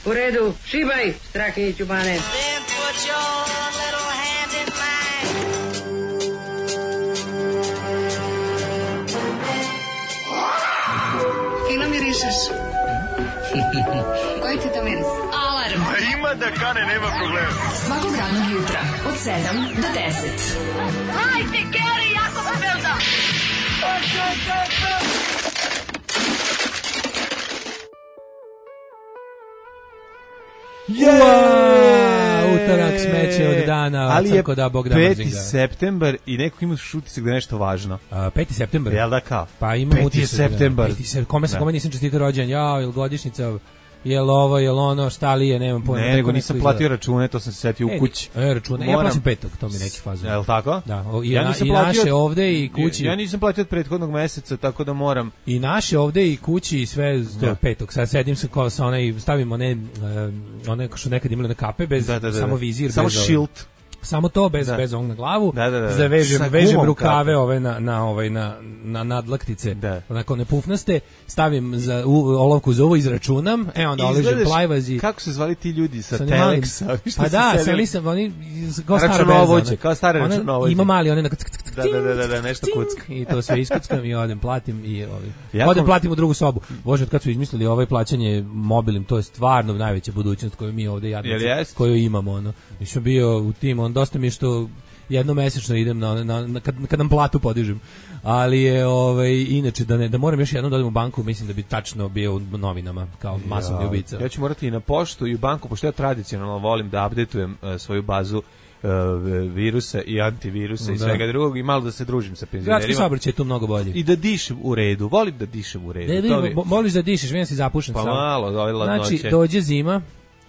U redu, šibaj, Strahinjiću Bane. Fino mirišeš. Koji ti to miris? Alarm. A ima da kane, nema problema. Svakog radnog jutra od 7 do 10. Hajde, Geri, jako se velda. Utorak smeće od dana, ali je crko da Bog da 5. septembar i neko ima utisak da je nešto važno. 5. septembar? Jel da kao? Pa imam 5. septembar. Kome nisam čestitao rođendan? Jel godišnjica? Jel ovo, jel ono, šta li je, nemam pojma. Ne, nego nisam platio račune, to sam se setio u kući. Račune, ja plaćam 5. to mi neki fazon. Jel tako? Da, i naše ovde i kući. Ja nisam platio od prethodnog meseca, tako da moram. I naše ovde i kući i sve do 5. Sad sedim se kao sa onaj, stavim one što nekad imali na kape, bez samo vizir. Samo šilt. Samo to bez ovog na glavu. Da. Vežem rukave ove na nadlaktice. Onako ne pufnaste, stavim za olovku za ovo, izračunam, onda oležem plajvazi. Kako se zvali ti ljudi sa Teleksa? Pa da, sam oni kao stare računovođe. Ima mali one na da, nešto kucka. I to sve iskuckam i odem platim i platim u drugu sobu. Bože, kad su izmislili ovaj plaćanje mobilnim, to je stvarno najveća budućnost koju mi ovde jadnici koju imamo. Nisam bio u tim, dosta mi je što jednomesečno idem kad nam platu podižem. Ali je inače da moram još jednom da odem u banku, mislim da bi tačno bio u novinama kao masovni ubica. Ja ću morati i na poštu i u banku, pošto ja tradicionalno volim da updateujem svoju bazu virusa i antivirusa i svega drugog i malo da se družim sa penzionerima. Gradski saobraćaj je tu mnogo bolji. I da dišem u redu, volim da dišem u redu. Voliš da dišeš, vidim si zapušen sam. Pa malo, ove ladnoće. Znači, dođe zima.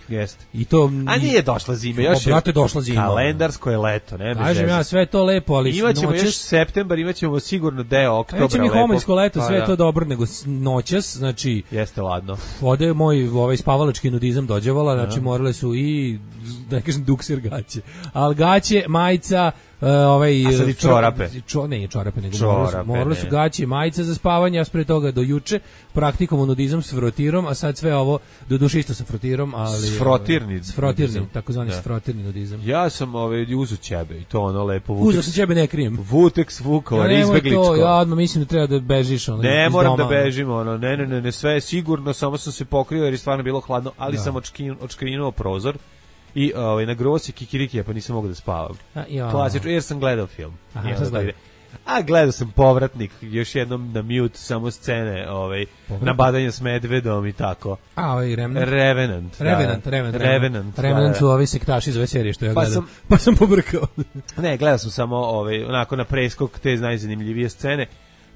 Jeste. I to a nije došla zima, još je došla zima. Kalendarsko je leto, ne? Kažem ja, sve to lepo, ali imaćemo još septembar, imaćemo sigurno deo oktobra lepo. Neće mi homoljsko leto, sve je to dobro, nego noćas, znači jeste ladno. Ode moj spavalački nudizam dođevala, znači morale su i da kažem dukser gaće. Al gaće, majica, a sad i čorape. Ne, čorape, nego morali su gaće, majica za spavanje, a pre toga do juče praktikovo nudizam s frotirom, a sad sve ovo do duše isto sa frotirom, ali s frotirni, takozvani frotirni nudizam. Ja sam uzu ćebe i to ono lepo Uzu sam ćebe, ne krijem. Vuteks Vukovar, izbegličko. Ja odmah mislim da treba da bežiš ne moram da bežim, ne, sve je sigurno, samo sam se pokrio jer je stvarno bilo hladno, ali sam odškrinuo prozor. I na grosi kikiriki, pa nisam mogao da spavam. Klasično, jer sam gledao film. Gledao sam Povratnik, još jednom na mute, samo scene, nabadanje s medvedom i tako. Revenant. Revenant su ovi sektaši iz ove serije što ja gledam. Pa sam pobrkao. Ne, gledao sam samo onako na preskok te najzanimljivije scene,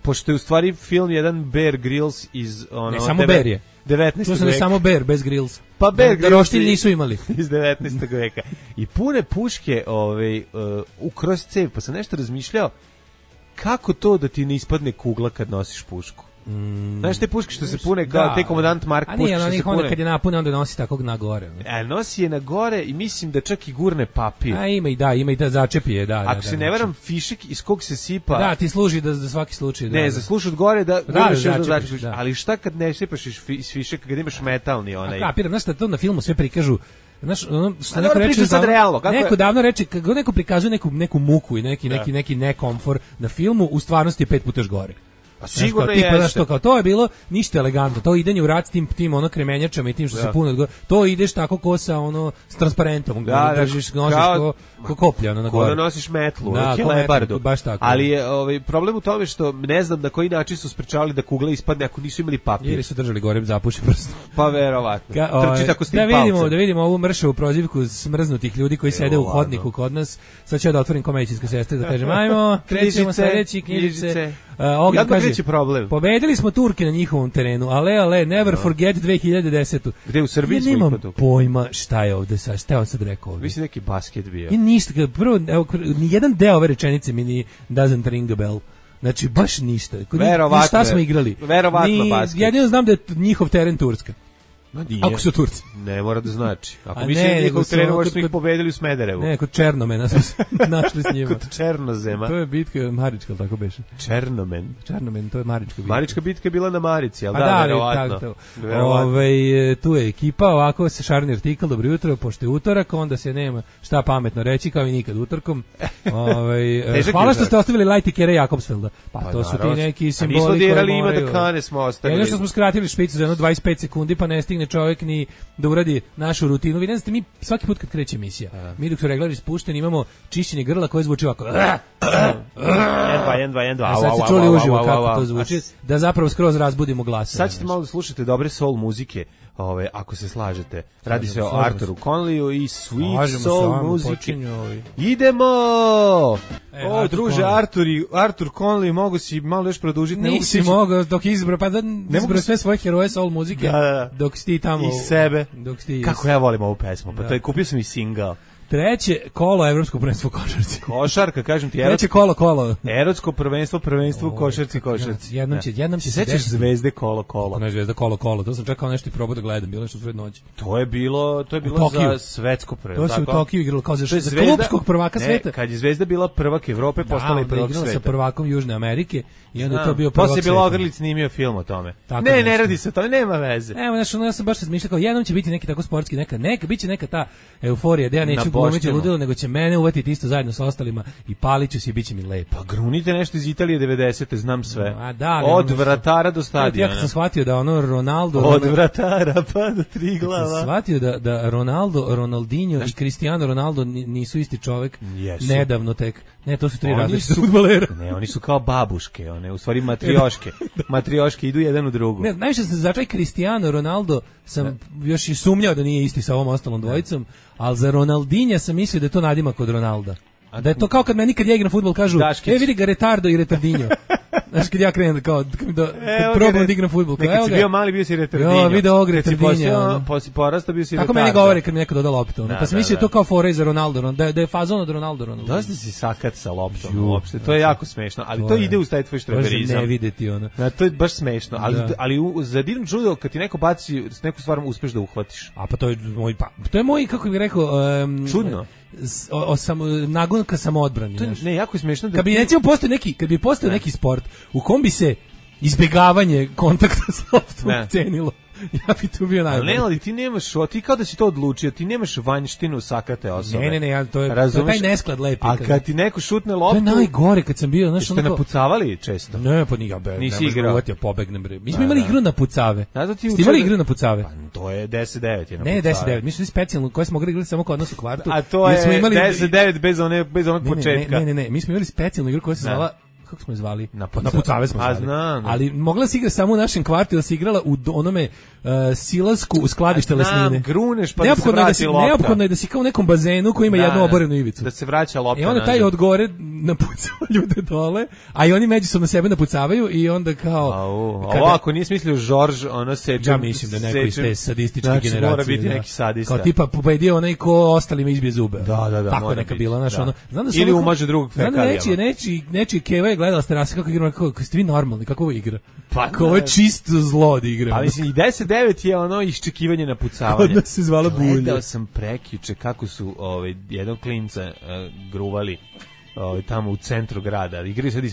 pošto je u stvari film jedan Bear Grylls iz ne, samo Bear je. 19. veka. Samo Bear bez Grylls. Pa Bear Grylls roštilj nisu imali. Iz 19. veka. I pune puške u kroz cev, pa sam nešto razmišljao kako to da ti ne ispadne kugla kad nosiš pušku. Znaš te puške što se pune, te komandant Mark puške što se pune. Onda kad je napune, onda nosi takvog na gore. Nosi je na gore i mislim da čak i gurne papir. Ima i da začepi je, da. Ako se ne varam, fišek iz kog se sipa... Da, ti služi za svaki slučaj. Ne, za sluš od gore da gurneš da začepiš. Ali šta kad ne sipaš iz fišeka, kad imaš metalni onaj... Kapiram, znaš da to na filmu sve prikažu. Znaš, što neko reče sad realno, neko davno reče, kako neko prikazuje neku muku i neki nekomfor na filmu, u stvarnosti je 5 puta gore. A sigurno jeste. To je bilo ništa elegantno. To idenje u rat s tim kremenjačama i tim što se puno to ideš tako ko sa s transparentom, držiš, nosiš ko koplja na gore. Ko da nosiš metlu, helebardu. Baš tako. Ali je problem u tome što ne znam na koji način su sprečavali da kugla ispadne ako nisu imali papir. Jer su držali gore zapušen prst. Pa verovatno. Trči tako s tim palcem. Da vidimo ovu mršavu prozivku smrznutih ljudi koji sede u hodniku kod nas. Sad ću da otvorim ko medicinska sestra da kažem ajmo, krećemo sledeći knjižice. Problem. Pobedili smo Turke na njihovom terenu, ale, never forget 2010. Gde u Srbiji smo imali pojma šta je ovde sad, šta je on sad rekao ovde. Mislim neki basket bio. I ništa, prvo, nijedan deo ove rečenice mi doesn't ring a bell. Znači, baš ništa. Šta smo igrali? Verovatno basket. Jedino znam da je njihov teren Turska. Ako su Turci. Ne mora da znači. Ako misli da njihov trener možda su ih pobedili u Smederevu. Ne, kod Černomena smo se našli s njima. Kod Černozema. To je bitka Marička, tako beše. Černomen, to je Marička bitka. Marička bitka je bila na Marici, al da, verovatno. Tu je ekipa, ovako se šarni artikl, dobro jutro, pošto je utorak, onda se nema šta pametno reći, kao i nikad utorkom. Hvala što ste ostavili Light i Kere Jakobsfelda. Pa to su ti neki simboli koji moraju. Nismo dirali ima da Kane smo ostavili. Jedno što smo skratili špicu za jedno 25 sekundi, pa ne stigne čovjek ni da uradi našu rutinu. Vi ne znate, mi svaki put kad kreće emisija, mi dok su reglari spušteni imamo čišćenje grla koje zvuči ovako. 1, 2. Sad ste čuli uživo kako to zvuči, da zapravo skroz razbudimo glas. Sad ćete malo da slušate dobre soul muzike, ako se slažete. Radi se o Arturu Conleyu i sweet soul muzike. Idemo! Druže, Artur Conley, mogu si malo još produžiti. Nisi mogao dok izbrao, pa da izbrao sve svoje heroje soul muzike, dok si ti tamo. I sebe. Dok kako ja volim ovu pesmu, pa to je, kupio sam i single. Treće kolo evropsko prvenstvo košarci. Košarka, kažem ti. Treće kolo. Evropsko prvenstvo košarci. Jednom će se sećaš Zvezde kolo. Ne, Zvezda kolo. To sam čekao nešto i probao da gledam, bilo nešto sred noći. To je bilo za svetsko prvenstvo. To se u Tokiju igralo kao za klubskog prvaka sveta. Kad je Zvezda bila prvak Evrope, postala i prvak sveta. Sa prvakom Južne Amerike i onda to bio prvak sveta. Posle je Ogrlić snimio film o tome. Ne radi se o tome, nema veze. Evo, ja sam baš razmišljao kao jednom će biti neki tako sportski, biće neka ta euforija, da ja neću glumiti ludilo, nego će mene uvatiti isto zajedno sa ostalima i paliću se i biće mi lepo. Pa grunite nešto iz Italije 90-te, znam sve. Od vratara do stadiona. Ja sam shvatio da Ronaldo... Od vratara pa do Triglava. Sam shvatio da Ronaldinho i Cristiano Ronaldo nisu isti čovek. Nedavno tek. Ne, to su tri različite fudbalera. Ne, oni su kao babuške, one u stvari matrioške. Matrioške idu jedan u drugu. Ne, najviše sam za taj Cristiano Ronaldo sam još i sumnjao da nije isti sa ovom ostalom dvojicom, ali za Ronaldinha sam mislio da je to nadimak od Ronalda. Da je to kao kad meni kad ja igram fudbal kažu, vidi ga Retardo i Retardinho. Znaš, kad ja krenem kao, kad probam da igram fudbal. Nekad si bio mali, bio si Retardinho. Video ovog Retardinho. Pa si porastao, bio si Retardo. Tako meni govore kad mi neko doda loptu. Pa sam mislio to kao fore za Ronaldo, da je fazon od Ronaldo. Dosta si sakat sa loptom uopšte, to je jako smešno, ali to ide uz taj tvoj štreberizam. Ne videti ono. To je baš smešno, ali za divno čudo kad ti neko baci neku stvar uspeš da uhvatiš. A pa to je moj, kako bih rekao, čudno. Nagonka samoodbrani. Ne, jako je smešno da kad bi postao neki sport u kom bi se izbegavanje kontakta s loptom cenilo. Ja bi tu bio najbolji. Ne, ali ti nemaš, ti kao da si to odlučio, ti nemaš vanjštinu sakate osobe. Ne, to je taj nesklad lepi. A kad ti neko šutne loptu... To je najgore kad sam bio, znaš, ste napucavali često? Ne, pa nisi igrao. Pobegnem. Mi smo imali igru na pucave. Ste imali igru na pucave? Pa to je 10-9 je na pucave. Ne, 10-9, mi smo specijalno, koje smo igrali samo kod nas u kvartu. A to je 10-9 bez onog početka. Ne, mi smo imali specijalnu igru koja se zvala, kako smo je zvali? Na pucave smo zvali. Ali mogla se igra samo u našem kvartu, da se igrala u onome silasku u skladište lesnine. Gruneš pa da se vrati lopta. Neophodno je da si kao u nekom bazenu koji ima jednu oborenu ivicu. Da se vraća lopta. I onda taj od gore napucava ljude dole, a i oni međusobno sebe napucavaju i onda kao... Ovo ako nije smislio Žorž, ono seče... Ja mislim da neko iz te sadističke generacije. Znači mora biti neki sadista. Kao tipa pobedio onaj ko ostalima izbije zube. Da. Tako neka bila, znaš, ono... Ili umaže drugog fekalijama. Nečiji Keva je gledala ste kako igramo, kako ste vi normalni, kako ovo igra? Pa ovo je čisto zlo da igramo. Pa mislim, i 10-9 je ono iščekivanje napucavanje. Kod nas se zvala bulje. Gledao sam prekjuče kako su jednog klinca gruvali tamo u centru grada. Igraju sad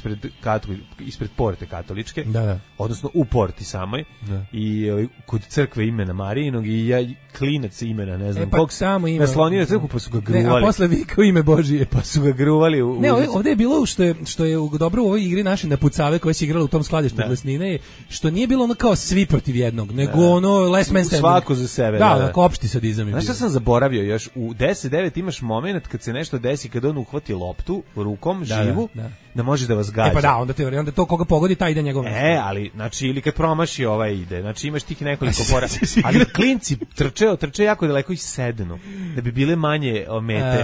ispred porte katoličke. Da. Odnosno u porti samoj. Da. I kod crkve imena Marijinog i klinac imena, ne znam. Pa samo ime. Naslonio na crkvu pa su ga gruvali. A posle vikao ime Božije. Pa su ga gruvali. Ne, ovdje je bilo što je dobro u ovoj igri naše napucave koje se igralo u tom skladištu lesnine, što nije bilo ono kao svi protiv jednog, nego ono last man standing. Svako za sebe. Da, opšti sadizam. Znaš šta sam zaboravio još? U 10-9 imaš moment kad se nešto desi, kad on uhvati loptu rukom, živu, da može da vas gađa. Pa da, onda to koga pogodi, taj ide njegov. Ali, znači, ili kad promaši ide, znači imaš tih nekoliko pora, ali klinci trče jako daleko i sednu, da bi bile manje mete,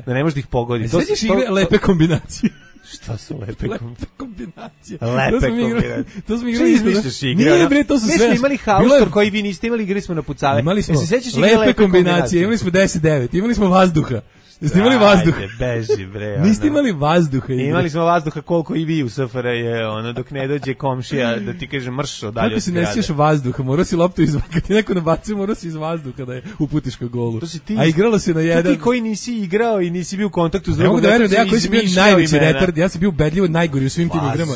da ne možeš da ih pogodi. Sveđeš igre lepe kombinacije. Šta su lepe kombinacije? Lepe kombinacije. To smo igrali. Izmišljaš igre. Nije bre, to su sve. Mi smo imali haustor koji vi niste imali, igrali smo na pucave. Imali smo lepe kombinacije, imali smo 10-9, imali smo vazduha. Jeste imali vazduha? Beži, bre. Niste imali vazduha. Imali smo vazduha koliko i vi u SFRJ, dok ne dođe komšija da ti kaže mrš odalje. Kako se ne sjećaš vazduha? Morao si loptu kad ti neko nabacio, morao si iz vazduha da je uputiš ka golu. A igralo se na jedan. Ti koji nisi igrao i nisi bio u kontaktu s drugom. Mogu da verujem da ja koji sam bio najveći retard, ja sam bio ubedljivo najgori u svim tim igrama.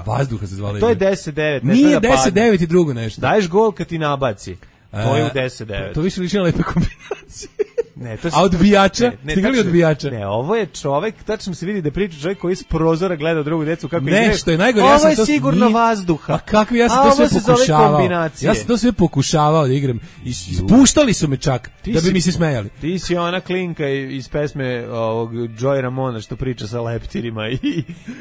Vazduha se zvala. To je 10-9. Nije 10-9 i drugo nešto. Daješ gol kad ti nabaci. To je u 10-9. To više liči na lepe kombinacije. Ne, to a odbijača? Stigali odbijača? Ne, ovo je čovek, tačno se vidi da priča čovjek koji iz prozora gleda drugu decu kako igraju. Ne, što je najgore, ovo je sigurno vazduha. A kakvi, ja sam to sve pokušavao. Ja sam to sve pokušavao da igram. Ispuštali su me čak, da bi mi se smejali. Ti si ona klinka iz pesme ovog Joy Ramona što priča sa leptirima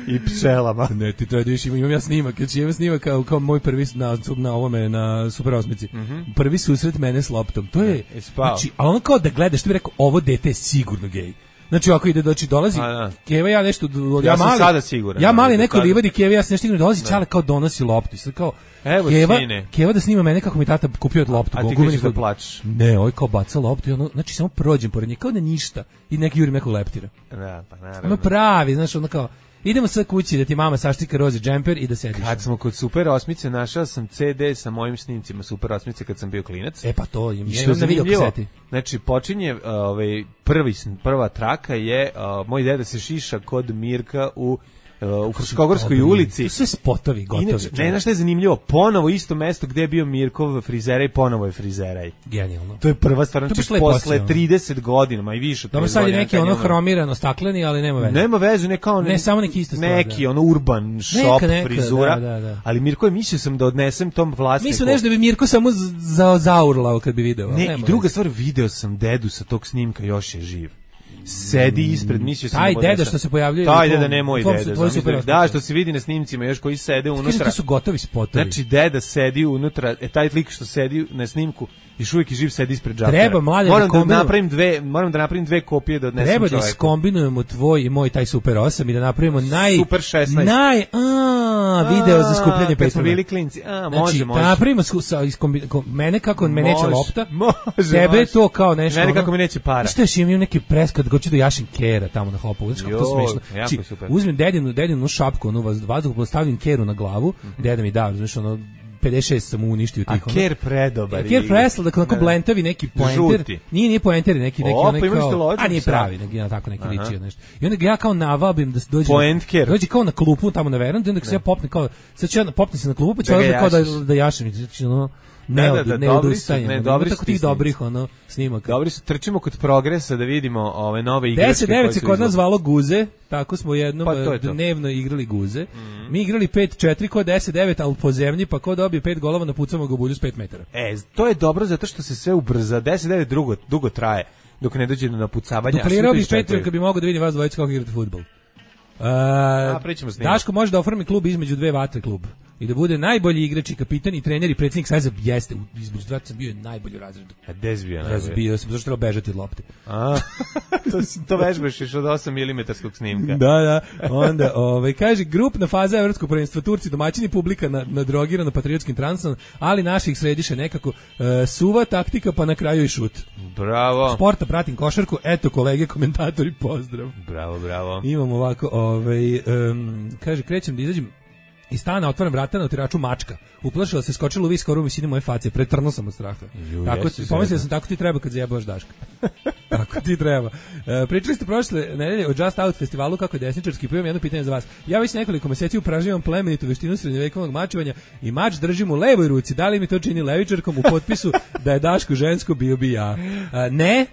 i pčelama. Ne, ti to je više, imam ja snimak. Imam snimak kao moj prvi na ovome, na Super 8. Prvi susret mene s loptom. To je, znači, a ono kao da gledaš, što bi rekao, ovo dete je sigurno gej. Znači, ako ide, dolazi, Keva, ja nešto, ja sam sada siguran. Ja mali neko livadi Keva, ja sam nešto dolazi, Čale kao donosi loptu. Sad kao, evo Keva da snima mene kako mi tata kupio loptu. A ti krećeš da plačeš. Ne, ovaj kao baca loptu i ono, znači samo prođem pored nje, kao da ništa. I neki jurim nekog leptira. Da, pa naravno. Ono pravi, znaš, ono kao, idemo sad kući da ti mama saštika roze džemper i da sediš. Kad smo kod Super 8 našao sam CD sa mojim snimcima Super 8 kad sam bio klinac. Pa to im je na videokaseti. Znači počinje prva traka je moj deda se šiša kod Mirka u Fruškogorskoj ulici. To sve spotovi gotovi. Inače, ne, znaš šta je zanimljivo? Ponovo isto mesto gde je bio Mirkov frizeraj, ponovo je frizeraj. Genijalno. To je prva stvar, znači posle 30 godina, ma i više. Dobro, sad je neki ono hromirano stakleni, ali nema veze. Nema veze, ne samo neki isto stvar. Neki ono urban shop frizura. Da. Ali Mirko je mislio sam da odnesem tom vlasniku. Mislim nešto da bi Mirko samo zaurlao kad bi video. Ne, i druga stvar, video sam dedu sa tog snimka, još je živ. Sedi ispred, mislio sam taj deda što se pojavljuje. Taj deda ne moj deda. Da, što se vidi na snimcima još koji sede unutra. To su gotovi spotovi. Znači deda sedi unutra, taj lik što sedi na snimku još uvijek je živ, sedi ispred džakera. Treba mlade moram da napravim dve kopije da odnesem čoveku. Treba da iskombinujemo tvoj i moj taj Super 8 i da napravimo Super 16. Video za skupljanje petrova. Kad smo bili klinci. Može. Da napravimo mene kako me neće lopta. Tebe to kao nešto. Mene kako mi neće para. Što još imam neki preskad hoću da jašem Kera tamo na Hopovu. Znači kako to smešno. Uzmem dedinu šapku, onu vazduh, postavim Keru na glavu, deda mi da, znači ono 56 sam uništio tih. A Ker predobar. Ker presla, dakle onako blentavi neki pointer. Nije pointer, neki kao. A nije pravi, tako neki liči nešto. I onda ga ja kao navabim da se dođe kao na klupu tamo na verandu, onda se ja popnem kao sad ću ja popnem se na klupu, pa ću kao da jašem, znači ono ne odustajem. Tako tih dobrih snimaka. Dobri su, trčimo kod Progresa da vidimo ove nove igračke. 10-9 se kod nas zvalo Guze, tako smo jednom dnevno igrali Guze. Mi igrali 5-4 kod 10-9, ali po zemlji, pa ko dobije 5 golova napucamo ga u bulju s 5 metara. To je dobro zato što se sve ubrza. 10-9 dugo traje dok ne dođe do napucavanja. Duplirao bi Petru kad bi mogao da vidim vas dvojica kako igrate fudbal. Daško može da oformi klub između dve vatre klub i da bude najbolji igrač i kapitan i trener i predsjednik Saveza. Jeste, između dva sam bio je najbolji u razredu. A gde si bio? Razbio sam, zašto treba bežati od lopte. To vežbaš još od 8 mm snimka. Da. Onda, kaže, grupna faza evropskog prvenstva, Turci domaćini, publika nadrogirana patriotskim transom, ali naših središe nekako suva taktika, pa na kraju i šut. Bravo. Sporta pratim košarku, eto kolege komentatori, pozdrav. Bravo. Imam ovako, kaže, krećem da izađem iz stana, otvaram vrata, na otiraču mačka. Uplašila se, skočila u vis skoru u visini moje face, pretrnuo sam od straha. Pomislio sam, tako ti treba kad zajebavaš Daška. Tako ti treba. Pričali ste prošle nedelje o Just Out festivalu kako je desničarski, pa imam jedno pitanje za vas. Ja već nekoliko meseci upražnjavam plemenitu veštinu srednjovekovnog mačevanja i mač držim u levoj ruci. Da li mi to čini levičarkom u potpisu da je Daško žensko, bio bi ja? Ne.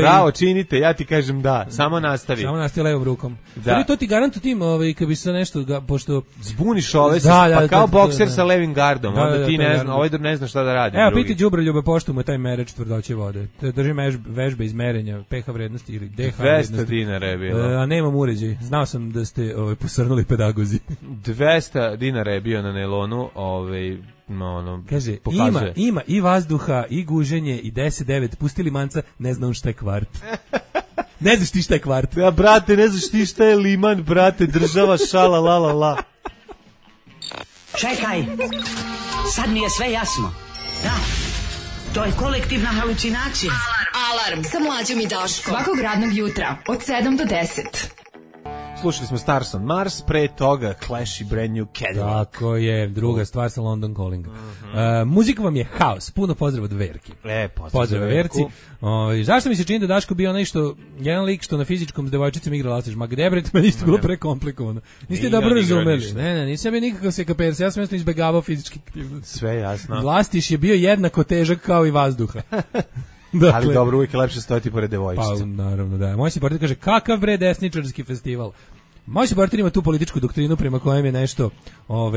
Bravo, činite, ja ti kažem da. Samo nastavi levom rukom. Da. To ti garantu tim, kad bi se nešto, pošto zbuniš ove, pa kao bokser sa levim gardom, onda ti ne zna, ovaj ne zna šta da radi. Evo, piti đubroljube pošto mu je taj merač tvrdoće vode. Držim vežbe izmerenja pH vrednosti ili DH vrednosti. 200 dinara je bilo. A nemam uređaj. Znao sam da ste posrnuli pedagozi. 200 dinara je bio na nailonu, kaže, ima i vazduha, i guženje, i 10-9, pustili manca, ne znam šta je kvart. Ne znaš ti šta je kvart. Ja, brate, ne znaš ti šta je liman, brate, država, šala, la, la, la. Čekaj, sad mi je sve jasno. Da, to je kolektivna halucinacija. Alarm sa Mlađom i Daškom. Svakog radnog jutra od 7 do 10. Slušali smo Stars on Mars, pre toga Clash i Brand New Cadillac. Tako je, druga stvar sa London Calling. Muzika vam je haos, puno pozdrav od Verki. Pozdrav Verci. Zašto mi se čini da Daško bio nešto, jedan lik što na fizičkom s devojčicom igra Lastiš? Ma gde bre, meni isto bilo prekomplikovano. Niste dobro razumeli. Ne, nisam bio nikakav sekapers, ja sam jednostavno izbegavao fizički aktivnosti. Sve jasno. Lastiš je bio jednako težak kao i vazduha. Dakle, ali dobro, uvijek je lepše stojati pored devojčice. Pa, naravno, da. Moj se partner kaže, kakav bre desničarski festival? Moj se partner ima tu političku doktrinu prema kojem je nešto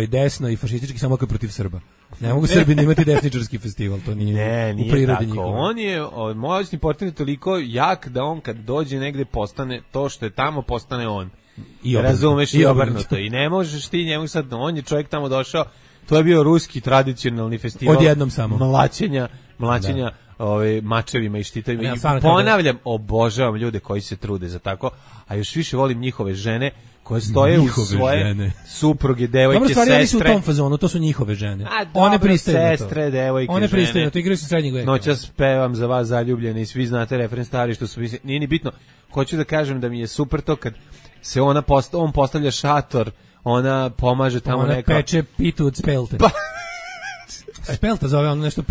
desno i fašistički samo kao protiv Srba. Ne mogu Srbi imati desničarski festival, to nije u prirodi njihovo. On je, moj partner je toliko jak da on kad dođe negde postane to što je tamo, postane on. I razumeš i obrnuto. I ne možeš ti njemu sad, on je čovjek tamo došao, to je bio ruski tradicionalni festival. Odjednom samo. Mlaćenja mačevima i štitovima. Ja, ponavljam, obožavam ljude koji se trude za tako, a još više volim njihove žene koje stoje u svoje supruge, devojke, sestre. Dobro, stvari su u tom fazonu, to su njihove žene. One pristaju na to. Sestre, devojke, one pristaju na to, igraju se srednjeg veka. Noćas pevam za vas zaljubljeni i svi znate refren stari što su, nije ni bitno. Hoću da kažem da mi je super to kad se on postavlja šator, ona pomaže tamo neka. Ona peče pitu od spelte. Spelta zove ono nešto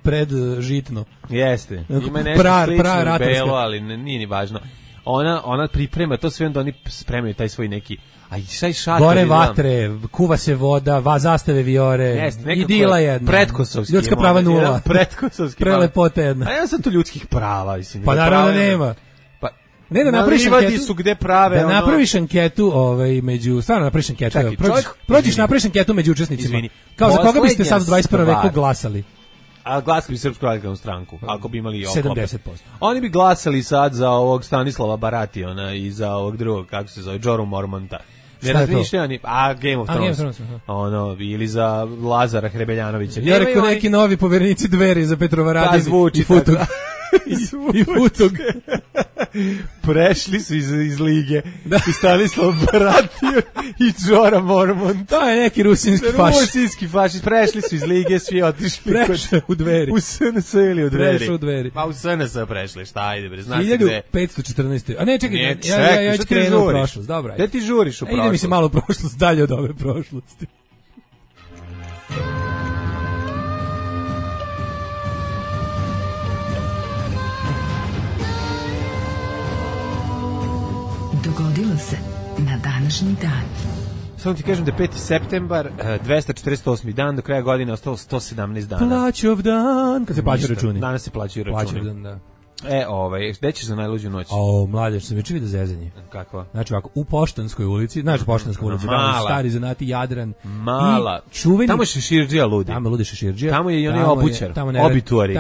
pred žitno. Jeste. Ima nešto slično belo, ali nije ni važno. Ona priprema to sve, onda oni spremaju taj svoj neki, a šta je šator? Gore vatre, kuva se voda, zastave vijore, idila jedna. Pretkosovski. Ljudska prava nula. Prettkosovski. Prelepote jedna. A ja sam tu ljudskih prava, mislim. Pa naravno nema. Ne, da napraviš anketu, su gde prave, da napraviš anketu, stvarno napraviš anketu. Prođiš napraviš anketu među učesnicima. Izvini, kao za koga biste sad u 21. veku glasali? A glasali bi Srpsku radikalnu stranku, ako bi imali 70%. Oni bi glasali sad za ovog Stanislava Barationa i za ovog drugog, kako se zove, Joru Mormonta. Ne razmišljaju ni, Game of Thrones. Ili za Lazara Hrebeljanovića. Ja rekao neki novi poverenici Dveri za Petrovaradin i Futog. I Futog. Prešli su iz lige. I Stanislav Baratio i Džora Mormont. To je neki rusinski fašist. Rusinski fašist. Prešli su iz lige, svi otišli. Prešli u Dveri. U SNS ili u Dveri? Prešli u Dveri. Pa u SNS prešli, šta ajde bre, znaš gde? 1514. A ne, čekaj, ja ću krenuti u prošlost. Dobro, gde ti žuriš u prošlost? Ide mi se malo u prošlost, dalje od ove prošlosti. Dogodilo se na današnji dan. Samo ti kažem da je 5. septembar, 248. dan, do kraja godine ostalo 117 dana. Plaćov dan, kad se plaćaju računi. Danas se plaćaju računi. Plaćov dan, da. Gde ćeš za najluđu noć? Mlađe, što sam već vidio zezanje. Kakva? Znači ovako, u Poštanskoj ulici, Poštanskoj ulici, stari zanati Jadran. Mala. I čuveni... Tamo je Šeširđija ludi. Tamo ludi Šeširđija. Tamo je i onaj obućar. Obituari.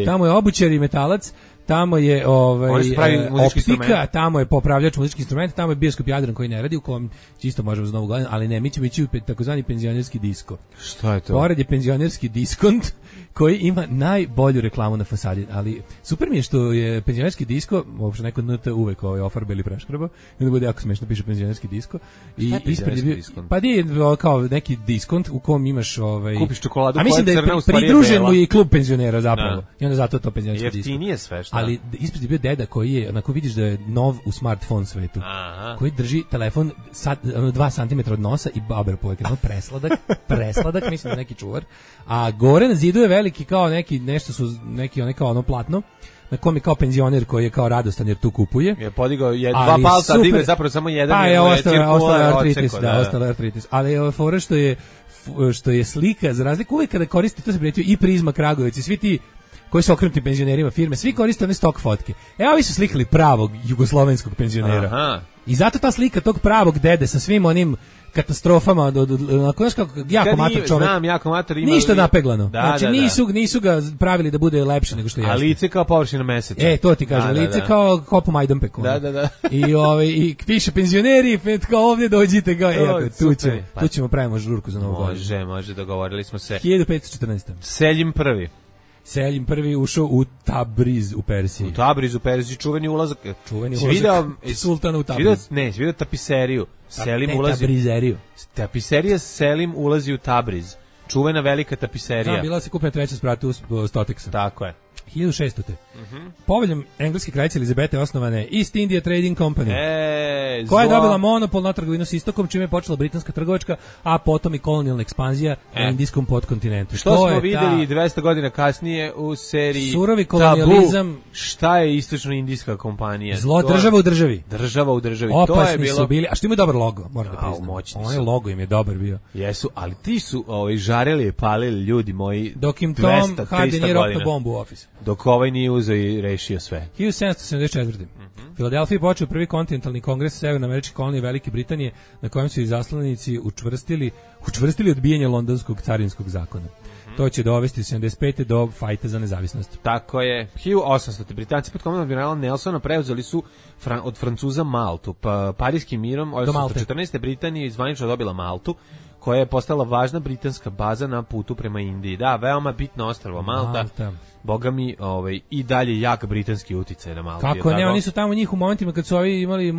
Tamo je obućar i metalac. Tamo je optika, tamo je popravljač muzičkih instrumenta, tamo je bioskop Jadran koji ne radi, u kom isto možemo za Novu godinu, ali ne, mi ćemo ići u takozvani penzionerski disko. Šta je to? Pored je penzionerski diskont koji ima najbolju reklamu na fasadi, ali super mi je što je penzionerski disko, uopšte neko NT uvek ofarbeli preškraba, i onda bude jako smešno, piše penzionerski disko. I ispred je bio, pa je kao neki diskont u kom imaš kupiš čokoladu, a mislim da je pridružen mu i klub penzionera zapravo. I onda zato to penzionerski disko. Jeftinije sve što. Ali ispred je bio deda koji je, onako vidiš da je nov u smartphone svetu. Aha. Koji drži telefon 2 cm od nosa i baber po ekranu, presladak, mislim da neki čuvar. A gore na zidu je veliki kao ono platno, na kom je kao penzioner koji je kao radostan jer tu kupuje. Je podigao dva palca, digao je zapravo samo jedan. Pa je ostalo artritis. Ali fora što je slika, za razliku uvijek kada koriste, to se prijetio i Prizma Kragujevac i svi ti koji su okrenuti penzionerima firme, svi koriste one stok fotke. Ovi su slikali pravog jugoslovenskog penzionera. Aha. I zato ta slika tog pravog dede sa svim onim katastrofama, onako, znaš kako, jako mator čovjek. Znam, jako mator ima. Ništa napeglano. Znači, nisu ga pravili da bude lepše nego što jeste. A lice kao površina meseca. To ti kažem, lice kao kopu Majdanpeku. Da. I piše penzioneri, kao ovdje dođite, tu ćemo pravimo žurku za Novu godinu. Može, dogovorili smo se. 1514. Seljim prvi. Selim prvi ušao u Tabriz u Persiji. U Tabriz u Persiji, čuveni ulazak sultana u Tabriz. Vidio tapiseriju. Selim ulazi. Tabrizeriju. Tapiserija Selim ulazi u Tabriz. Čuvena velika tapiserija. Da, bila se kupna treća spratu Stoteksa. Tako je. 1600. Poveljom engleske kraljice Elizabete osnovane East India Trading Company, koja je dobila monopol na trgovinu s istokom, čime je počela britanska trgovačka, a potom i kolonijalna ekspanzija na indijskom podkontinentu. Što smo videli 200 godina kasnije u seriji Surovi kolonijalizam. Šta je istočno-indijska kompanija? Zlo, država u državi. Država u državi. Opasni to je bilo... su bili, a što imaju dobar logo, moram da priznam. Onaj logo im je dobar bio. Jesu, ali ti su žareli i palili ljudi moji. Dok im Tom Hardy nije rokno bombu u ofis. Dok ovaj nije uzeo i rešio sve. 1774. Filadelfiji počeo prvi kontinentalni kongres severnoameričke kolonije Velike Britanije, na kojem su izaslanici učvrstili odbijanje londonskog carinskog zakona. To će dovesti u 75. do fajta za nezavisnost. Tako je. 1800. Britanci pod komandom admirala Nelsona preuzeli su od Francuza Maltu. Parijskim mirom 1814. Britanija izvanično dobila Maltu, koja je postala važna britanska baza na putu prema Indiji. Da, veoma bitno ostrvo Malta. Boga mi, i dalje jak britanski uticaj na Malti. Kako ne, oni su tamo njih u momentima kad su ovi imali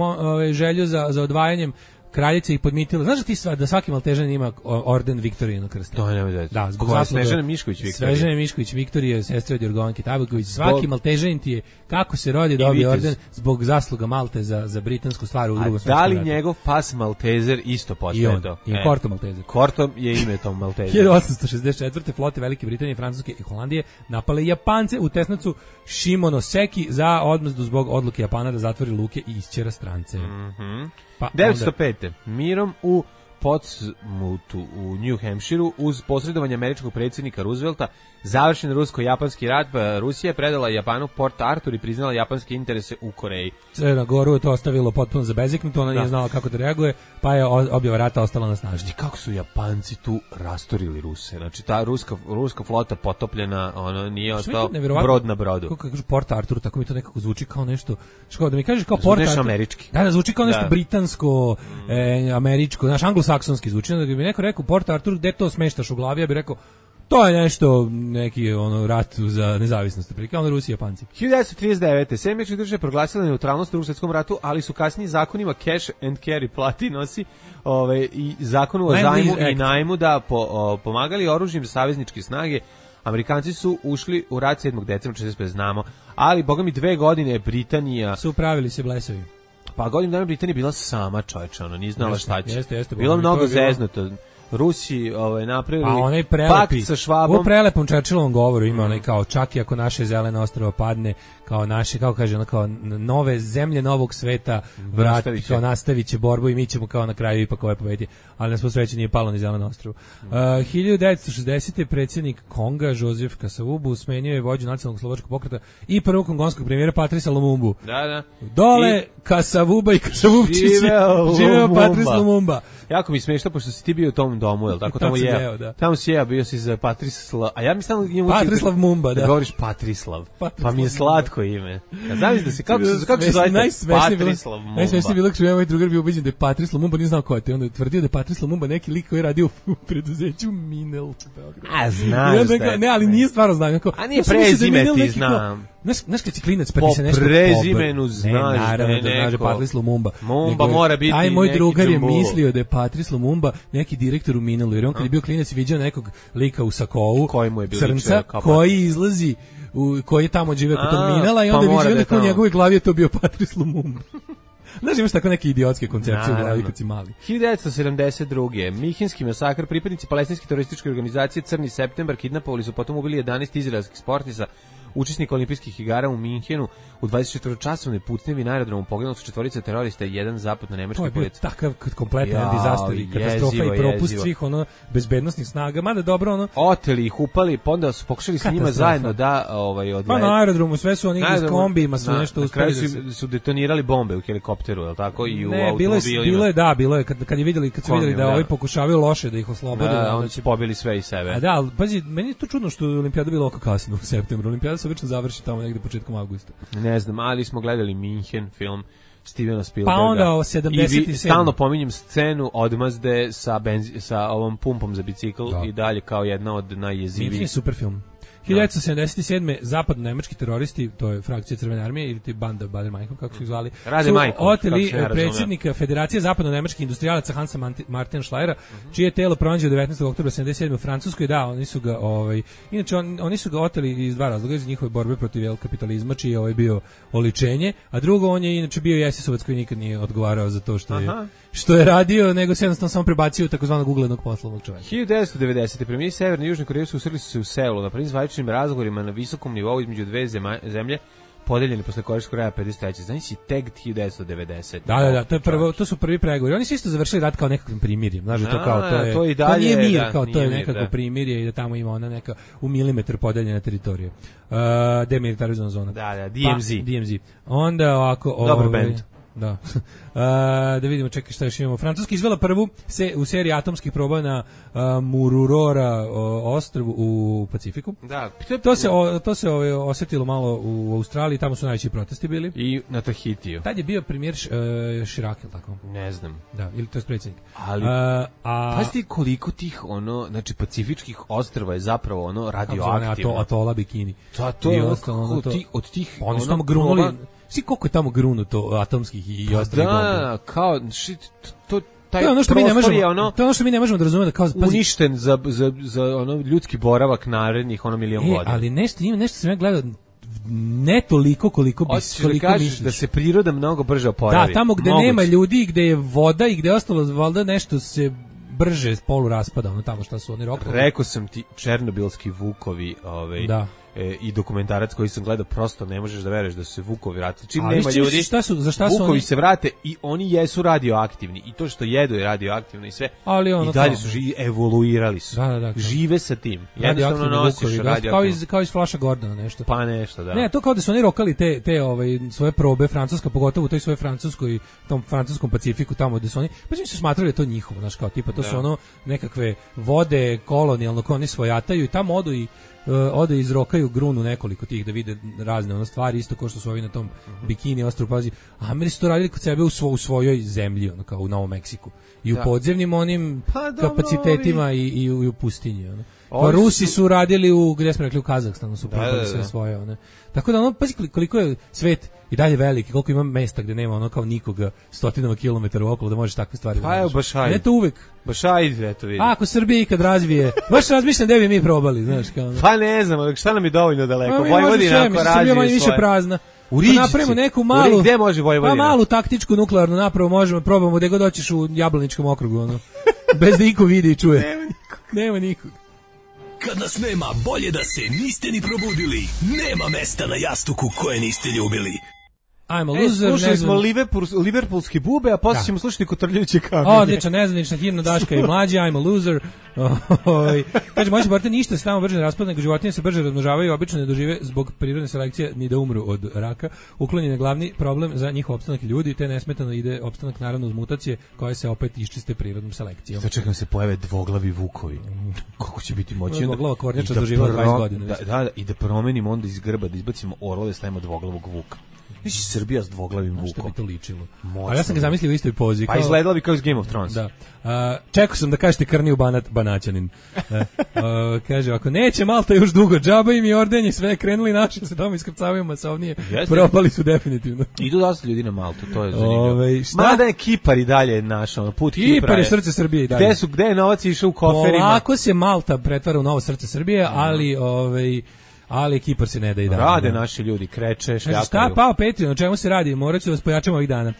želju za odvajanjem, kraljica ih podmitila. Znaš da ti da svaki Maltežan ima orden Viktorijinog krsta? To ne može da. Zbog Snežane Mišković Viktorije. Snežane Mišković Viktorije, sestra od Jorgovanke Tabaković. Svaki Maltežanin ti je, kako se rodi, dobije orden zbog zasluga Malte za britansku stvar u Drugom svetskom ratu. A da li njegov pas Maltezer isto postaje to? I Korto Maltezer. Korto je ime tom Maltezer. 1864. flote Velike Britanije, Francuske i Holandije napale Japance u tesnacu Shimonoseki za odmazdu zbog odluke Japana da zatvori luke i isćera strance. 905. Mirom u Portsmouthu u New Hampshireu uz posredovanje američkog predsjednika Roosevelta završen rusko-japanski rat. Rusija je predala Japanu Port Arthur i priznala japanske interese u Koreji. Crna Goru je to ostavilo potpuno zabeziknuto, ona nije znala kako da reaguje, pa je objava rata ostala na snaži. Kako su Japanci tu rastorili Ruse? Znači ta ruska flota potopljena, ono nije ostao brod na brodu. Kako kažu Port Arthur, tako mi to nekako zvuči kao nešto. Što da mi kažeš kao Port Arthur? Američki. Da, zvuči kao nešto britansko, američko, naš anglosaksonski zvuči. Da bi mi neko rekao Port Arthur, gde to smeštaš u glavi, ja bih rekao to je nešto, neki rat za nezavisnost, prilike, onda Rusi i Japanci. 1939. Sjedinjene države proglasile neutralnost u Drugom svjetskom ratu, ali su kasnije zakonima cash and carry plati nosi i zakonu o zajmu i najmu da pomagali oružjem savezničke snage. Amerikanci su ušli u rat 7. decembra 1945, znamo, ali boga mi 2 godine Britanija su upravili se blesavi. Pa godinu dana Britanija bila sama, čovječe, ono, nije znala šta će. Jeste, bilo mnogo zeznuto. Rusi napravili pakt sa Švabom. U prelepom Churchillovom govoru ima onaj kao čak i ako naše zeleno ostrvo padne, kao naše, kako kaže ono, kao nove zemlje novog sveta vrati, kao nastavit će borbu i mi ćemo kao na kraju ipak pobediti, ali nas po sreći nije palo ni zeleno ostrvo. 1960. predsjednik Konga Joseph Kasavubu smenio je vođu nacionalnog slovačkog pokreta i prvog kongonskog premijera Patrisa Lumumbu. Da. Dole Kasavuba i Kasavubčići živeo Patrice Lumumba. Jako mi smiješno, pošto si ti bio u tom domu, jel tako? Tamo je. Tamo si bio si za Patrislav, a ja mi stalno Patrislav Mumba, da. Govoriš Patrislav. Pa mi je slatko ime. Ja znam da se kako se zove Patrislav Mumba. Najsmešnije bilo što je moj drugar bio ubeđen da je Patrislav Mumba, nije znao ko je to. Onda je tvrdio da je Patrislav Mumba neki lik koji je radio u preduzeću Minel. A znaš da. Ne, ali nije stvarno znam kako. A nije prezime ti znam. Znaš kad si klinac pa ti se nešto po prezimenu znaš. Ne, naravno da znaš da je Patrice Lumumba. Mumba mora biti neki. Aj, moj drugar je mislio da je Patrice Lumumba neki direktor u Minelu, jer on kad je bio klinac viđao nekog lika u sakovu, crnca, koji izlazi, koji je tamo živeo kod tog Minela i onda je viđao neko u njegovoj glavi je to bio Patrice Lumumba. Znaš, imaš tako neke idiotske koncepcije u glavi kad si mali. 1972. Mihinski masakr, pripadnici palestinske terorističke organizacije Crni septembar kidnapovali su, potom ubili 11 izraelskih sportista, učesnika olimpijskih igara u Minhenu. U 24-časovnoj pucnjevi na aerodromu poginuli su 4 terorista i 1 zapadno-nemački policajac. To je bio takav kompletan disaster i katastrofa i propust svih bezbednosnih snaga, mada dobro oteli ih, upali, pa onda su pokušali s njima zajedno da odletu. Pa na aerodromu sve su oni iz kombijima su nešto uspeli. Na kraju su detonirali bombe u helikopteru, je li tako, i u automobilima. Bilo je kad su vidjeli da ovi pokušavaju loše da ih oslobode. Da, oni su pobili sve i sebe. A da, pazi, meni je to čudno što je olimpijada bila oko kasno u septembru. Olimpijada se obično završi tamo negde početkom avgusta. Ne znam, ali smo gledali Minhen film Stevena Spielberga. Pa onda 77. I stalno pominjem scenu odmazde sa ovom pumpom za bicikl i dalje kao jedna od najjezivijih. Minhen je super film. 1977. zapadno-nemački teroristi, to je frakcija Crvene armije ili ti banda Bader-Meinhof, kako su ih zvali, su oteli predsjednika Federacije zapadno-nemačkih industrijalaca Hansa Martina Schleiera, čije telo pronađeno 19. oktobra 1977. u Francuskoj. Da, oni su ga inače oni su ga oteli iz dva razloga, iz njihove borbe protiv kapitalizma, čiji je bio oličenje, a drugo, on je inače bio SS-ovac koji nikad nije odgovarao za to što je radio, nego se jednostavno samo prebacio u takozvanog uglednog poslovnog čovjeka. 1990. premijeri Severne i Južne Koreje susreli su se u Seulu na prvim zvaničnim razgovorima na visokom nivou između dve zemlje podeljeni posle Korejskog rata 53. Znači si tek 1990. Da, to su prvi pregovori. Oni su isto završili rat kao nekakvim primirjem. Znaš, to i dalje, nije mir, kao to je nekako primirje i da tamo ima ona neka u milimetar podeljena teritorija. Demilitarizovana zona. Da, DMZ. Onda ovako... Dobar band. Da. Da vidimo, čekaj šta još imamo. Francuska izvela prvu u seriji atomskih proba na Mururora ostrvu u Pacifiku. Da. To se osjetilo malo u Australiji, tamo su najveći protesti bili. I na Tahitiju. Tad je bio premijer Chirac, tako? Ne znam. Da, ili to je predsjednik. Ali, pazite koliko tih, znači, pacifičkih ostrva je zapravo, radioaktivno. Atola Bikini. Od tih, oni su tamo grunuli. Svi koliko je tamo grunuto atomskih i ostalih bomba. Da, kao taj prostor je to je ono što mi ne možemo da razumemo, kao uništen za ljudski boravak narednih milion godina. Ali nešto sam ja gledao ne toliko koliko misliš. Da se priroda mnogo brže oporavi. Da, tamo gde nema ljudi, gde je voda i gde je ostalo valjda nešto se brže polu raspada, tamo šta su oni rokovi. Rekao sam ti, černobilski vukovi, da. I dokumentarac koji sam gledao, prosto ne možeš da veruješ da su se vukovi vratili. Čim nema ljudi, vukovi se vrate i oni jesu radioaktivni. I to što jedu je radioaktivno i sve. I dalje su evoluirali su. Da. Žive sa tim. Jednostavno nosiš radioaktivno. Kao iz Flasha Gordona nešto. Pa nešto, da. Ne, to kao da su oni rokali te svoje probe, Francuska, pogotovo u toj svojoj Francuskoj, tom francuskom Pacifiku, tamo gde su oni, pa su smatrali da to njihovo, znaš, kao tipa, to su nekakve vode kolonijalno koje oni svojataju i tamo ode izrokaju grunu nekoliko tih da vide razne stvari, isto kao što su ovi na tom Bikini ostrvu, pazi. Ameri su to radili kod sebe u svojoj zemlji, kao u Novom Meksiku. I u podzemnim onim kapacitetima i u pustinji. Rusi su radili gdje smo rekli, u Kazahstanu su probali sve svoje. Tako da pazi koliko je svet i dalje veliki, koliko ima mesta gde nema kao nikoga stotinama kilometara okolo da možeš takve stvari. Pa evo baš ajde. Ne to uvek. Baš ajde, eto vidi. Ako Srbija ikad razvije, baš razmišljam da bi mi probali, znaš kao. Pa ne znam, šta nam je dovoljno daleko. Vojvodina ako razvije Srbija manje više prazna. Napravimo neku malu, gde može Vojvodina? Malu taktičku nuklearnu napravu, probamo gde god doćeš u Jablaničkom okrugu, bez da niko vidi i čuje. Nema nikog. Kad nas nema, bolje da se niste ni probudili. Nema mesta na jastuku koje niste ljubili. I'm a loser. Slušali smo liverpoolske bube, a posle ćemo slušati Kotrljajuće kamenje. Odlična, nezvanična himna Daška i Mlađe, I'm a loser. Kaže, moći borite ništa se tamo brže ne raspada, nego životinje se brže razmnožavaju i obično ne dožive zbog prirodne selekcije ni da umru od raka. Uklonjen je glavni problem za njihov opstanak ljudi, te nesmetano ide opstanak naravno uz mutacije koje se opet iščiste prirodnom selekcijom. Čekam se pojave dvoglavi vukovi. Kako će biti moći? Dvoglava kornjača doživa 20 godina. Da, i da promenimo onda iz grba, da izbacimo orlove, stavimo dvoglavog vuka. Viš Srbija s dvoglavim vukom. Što bi to ličilo? Ali ja sam ga zamislio u istoj pozi. Pa izgledala bi kao iz Game of Thrones. Da. Čekao sam da kažete krniju banaćanin. Kaže, ako neće Malta još dugo, džaba im i ordenje, sve krenuli naši, se tamo iskrcavaju masovnije. Propali su definitivno. Idu dosta ljudi na Maltu, to je zanimljivo. Mada je Kipar i dalje naš, put Kipra. Kipar je srce Srbije i dalje. Gde je novac išao u koferima? Polako se Malta pretvara u novo srce Srbije, ali Kipar se ne da i dalje. Rade naši ljudi, kreče, šljakaju. Šta pao Patreon, o čemu se radi? Morat ću vas pojačamo ovih dana.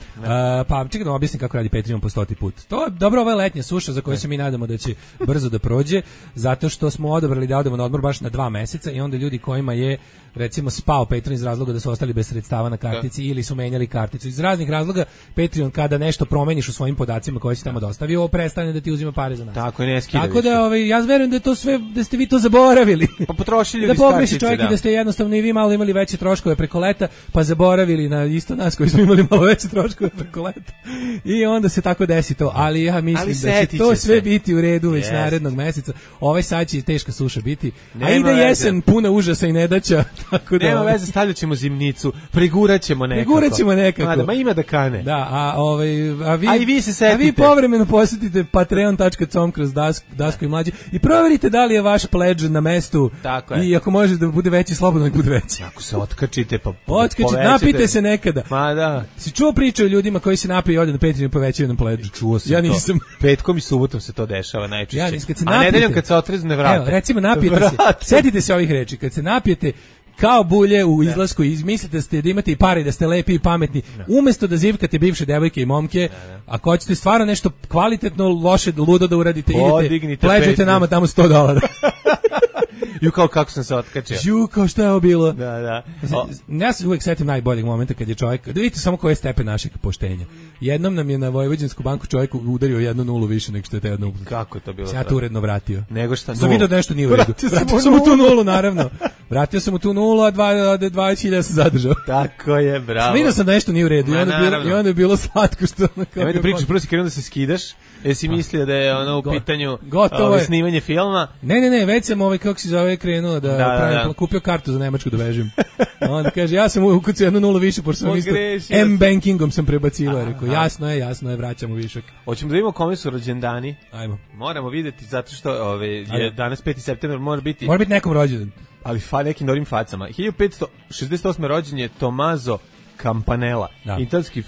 Pa čekaj da vam objasnim kako radi Patreon po 100. put. To je dobro, ova letnja suša za koju se mi nadamo da će brzo da prođe, zato što smo odabrali da odemo na odmor baš na 2 meseca i onda ljudi kojima je recimo spao Patreon iz razloga da su ostali bez sredstava na kartici ili su menjali karticu. Iz raznih razloga Patreon kada nešto promeniš u svojim podacima koje si tamo dostavio, prestane da ti uzima pare za nas. Tako, ne skida. Tako da ja verujem da je to sve, da ste vi to zaboravili. Pa potrošili ljudi s kartice. čovjek, da ste jednostavno i vi malo imali veće troškove preko leta, pa zaboravili na isto nas koji smo imali malo veće troškove preko leta. I onda se tako desi to, ali ja mislim da će to sve biti u redu već narednog meseca. Ovaj sad će teška suša biti, a ide jesen puna užasa i nedaća, tako da... Nema veze, stavljaćemo zimnicu, priguraćemo nekako. Ma ima da kane. Da, a vi se setite. A vi povremeno posjetite patreon.com kroz Daško i Mlađe i proverite da li je vaš pledž na mestu. Tako je. I ako može da bude veći, slobodno nek bude veći. Ako se otkačite, pa napijte se nekada. Ma da. Si čuo priču o ljudima koji se napiju i ode na Patreon i povećaju nam pledž? Čuo sam ja nisam. To. Petkom i subotom se to dešava najčešće. Ja nisam, a nedeljom kad se otrezne vrate. Evo, recimo napijete se. Setite se ovih reči. Kad se napijete kao bulje u izlasku i izmislite da imate i pare, da ste lepi i pametni, umjesto da zivkate bivše devojke i momke, ako hoćete stvarno nešto kvalitetno, loše, ludo da uradite, idete, pleđete nama tamo $100. Ju kao kako sam se otkačio. Ju kao šta je ovo bilo. Da. Ja se uvijek setim najboljeg momenta kad je čovjek, da vidite samo koji je stepen našeg poštenja. Jednom nam je na Vojvođansku banku čovjek udario 1,0 više nego što je te 1,0. Kako je to bilo? Ja to uredno vratio. Nego šta 0? Sam vidio da nešto nije u redu. Vratio sam mu tu 0, naravno. Vratio sam mu tu 0, a 20.000 sam zadržao. Tako je, bravo. Vidio sam da nešto nije u redu i onda je bilo slatko što... Nemoj da pričaš, prvo si krenuo da se skidaš, jesi mislio da je ono u pitanju snimanje filma? Ne, već sam kako se zove krenuo da pravim, kupio kartu za Nemačku da vežim. Onda kaže, ja sam ukucao 1,0 više, pošto sam isto M-bankingom sam prebacivao, rekao, jasno je, vraćamo višak. Hoćemo da vidimo kome su rođendani. Ajmo. Moramo videti, zato što je danas 5. septembar, mora biti nekom rođendan. Ali nekim dobrim facama. 1568. rođen je Tommaso Campanella,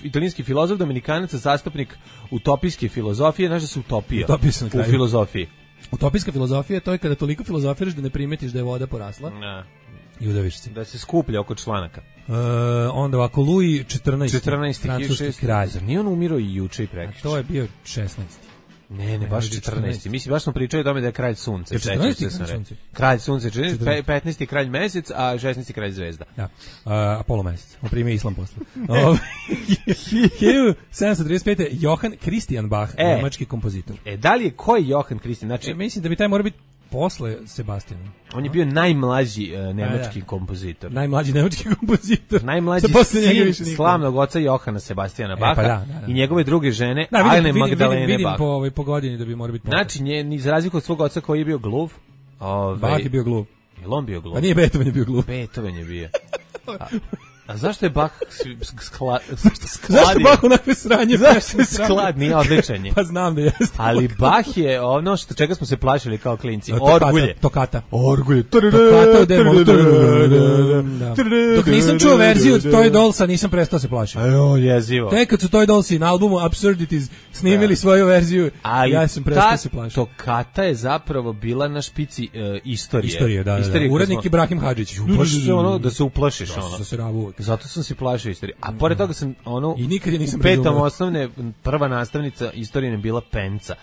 italijanski filozof, dominikanac, zastupnik utopijske filozofije. Znaš da se utopija u filozofiji? Utopijska filozofija, to je kada toliko filozofiraš da ne primetiš da je voda porasla. I udaviš se. Da se skuplja oko članaka. Onda ovako, Louis XIV, francuski kralj. Zar nije on umirao i juče i prekjuče? To je bio 16. Ne, baš 14. Mislim, baš smo pričali o tome da je kralj sunce. 14. Kralj sunce, 15. kralj mesec, a 16. kralj zvezda. Da, Apollo mesec. On primio islam posle. 1735. Johann Christian Bach, nemački kompozitor. Da li je koji Johann Christian? Znači, mislim da bi taj mora biti posle Sebastijana. On je bio najmlađi nemački kompozitor. Najmlađi nemački kompozitor. Najmlađi sin slavnog oca Johana Sebastijana Baha i njegove druge žene, Ane Magdalene Bach. Vidim po godini da bi mora biti posle. Znači, za razliku od svog oca koji je bio gluv. Bach je bio gluv. Je on bio gluv? Pa nije, Beethoven je bio gluv. Beethoven je bio. A zašto je Bach Zašto Bach onakve sranje? Zašto je sklad? Nije odličan je. Pa znam da jeste. Ali Bach je ono što čega smo se plašili kao klinci. Orgulje. Tokata. Orgulje. Tokata u D-molu. Dok nisam čuo verziju od Toy Dollsa, nisam prestao se plašiti. Ajo, jezivo. Tek kad su Toy Dollsi na albumu Absurdities snimili svoju verziju, ja sam prestao se plašiti. Tokata je zapravo bila na špici istorije. Istorije, da. Urednik Ibrahim Hadžić. Da se uplašiš. Zato sam se plašio istorije. A pored toga sam i nikad je nisam u petom osnovne prva nastavnica istorije je bila Penca,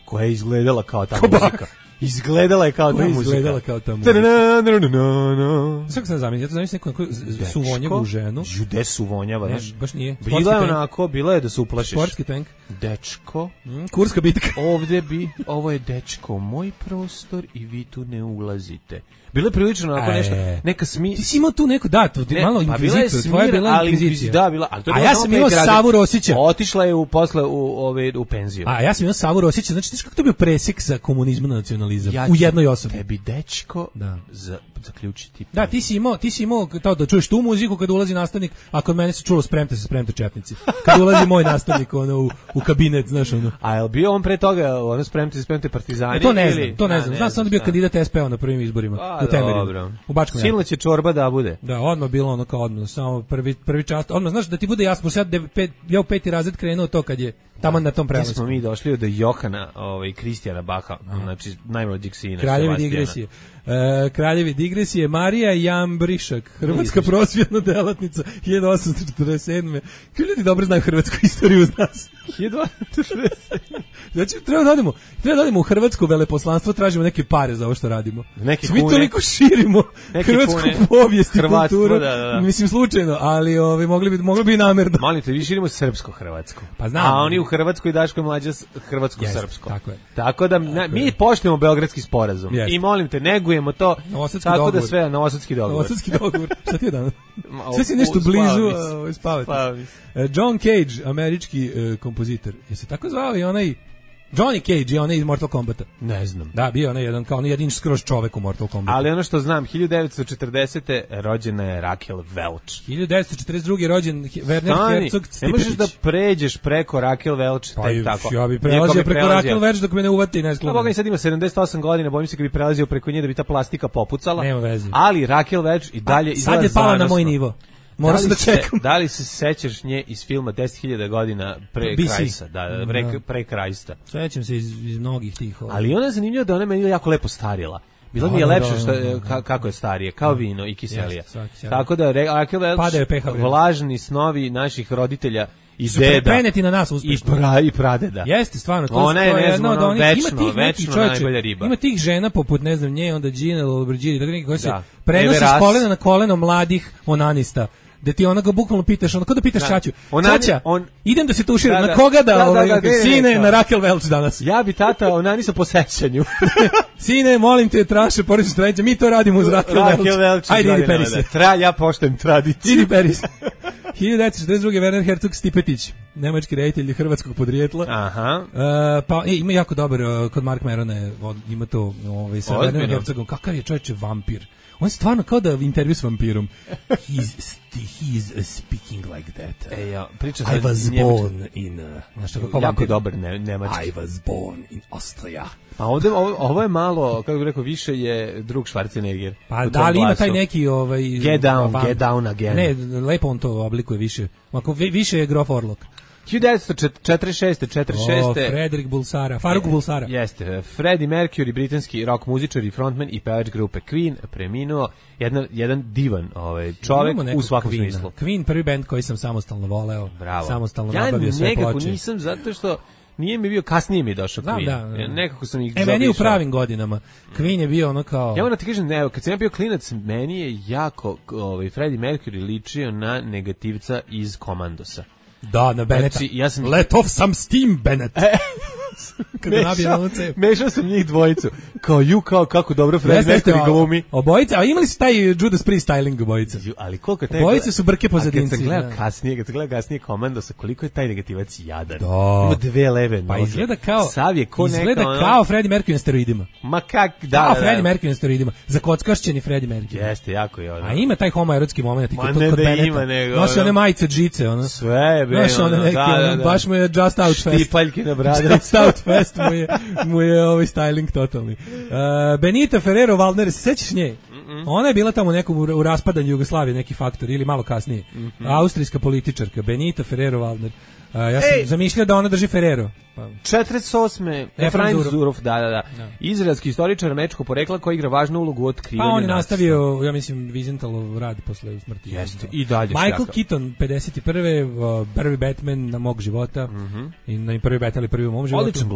koja je izgledala kao ta muzika. Izgledala je kao ta muzika. Svako sam zamislio, ja to zamislio neku suvonjavu ženu. Jude suvonjava, znaš. Baš nije. Bila je onako, bila je da se uplašiš. Sportski tank. Dečko. Kurska bitka. Ovo je dečko, moj prostor i vi tu ne ulazite. Bilo je prilično onako nešto, neka Ti si imao tu neku, malo inkvizitor, tvoja je bila inkvizicija. Da, bila, ali to je ja sam imao Savu Rosića. Otišla je posle u penziju. A ja sam imao Savu Rosića, znači kako to bio presek sa komunizma na nacionalizam u jednoj osobi. Tebi dečko zaključiti. Da, ti si imao to da čuješ tu muziku kad ulazi nastavnik, a kod mene se čulo spremte četnici. Kad ulazi moj nastavnik u kabinet, znaš ono. A je li bio on pre toga spremte partizani? To ne znam. Znam sam da bio kandidat SPO na prvim izborima. U Temerinu. U Bačkom Janu. Silna će čorba da bude. Da, odmah bilo ono kao odmah, samo prvi čast. Odmah, znaš, da ti bude jasno, ja u 5. razred krenuo to kad je tamo na tom prelasku. Smo mi došli do Johana Kristijana Baha, znači najmlađeg sina. Kraljevi digresije, Marija Jambrišak, hrvatska prosvjetna delatnica, 1847. Kako ljudi dobro znaju hrvatsku istoriju uz nas? 1847. Znači, treba da odemo u hrvatsko veleposlanstvo, tražimo neke pare za ovo što radimo. Mi toliko širimo hrvatsku povijest i kulturu. Mislim, slučajno, ali mogli bi namerno. Malite, vi širimo srpsko-hrvatsko. Pa znam. A oni hrvatsko i Daško Mlađa hrvatsko-srpsko. Tako da mi poštujemo Beogradski sporazum i molim te, negujemo to tako da sve novosadski dogovor. Šta ti je danas? Sve si nešto blizu spavati. John Cage, američki kompozitor. Je se tako zvao i onaj Johnny Cage je onaj iz Mortal Kombata. Ne znam. Da, bio onaj jedan kao jedini skroz čovek u Mortal Kombatu. Ali ono što znam, 1940. rođena je Raquel Welch. 1942. rođen Werner Herzog Stipetić. Ne možeš da pređeš preko Raquel Welch. Pa tako. Ja bi prelazio preko Raquel Welch dok me ne uvati i ne skloni. Boga mi sad ima 78 godina, bojim se kad bi prelazio preko nje da bi ta plastika popucala. Nema veze. Ali Raquel Welch i dalje izgleda sad je pala na moj nivo. Moram da čekam. Da li se sećaš nje iz filma 10.000 godina pre Krajsa? Pre Krajsta. Sećam se iz mnogih tih. Ali ona je zanimljiva da ona meni jako lepo starila. Bilo mi je lepše kako je starije, kao vino i kiselija. Tako da Raquel Welch, vlažni snovi naših roditelja i su deda. Preneti na nas uspešno. I pradeda. Jeste, stvarno. Ona je, ne znam, večno najbolja riba. Ima tih žena poput, ne znam, nje, onda Gina Lollobrigida, tako neki koji se prenose s kolena na koleno mladih onanista. Da ti onoga bukvalno pitaš, ono kao da pitaš Čaču. Čača, idem da se tuširam, na koga sine, na Raquel Welch danas. Ja bi tata, onanisa po sećanju. Sine, molim te, traše porodične stranice, mi to radimo uz Raquel Welch. Ajde, idi peri se. Ja poštujem tradiciju. Idi peri se. 1942. Werner Herzog Stipetić, nemački reditelj hrvatskog podrijetla. Aha. Pa ima jako dobar kod Mark Merona, ima to sa Werner Herzogom. Kakav je čovječe vampir. On je stvarno kao da intervju s vampirom. He's speaking like that. I was born in... jako dobar nemački. I was born in Austria. Pa ovo je malo, kako bih rekao, više je drug Schwarzenegger. Pa da li ima taj neki... Get down again. Ne, lepo on to oblikuje više. Više je Grof Orlok. 1946. Frederick Bulsara, Faruk Bulsara. Jeste, Freddie Mercury, britanski rock muzičar i frontman i pevač grupe Queen, preminuo, jedan divan čovjek u svakom smislu. Queen, prvi bend koji sam samostalno voleo. Bravo. Samostalno nabavio sve ploče. Ja nekako nisam, zato što nije mi bio, kasnije mi je došao Queen. Da. Nekako sam ih meni u pravim godinama. Queen je bio ono kao... Ja moram ti kažem, kad sam ja bio klinac, meni je jako Freddie Mercury ličio na negativca iz Komandosa. Da, na Beneta. Znači, let off some steam, Bennett. Mešao sam njih dvojicu. Kao kako dobro Freddie Mercury glumi. Obojica, a imali su taj Judas Priest styling obojica. Ali koliko je obojice su brke pozadinci. Kad se gleda kasnije Komandosa, koliko je taj negativac jadan. Ima dve leve noge. Pa izgleda kao Freddie Mercury na steroidima. Ma kak, da. Freddie Mercury na steroidima. Zakockašćeni Freddie Mercury. Jeste, jako je ono. A ima taj homoerotski moment kod Benneta. Nosi one majice džice, ono. Sve je bre. Baš mu je Just Out Fest. Štipaljke na bradu. Just Out Fest mu je ovaj styling totalni. Benita Ferrero Waldner, se sećaš nje? Ona je bila tamo nekom u raspadanju Jugoslavije, neki faktor, ili malo kasnije. Austrijska političarka, Benita Ferrero Waldner. Ja sam zamišljao da ona drži Ferrero. 48. Efraim Zurov, da. Izraelski istoričar američkog porekla koji igra važnu ulogu u otkrivanju nacije. Pa on je nastavio, ja mislim, Vizentalov rad posle smrti. Jeste, i dalje. Michael Keaton, 51. Prvi Batman na mog života. I na prvi Batman, ali prvi u mom životu. Odličan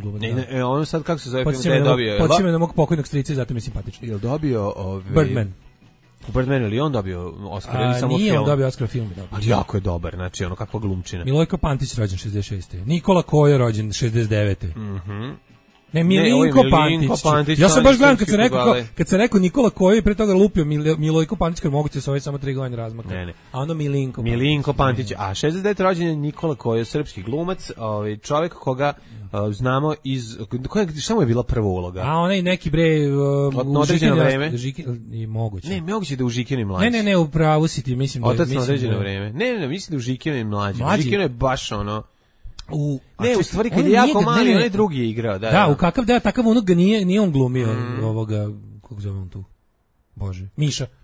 glumac. Da. On sad, kako se zove, film je dobio? Podsjeća me na mog pokojnog strica i zato mi je simpatično. Je li dobio... Birdman. U Birdmanu ili on dobio Oscar ili samo film? Nije on dobio Oscar film. Ali jako je dobar, znači ono kakva glumčina. Milojko Pantić rođen 66. Nikola Kojo rođen 69. Ne, Milinko Pantić. Ja sam baš gledam kad se rekao Nikola Kojo i pre toga lupio Milojko Pantić, kad moguće se ovaj samo 3 godine razmaka. Ne. A ono Milinko Pantić. A 69. rođen je Nikola Kojo, srpski glumac, čovjek koga znamo iz... Šta mu je bila prva uloga? A onaj neki bre... Na određeno vreme? Moguće. Ne, moguće da u Žikinu i mlađi. Ne, u pravu si ti, mislim da... Otac na određeno vreme. Ne, mislim da u Žikinu i mlađi. U Žikinu je baš ono... u stvari kad je jako mali, onaj drugi je igrao. Da, u kakav takav onog ga nije on glumio ovoga, kako zove on tu? Bože,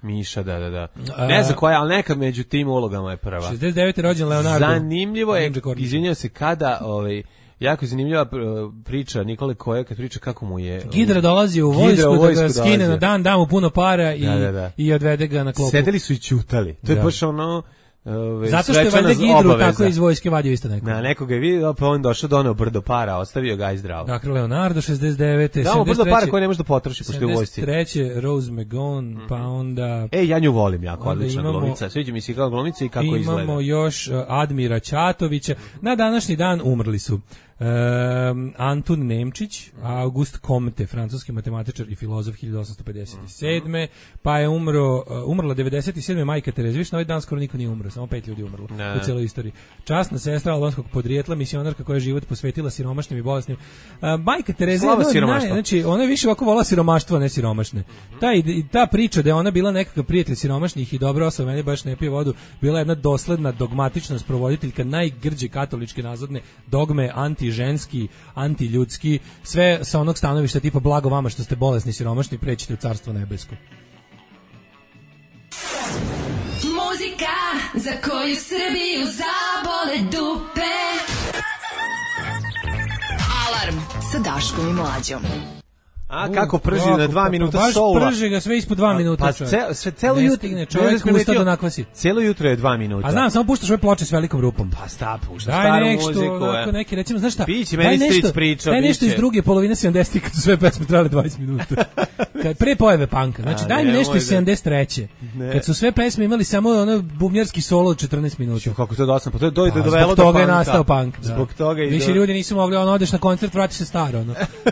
Miša, da. Ne znam koja, ali nekad među tim ulogama je prva. 69. rođen Leonardo. Zanimljivo je, izvinjam se, kada jako zanimljiva priča Nikole Koje, kad priča kako mu je... Gidra dolazi u vojsku da ga skine na dan, da mu puno para i odvede ga na klopu. Sedeli su i ćutali. To je baš ono... Zato što je valjda Gidru tako iz vojske vadio isto neko. Na nekoga je vidio, pa on došao doneo brdo para, ostavio ga i zdravo. Dakle, Leonardo 69. Da, brdo para koje ne može da potroši pošto je u vojsci. 73. Rose McGowan, pa onda... ja nju volim jako, odlična glumica. Sviđa mi se kao glumica i kako izgleda. Imamo još Admira Ćatovića. Na današnji dan umrli su Antun Nemčić, August Comte, francuski matematičar i filozof 1857. Pa je umrla 97. Majka Tereza. Viš, na ovaj dan skoro niko nije umro, samo 5 ljudi umrlo u cijeloj istoriji. Časna sestra albanskog podrijetla, misionarka koja je život posvetila siromašnim i bolesnim. Majka Tereza znači, ona je više ovako volala siromaštvo, a ne siromašne. Ta priča da je ona bila nekakav prijatelj siromašnih i dobra osoba, meni baš ne pije vodu, bila jedna dosledna, dogmatična sprovoditeljka najgrđe katoličke nazadne dogme, anti-ženski, anti-ljudski, sve sa onog stanovišta tipa blago vama što ste bolesni i siromašni, prećite u carstvo nebesko. Muzika za koju Srbiju zabole dupe. Alarm sa Daškom i Mlađom. Kako prži na 2 minuta soula. Baš prži ga sve ispod 2 minuta. Pa celo jutro čovjek usta da nakvasi. Celo jutro je 2 minuta. A znam, samo puštaš ove ploče s velikom rupom. Pa pušta staru muziku. Daj neki, recimo, znaš šta? Biće, meni stric priča. Daj nešto iz druge polovine 70-ih kad su sve pesme trajale 20 minuta. Pre pojave panka. Znači, daj mi nešto iz 73. Kad su sve pesme imali samo ono bubnjarski solo od 14 minuta. Kako to dosadno, pa to je dovelo do panka. Zbog toga je nastao pank. Zbog toga i više ljudi nisu mogli, odeš na koncert, vratiš se staro.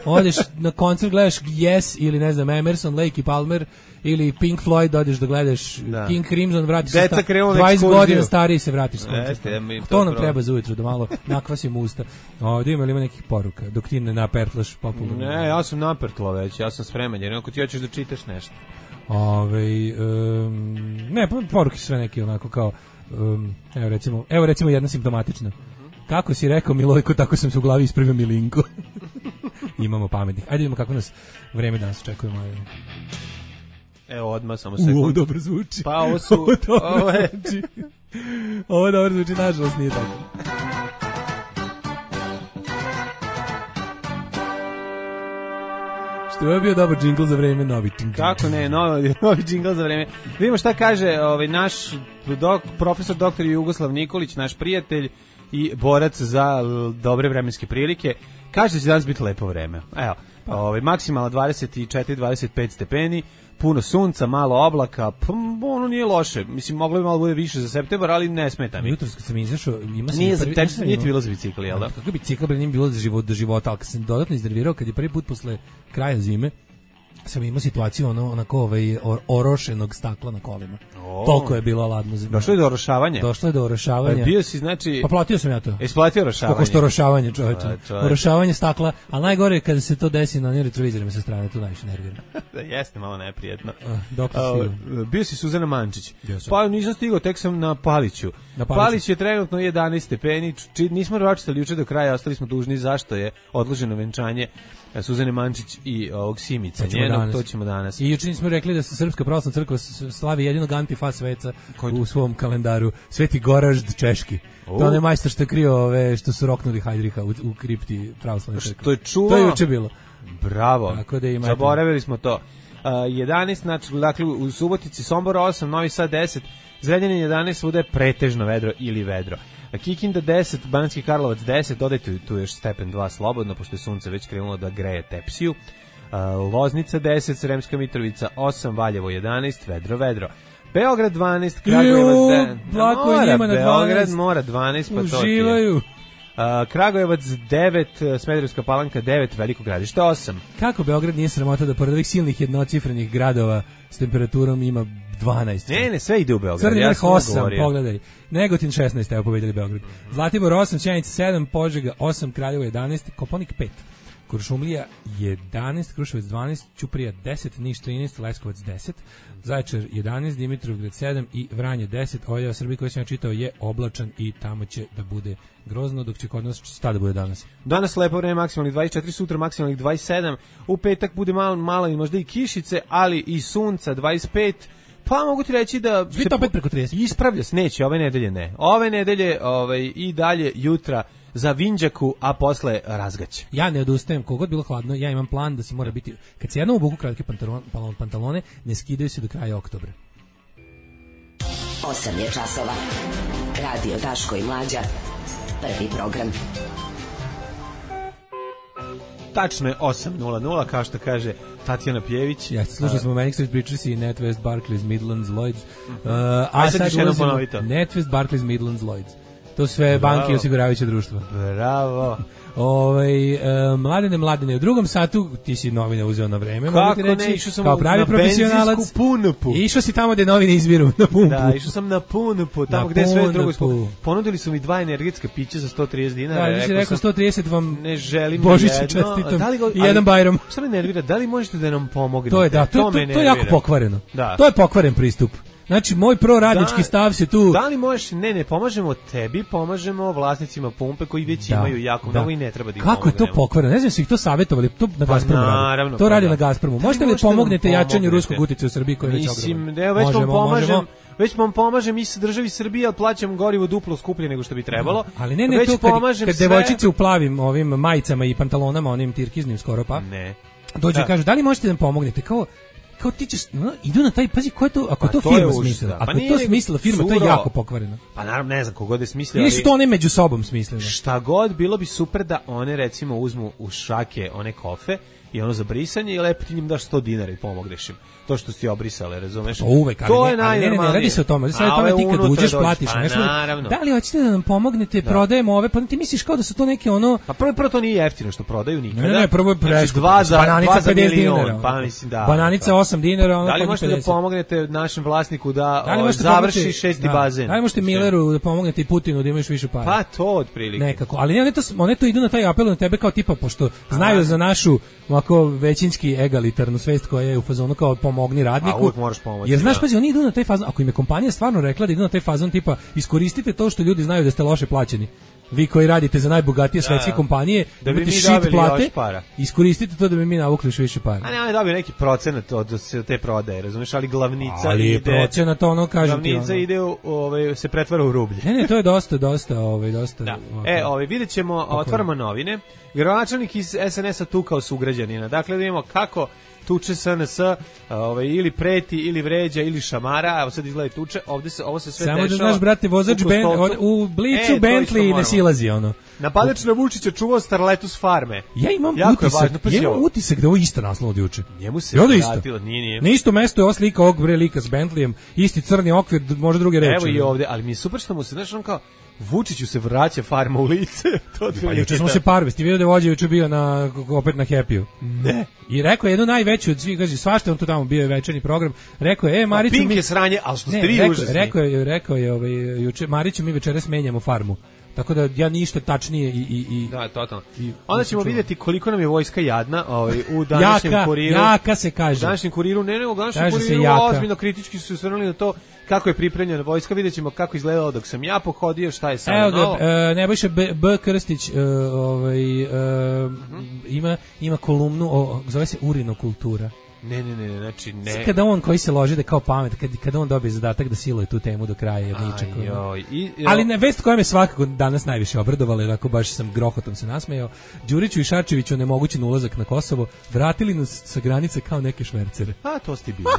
Odeš na koncert, gledaš Yes ili ne znam Emerson, Lake i Palmer ili Pink Floyd, odeš da gledaš King Crimson, vratiš se 20 godina stariji se vratiš s koncerta. To nam treba za ujutro, da malo nakvasim usta. Ovdje ima nekih poruka, dok ti ne napertlaš popularno. Ne, ja sam napertla već, ja sam spreman, jer ako ti hoćeš da čitaš nešto. Ne, poruke su sve neki onako kao, evo recimo jedna simptomatična. Kako si rekao Milojko, tako sam se u glavi ispravio Milinko. Imamo pametnih. Ajde vidimo kako nas vreme danas očekujemo. Evo odmah, samo sekund. Ovo dobro zvuči. Pa ovo su... Ovo dobro zvuči, nažalost nije tako. Što je bio dobar džingl za vreme, novi džingl. Kako ne, novi džingl za vreme. Vidimo šta kaže naš profesor doktor Jugoslav Nikolić, naš prijatelj i borac za dobre vremenske prilike. Kaže da će danas biti lepo vreme. Evo, maksimalno 24-25 stepeni, puno sunca, malo oblaka, ono nije loše. Mislim, moglo bi malo bude više za septembar, ali ne smeta mi. Jutros kad sam izašao, nije ti bilo za bicikl, jel da? Kako bicikl nije bilo do života, ali kad sam dodatno iznervirao, kad je prvi put posle kraja zime, sam imao situaciju onako orošenog stakla na kolima. Toliko je bilo ladno. Došlo je do orošavanja? Došlo je do orošavanja. Bio si, znači... Pa platio sam ja to. Isplatio orošavanje? Kako što orošavanje, čovječe. Orošavanje stakla, a najgore je kada se to desi na onim retrovizorima sa strane, to najviše nervira. Jeste malo neprijetno. Bio si Suzana Mančić. Pa nisam stigao, tek sam na Paliću. Palić je trenutno 11 stepeni, nismo ročitali juče do kraja, ostali smo dužni zašto je odloženo venčanje Suzane Mančić i ovog Simica njenog, to ćemo danas. I juče smo rekli da se Srpska pravoslavna crkva slavi jedinog antifa sveca u svom kalendaru, Sveti Goražd češki. To je majstor što je krio što su roknuli Hajdriha u kripti pravoslavne crkve. To je čuo. To je juče bilo. Bravo. Zaboravili smo to. 11, znači, dakle, u Subotici, Sombor 8, Novi Sad 10, Zrenjanin 11, svuda je pretežno vedro ili vedro. Kikinda 10, Banatski Karlovac 10, dodajte tu još stepen 2 slobodno, pošto je sunce već krenulo da greje Tepsiju. Loznica 10, Sremska Mitrovica 8, Valjevo 11, vedro. Beograd 12, Kragujevac 10. Plako je njima na 12. Beograd mora 12, pa to ti je. Uživaju. Kragujevac 9, Smederevska Palanka 9, Veliko Gradište 8. Kako Beograd nije sramota da pored ovih silnih jednocifrenih gradova s temperaturom ima 12? Ne, sve ide u Beograd. Crni vrh 8, pogledaj. Negotin 16, evo pobedili Beograd. Zlatibor 8, Sjenica 7, Požega 8, Kraljevo 11, Koponik 5. Kuršumlija 11, Kruševac 12, Ćuprija 10, Niš 13, Leskovac 10, Zaječar 11, Dimitrovgrad 7 i Vranje 10. Ovaj deo Srbije koji sam ja čitao je oblačan i tamo će da bude grozno, dok će kod nas šta da bude danas. Danas lepo vreme, maksimalnih 24, sutra maksimalnih 27, u petak bude malo i možda i kišice, ali i sunca 25. Pa mogu ti reći da se opet preko 30. Ispravlja se, neće, ove nedelje ne. Ove nedelje i dalje jutra za Vinđaku, a posle razgaće. Ja ne odustajem, kogod bilo hladno, ja imam plan da se mora biti, kad se jednom obuku kratke pantalone, ne skidaju se do kraja oktobra. 8 je časova. Radio Daško i Mlađa. Prvi program. Tačno je 8:00, kao što kaže Tatjana Pjević. Ja, slušali smo Manic Street Preachers i NatWest, Barclays, Midlands, Lloyds. A sad još jednom ponovito. NatWest, Barclays, Midlands, Lloyds. To sve banke i osiguravajuće društva. Bravo. Mladene, u drugom satu ti si novine uzeo na vreme. Kako ne, išao sam kao pravi profesionalac. Punupu. Išao si tamo gde novine izviru, na pumpu. Da, išao sam na Punupu, tamo gde sve drugo. Ponudili su mi 2 energetska pića za 130 dinara. Da, ti rekao 130 vam ne želim Božića čestitam i jedan Bajram. Šta me nervira, da li možete da nam pomognete? To je, da, to je jako pokvareno. Da. To je pokvaren pristup. Znači, moj proradnički stav se tu... Da li možeš... Ne, pomažemo tebi, pomažemo vlasnicima pumpe koji već imaju jako mnogo i ne treba da ih pomognemo. Kako je to pokvareno? Ne znam, su ih to savjetovali, to na Gazpromu radi. To radi na Gazpromu. Možete li pomognete jačanju ruskog uticaja u Srbiji koji je već ogroman? Mislim, već vam pomažem i sa državi Srbije, ali plaćam gorivo duplo skuplje nego što bi trebalo. Ali ne, to kad devojčice u plavim ovim majicama i pantalonama, onim tirkiznim skoro pa, dođu i kažu, da li možete da nam pomognete? Kao ti ćeš, idu na taj, pazi, ko je to, ako to firma smislila, ako je to smislila firma, to je jako pokvareno. Pa naravno, ne znam kogod je smislila. Ili su to one među sobom smislile? Šta god, bilo bi super da one, recimo, uzmu u šake one kofe i ono za brisanje i lepo ti njim daš 100 dinara i pomogneš im. To što si obrisale, razumeš? To uvek, ali ne radi se o tome. Radi se o tome ti kad uđeš, platiš nešto. Da li hoćete da nam pomognete, prodajemo ove, pa ti misliš kao da su to neke ono... Pa prvo to nije jeftino što prodaju nikada. Ne, prvo je preskupo. Bananica 50 dinara. Pa mislim da. Bananica 8 dinara. Da li možete da pomognete našem vlasniku da završi 6. bazen? Da li možete Milleru da pomognete i Putinu da imaš više para? Pa to otprilike. Nekako, ali one to idu na taj apel na tebe kao tipa, pošto znaju za našu ovako većinski egalitarnu svest koja je u fazonu kao pomogni radniku. Jer znaš, pazi, oni idu na taj fazon, ako im je kompanija stvarno rekla da idu na taj fazon tipa iskoristite to što ljudi znaju da ste loše plaćeni. Vi koji radite za najbogatije svetske kompanije, da imate shit plate, iskoristite to da bi mi navukli još više para. A ne, oni dobiju neki procenat od te prodaje, razumiješ, ali glavnica ali ide... Ali procenat, ono, kažem ti, glavnica ide, se pretvara u rublje. Ne, to je dosta. Da. Vidjet ćemo, otvaramo novine. Gradonačelnik iz SNS-a tukao sugrađanina. Dakle, da imamo kako tuče SNS, ili preti, ili vređa, ili šamara, evo sad izgleda tuče, ovo se sve samo dešava. Samo da znaš, brate, vozač u Blicu Bentley ne silazi, ono. Napadač na Vučića čuvao starletu s farme. Ja imam utisak da ovo isto naslov od juče. Njemu se vratilo, nije. Na isto mesto je ova slika ovog lika s Bentleyem, isti crni okvir, možda druge reči. Evo i ovde, ali mi je super što mu se, znaš, on kao, Vučiću se vraća farma u lice. Pa juče smo se parvesti, ti vidio da je vođa juče bio opet na Happy-u. Ne. I rekao je jednu najveću od svih, kaže, svašta on tu tamo bio je večernji program. Rekao je, Mariću Pink je sranje, ali što ste vi užasni. Rekao je juče, Mariću mi večeras menjamo farmu. Tako da ja ništa tačnije i da, totalno. Onda ćemo vidjeti koliko nam je vojska jadna, u današnjem kuriru. Jaka se kaže. U današnjem kuriru, u današnjem kuriru ozbiljno kritički su se osvrnuli na to kako je pripremljena vojska. Vidjet ćemo kako izgledalo dok sam ja pohodio, šta je sad novo. Nebojša B. Krstić ima kolumnu, zove se urinokultura. Ne, znači ne. Kada on koji se loži da kao pamet, kada on dobije zadatak da siluje tu temu do kraja je ničak. Ali ne, vest koja me svakako danas najviše obradovala, jer ako baš sam grohotom se nasmejao, Đuriću i Šarčeviću onemogućen ulazak na Kosovo, vratili nas sa granice kao neke švercere. A, to ste bili.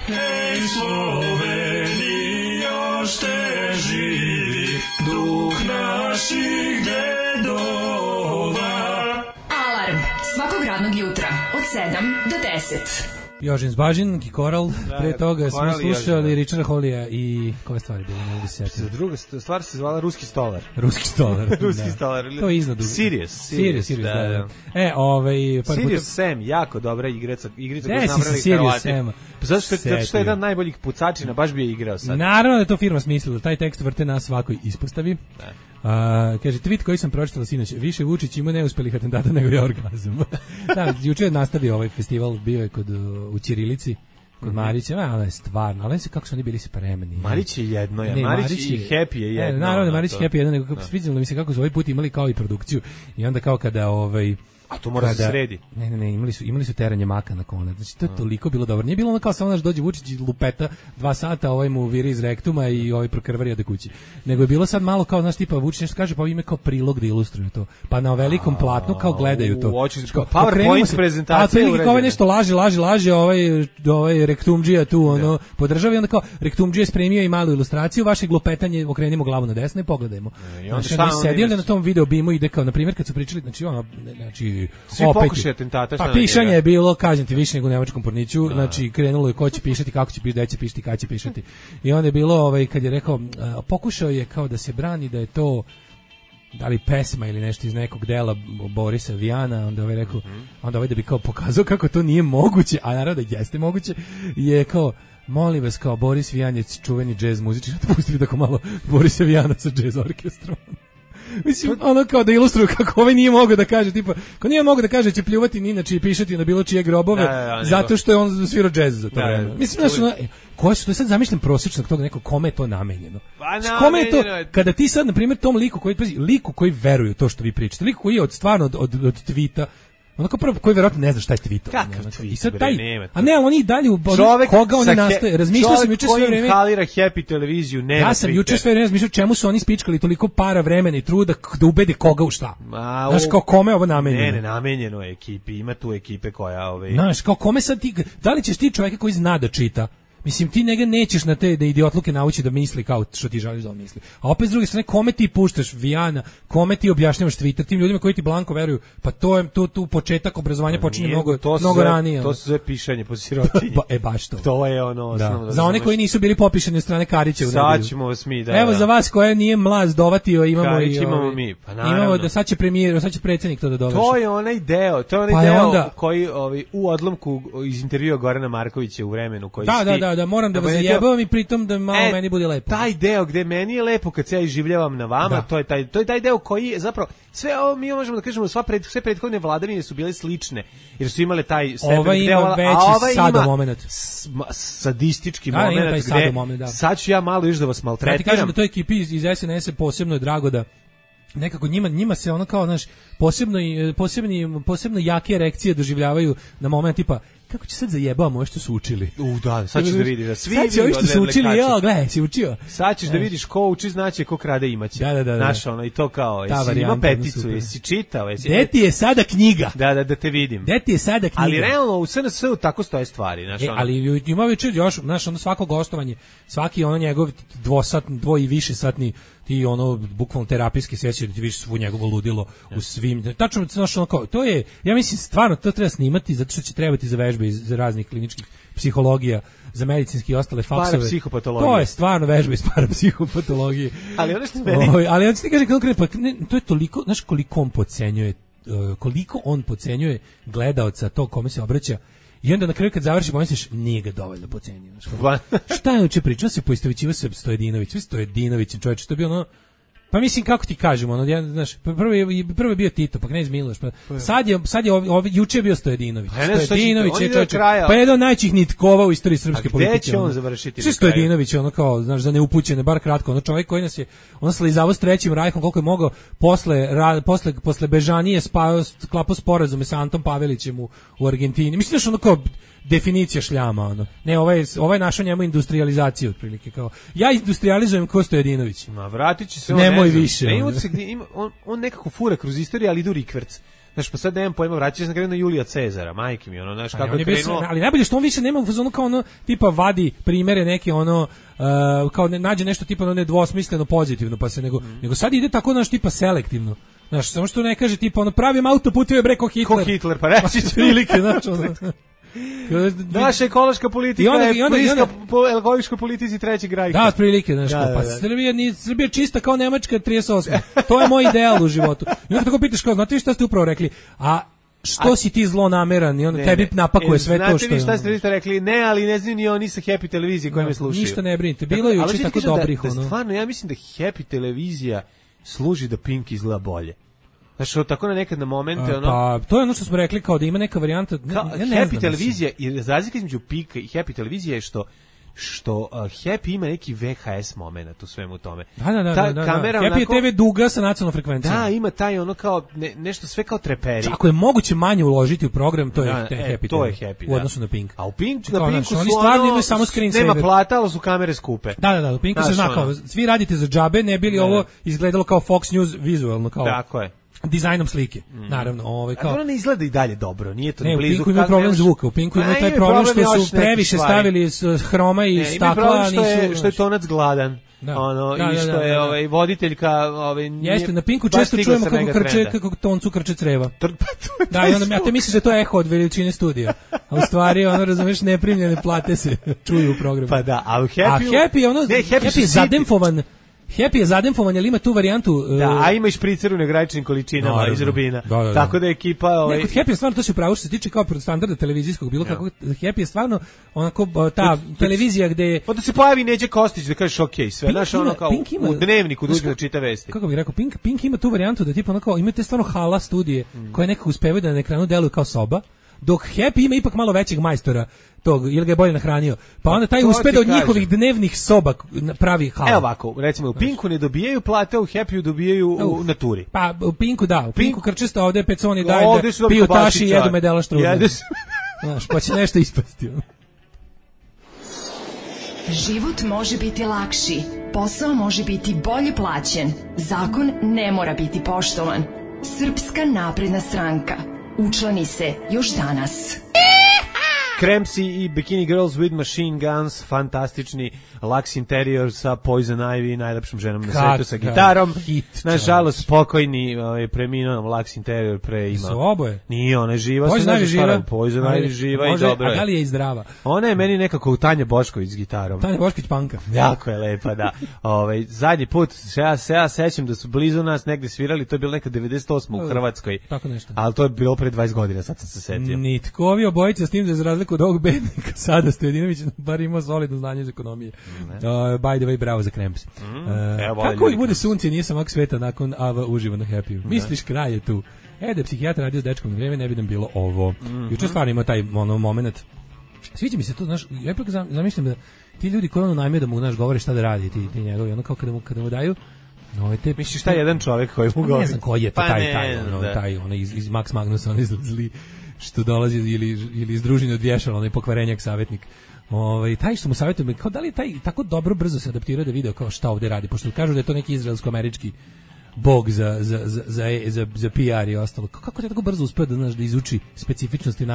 Hej Sloveni, još te živi duh naših dedova. Alarm svakog radnog jutra od 7 do 10. Jožin Zbažin, Koral, pre toga smo slušali Richarda Hollija i koje stvari bili, ne mogu se sjetiti. Druga stvar se zvala Ruski stolar. Ruski stolar. To je iznad. Sirius, da. Sirius Sam, jako dobra igrica koju su napravili Hrvati. Zato što je jedan najboljih pucačina, baš bi je igrao sad. Naravno da je to firma smislila, taj tekst vrte na svakoj ispostavi. Kaže, tweet koji sam pročitala sinoć, više Vučić ima neuspelih atentata nego je orgazam. Da, juče je nastavio ovaj festival, bio je u Ćirilici, kod Marića, ono je stvarno, ali kako su oni bili spremni. Marić je jedno, Marić i Happy je jedno. Naravno, Marić i Happy je jedno, nego svidjelo mi se kako su ovaj put imali kao i produkciju i onda kao kada A to mora da se sredi. Ne, imali su teranje maka na konac. Znači to je toliko bilo dobro. Nije bilo ono kao samo naš dođe Vučić i lupeta 2 sata, ovaj mu viri iz rektuma i ovaj prokrvari ode kući. Nego je bilo sad malo kao znaš tipa Vučić nešto kaže pa ime kao prilog da ilustruje to. Pa na velikom platnu kao gledaju to. PowerPoint prezentacija. A kao nešto laže ovaj rektumdžija tu ono podržava i onda kao rektumdžija je spremio i malu ilustraciju vašeg lupetanje okrenimo glavu na desno i pogledajmo. Znači sedeli na tom video bimu ide kao na primjer kad su pričali znači svi pokušaj atentata pa pišanje je bilo, kažem ti, više nego u nemačkom porniću, znači krenulo je ko će pišati, kako će pišati, gde će pišati, kada će pišati. I onda je bilo, kad je rekao, pokušao je kao da se brani da je to da li pesma ili nešto iz nekog dela Borisa Vijana, onda ovaj rekao, onda ovaj da bi kao pokazao kako to nije moguće, a naravno da jeste moguće, je kao molim vas, kao Boris Vijan je čuveni džez muzičar, pustili tako malo Borisa Vijana sa džez orkestrom. Mislim, ono kao da ilustruju kako ovaj nije mogao da kaže, tipa, kao nije mogao da kaže će pljuvati ni inače i pišati na bilo čije grobove, zato što je on svirao džez za to. Mislim, znaš, koje su to sad zamišljam prosječnog tog nekog, kome je to namenjeno? Kome je to, kada ti sad, na primjer, tom liku koji veruje to što vi pričate, liku koji je stvarno od tweeta, onako prvo koji verovatno ne zna šta je tweet. Kakav tweet? I sad taj, a ne, oni dalje koga oni nastoje. Razmišljao sam juče sve vreme. Halira Happy televiziju, nema. Ja sam juče sve vreme razmišljao čemu su oni spičkali toliko para, vremena i truda da ubede koga u šta. Znaš, kao kome je ovo namenjeno? Ne, namenjeno je ekipi, ima tu ekipe koja Znaš, kao kome sad ti, da li ćeš ti čovjeka koji zna da čita? Mislim, ti njega nećeš na te da idiotluke nauči da misli kao što ti želiš da on misli. A opet s druge strane, kome ti puštaš Vijana, kome ti objašnjavaš Twitter, tim ljudima koji ti blanko veruju, pa to je tu početak obrazovanja počinje mnogo ranije. To su sve pišanje po sirotinji. Baš to. To je ono osnovno. Za one koji nisu bili popišani od strane Karića u nedelju. Sad ćemo vas mi, Evo za vas koja nije mlaz dovatio, imamo Karić, imamo mi, pa naravno. Imamo da sad će premijer, sad će predsjednik to da dovrši. To je onaj deo koji u odlomku iz intervjua Gorana Markovića u vremenu koji Da, moram da vas zajebavam i pritom da malo meni bude lepo. Taj deo gde meni je lepo kad se ja iživljavam na vama, to je taj deo koji je zapravo sve ovo mi možemo da kažemo sve prethodne vladavine su bile slične jer su imale taj stepen ova ima veći sadomoment. Sadistički moment gde sad ću ja malo još da vas maltretiram. Ja ti kažem da toj ekipi iz SNS-a posebno je drago da nekako njima se ono kao, znaš, posebno jake erekcije doživljavaju na moment tipa kako će sad zajebamo što su učili. Da, sad ćeš da vidiš da svi sad što su učili, gledaj, si učio. Sad ćeš da vidiš ko uči, znači ko krade imaće. Da. Znaš, ono, i to kao, jesi ima peticu, jesi čitao, jesi... Gde ti je sada knjiga? Da te vidim. Gde ti je sada knjiga? Ali realno u SNS-u tako stoje stvari, znaš, ono. Ali ima večer još, znaš, ono svako gostovanje, svaki ono njegov dvo i više satni ti ono bukvalno terapijski sesije da ti vidiš svu njegovo ludilo u svim. Tačno, znaš, ono kao, to je, ja mislim, stvarno to treba snimati zato što će trebati za vežbe iz raznih kliničkih psihologija, za medicinski i ostale faksove. Parapsihopatologije. To je stvarno vežba iz parapsihopatologije. Ali ono što meni... ali on ti kaže konkretno, to je toliko, znaš koliko on podcenjuje gledaoca tog kome se obraća. I onda na kraju kad završi pomisliš, nije ga dovoljno pocenio. Šta je uče pričao se poistovećivao se Stojadinović, čovječe, to je bio ono, pa mislim kako ti kažemo, ono, znaš, prvo je bio Tito, pa Knez Miloš, pa sad je juče je bio Stojadinović. Stojadinović je čovječe, pa jedan od najčih nitkova u istoriji srpske politike. Gde će on završiti? Sve Stojadinović, ono kao, znaš, za neupućene, bar kratko, ono čovjek koji nas je, on slizavao s Trećim rajhom koliko je mogao, posle Bežanije sklapao sporazume sa Antom Pavelićem u Argentini. Mislim da ono kao definicija šljama, ono. Ne, ovaj našao njemu industrializaciju otprilike, kao ja industrializujem ko Stojadinović. Ma vratit će se on, nemoj više. On nekako fura kroz istoriju, ali idu rikverc. Znaš, pa sad nemam pojma, vratit će se na kraju na Julija Cezara, majke mi, ono, znaš, kako je krenuo. Ali najbolje što on više nema u fazonu kao ono, tipa vadi primere neke, ono, kao nađe nešto tipa nedvosmisleno pozitivno, pa se nego sad ide tako, znaš, tipa selektivno. Znaš, samo što ne kaže, tipa, ono, pravim autoputeve breko Hitler. Ko Hitler, pa reći ću. Prilike, znaš, ono. Naša ekološka politika je bliska po ekološkoj politici Trećeg rajka. Da, otprilike, znaš, pa Srbija čista kao Nemačka 38. To je moj ideal u životu. I onda tako pitaš kao, znate vi šta ste upravo rekli? A što si ti zlonameran i onda tebi napakuje sve to što je. Znate vi šta ste rekli? Ne, ali ne znaju ni oni sa Happy televizije koji me slušaju. Ništa ne brinite, bilo je juče tako dobrih. Stvarno, ja mislim da Happy televizija služi da Pink izgleda bolje. Znači, tako na nekad na momente, ono... Pa, to je ono što smo rekli, kao da ima neka varijanta... Happy televizija, i razlika između Pika i Happy televizije je što što Happy ima neki VHS moment u svemu tome. Da. Kamera Happy je TV duga sa nacionalnom frekvencijom. Da, ima taj ono kao nešto sve kao treperi. Ako je moguće manje uložiti u program, to je Happy. To je Happy, u odnosu na Pink. A u Pinku su oni stvarno imaju samo screen saver. Nema plata, ali su kamere skupe. Da, u Pinku se zna kao, svi radite za džabe, ne bili ovo izgledalo kao Fox News vizualno, kao. Tako je. Dizajnom slike, naravno, kao. A to ne izgleda i dalje dobro, nije to ne, blizu. U Pinku ima problem zvuka, u Pinku ima taj problem što su previše stavili hroma i stakla, što je tonac gladan. I što je voditeljka jeste, na Pinku često čujemo kako toncu krče creva. Da, i onda ja te misliš da to je eho od veličine studija. A u stvari, razumeš, neprimljene plate se čuju u programu. Pa da, a u Happy je zademfovan. Happy je zademfovan, ali ima tu varijantu. Da, a ima i špricer u negraničnim količinama iz Rubina. Da. Tako da ekipa... Kod Happy je stvarno, to se upravo što se tiče kao standarda televizijskog, bilo kako, Happy je stvarno onako ta televizija gde... Onda se pojavi Neđe Kostić da kažeš okej, sve. Znaš, ono kao u dnevniku dođe da čita vesti. Kako bih rekao, Pink ima tu varijantu da tipa onako, imate stvarno hala studije koje nekako uspevaju da na ekranu deluju kao soba, dok Happy ima ipak malo većeg majstora tog, ili ga je bolje nahranio. Pa onda taj uspe da od njihovih dnevnih soba pravi halu. Evo ovako, recimo u Pinku ne dobijaju plate, u Happy dobijaju u naturi. Pa u Pinku da, u Pinku krčista, ovde peconi daje da piju taši i jedu medela štrudne. Znaš, pa će nešto ispasti. Život može biti lakši, posao može biti bolje plaćen, zakon ne mora biti poštovan. Srpska napredna stranka. Učlani se još danas. Crampsy i Bikini Girls with Machine Guns, fantastični Lux Interior sa Poison Ivy, najlepšom ženom na svetu sa gitarom. Nažalost, pokojni preminuo Lux Interior pre ima. Su oboje? Nije, ona je živa. Poison Ivy živa i dobro je. A da li je i zdrava? Ona je meni nekako u Tanja Bošković s gitarom. Tanja Bošković panka. Jako je lepa, da. Zadnji put, ja sećam da su blizu nas negde svirali, to je bilo neka 98 u Hrvatskoj. Tako nešto. Ali to je bilo pre 20 godina, sad sam se setio. Nitko, ovi obojica s tim da za razliku od ovog bednika sada Stojadinović bar ima solidno znanje iz ekonomije. By the way, bravo za Cramps. Kako ih bude sunce, nije sam ovak sveta nakon Ava uživa na Happy. Misliš, kraj je tu. Da je psihijatar radio s dečkom na vreme, ne bi nam bilo ovo. Juče stvarno ima taj moment. Sviđa mi se to, znaš, ja ipak zamišljam da ti ljudi koji najme da mu, znaš, govore šta da radi, ti njegovi, ono kao kada mu daju. Misliš šta jedan čovjek koji mu govori? Ne znam koji je taj iz Max Magnusa, on zli što dolazi ili iz družine od vješala, onaj pokvarenjak savjetnik. Taj što mu savjetuje, kao da li je taj tako dobro brzo se adaptirao da video kao šta ovdje radi, pošto kažu da je to neki izraelsko-američki bog za PR i ostalo. Kako je tako brzo uspeo da izuči specifičnosti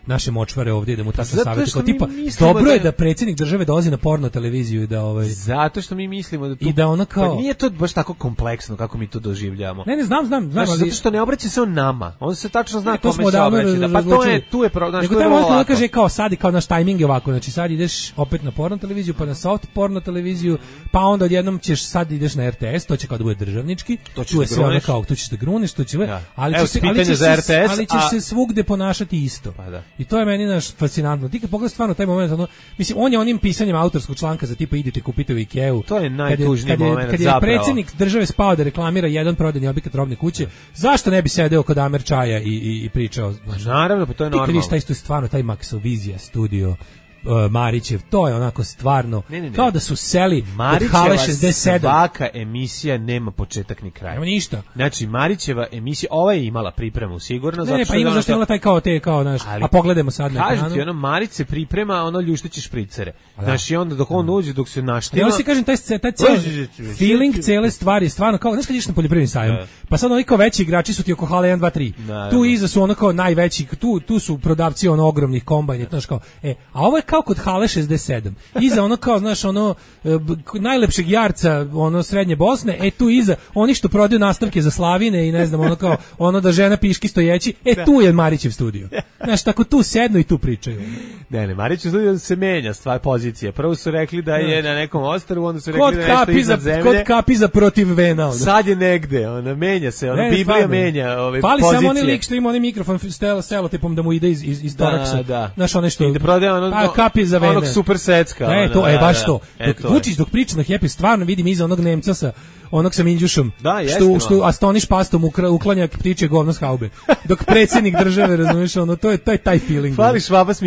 naše močvare ovdje, da mu tako savjetuje. Kao tipa, dobro je da predsjednik države dolazi na porno televiziju i da Zato što mi mislimo da to... I da ono kao... Pa nije to baš tako kompleksno kako mi to doživljavamo. Ne, znam. Zato što ne obraća se on nama. On se tačno zna kome se obraća. Pa tu je problem. Nego tamo on kaže kao sad, kao naš tajming je ovako. Znači sad ideš opet na porno televiziju, pa na soft porno televiziju, pa onda odjednom ćeš sad ideš na RTS, to će kao da bude državnički. Tu je sve ono kao, tu ćeš da gruneš, tu će... Ali ćeš se svugde ponašati isto. I to je meni fascinantno. Ti kad pogledaš stvarno taj moment, mislim, on je onim pisanjem autorskog članka za tipa idite kupite u Ikeu. To je najtužniji moment zapravo. Kad je predsjednik države spao da reklamira jedan prodajni objekat robne kuće, zašto ne bi sedeo kod Amer čaja i pričao? Naravno, pa to je normalno. Ti kad vidiš taj stvarno, taj Maxovizija studio, Marićev, to je onako stvarno kao da su seli od Hale 67. Svaka emisija nema početak ni kraj. Nema ništa. Znači Marićeva emisija, ova je imala pripremu sigurno. Ne, pa ima zašto imala taj kao naš, a pogledajmo sad na ekranu. Kažete, Marić se priprema, ljušteći špricere. Znači onda dok on uđe, dok se naštima. Ja si kažem, taj feeling cele stvari, stvarno kao, znaš kad ideš na poljoprivredni sajam, pa sad oni kao veći igrači su ti oko Hale 1, 2, 3. Tu iza su ono kao najveći, tu su prodavci ogromnih kombajna, znaš kao, a ovo je kao kod Hale 67. Iza ono kao, znaš, najlepšeg jarca, srednje Bosne, tu iza oni što prodaju nastavke za slavine i ne znam, da žena piški stojeći, tu je Marićev studio. Znaš, tako tu sednu i tu pričaju. Ne, Marićev studio se menja stvar pozicije. Prvo su rekli da je na nekom ostrvu, onda su rekli da je nešto iznad zemlje. Kod Kapiza protiv Vena. Sad je negde, menja se, Biblija menja ove pozicije. Fali samo onaj lik što ima onaj mikrofon selotipom da mu ide iz toraksa. Da. Znaš, onaj što... I da prodaje kapi za vene. Onog super secka. To je baš to. Vučić dok priča na Happy, stvarno vidim iza onog Nemca sa onog sa Minđušom, što astoniš pastom uklanja ptičje govno s haube. Dok predsjednik države, razumiješ, to je taj feeling. Fali Švaba s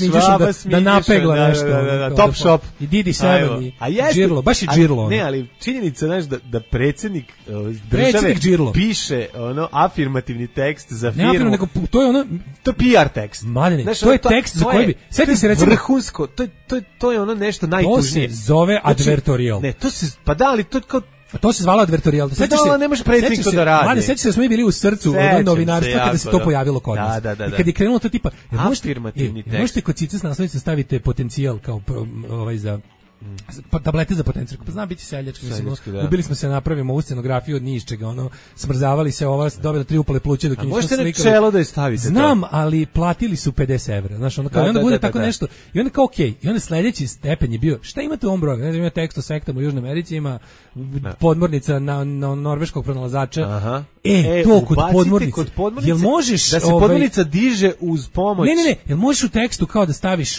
Minđušom. Da napegla nešto. Top shop. I Didi Seven i Džirlo, baš i Džirlo. Ne, ali činjenica, znaš, da predsjednik države piše afirmativni tekst za firmu. Ne afirmativni, nego to je ono... To je PR tekst. Madene, to je tekst za koji bi... Sjeti se recimo... Vrhunsko, to je ono nešto najtužnije. To se zove advertorial. Ne, to se... Pa da, ali to se zvala advertorial. Ne može predsjednik to da radi. Mlade, sećaš se da smo mi bili u srcu novinarstva kada se to pojavilo kod nas. Da. I kad je krenulo to tipa... Afirmativni tekst. Možete kod cica s naslovnice stavite potencijal kao za... tablete za potencijal. Pa znam biti seljački. Ubili smo se napravimo ovu scenografiju od ničega, smrzavali se dobila 3 upale pluće dok nismo slikali. Možete na čelo da je stavite. Znam, ali platili su 50 evra. Znaš, onda bude tako nešto. I onda kao okej. I onda sledeći stepen je bio, šta imate u ovom broju? Ne znam, ima tekst o sektama u Južnoj Americi, ima podmornica na norveškog pronalazača. To kod podmornice. Jel možeš... Da se podmornica diže uz pomoć... Ne. Jel možeš u tekstu kao da staviš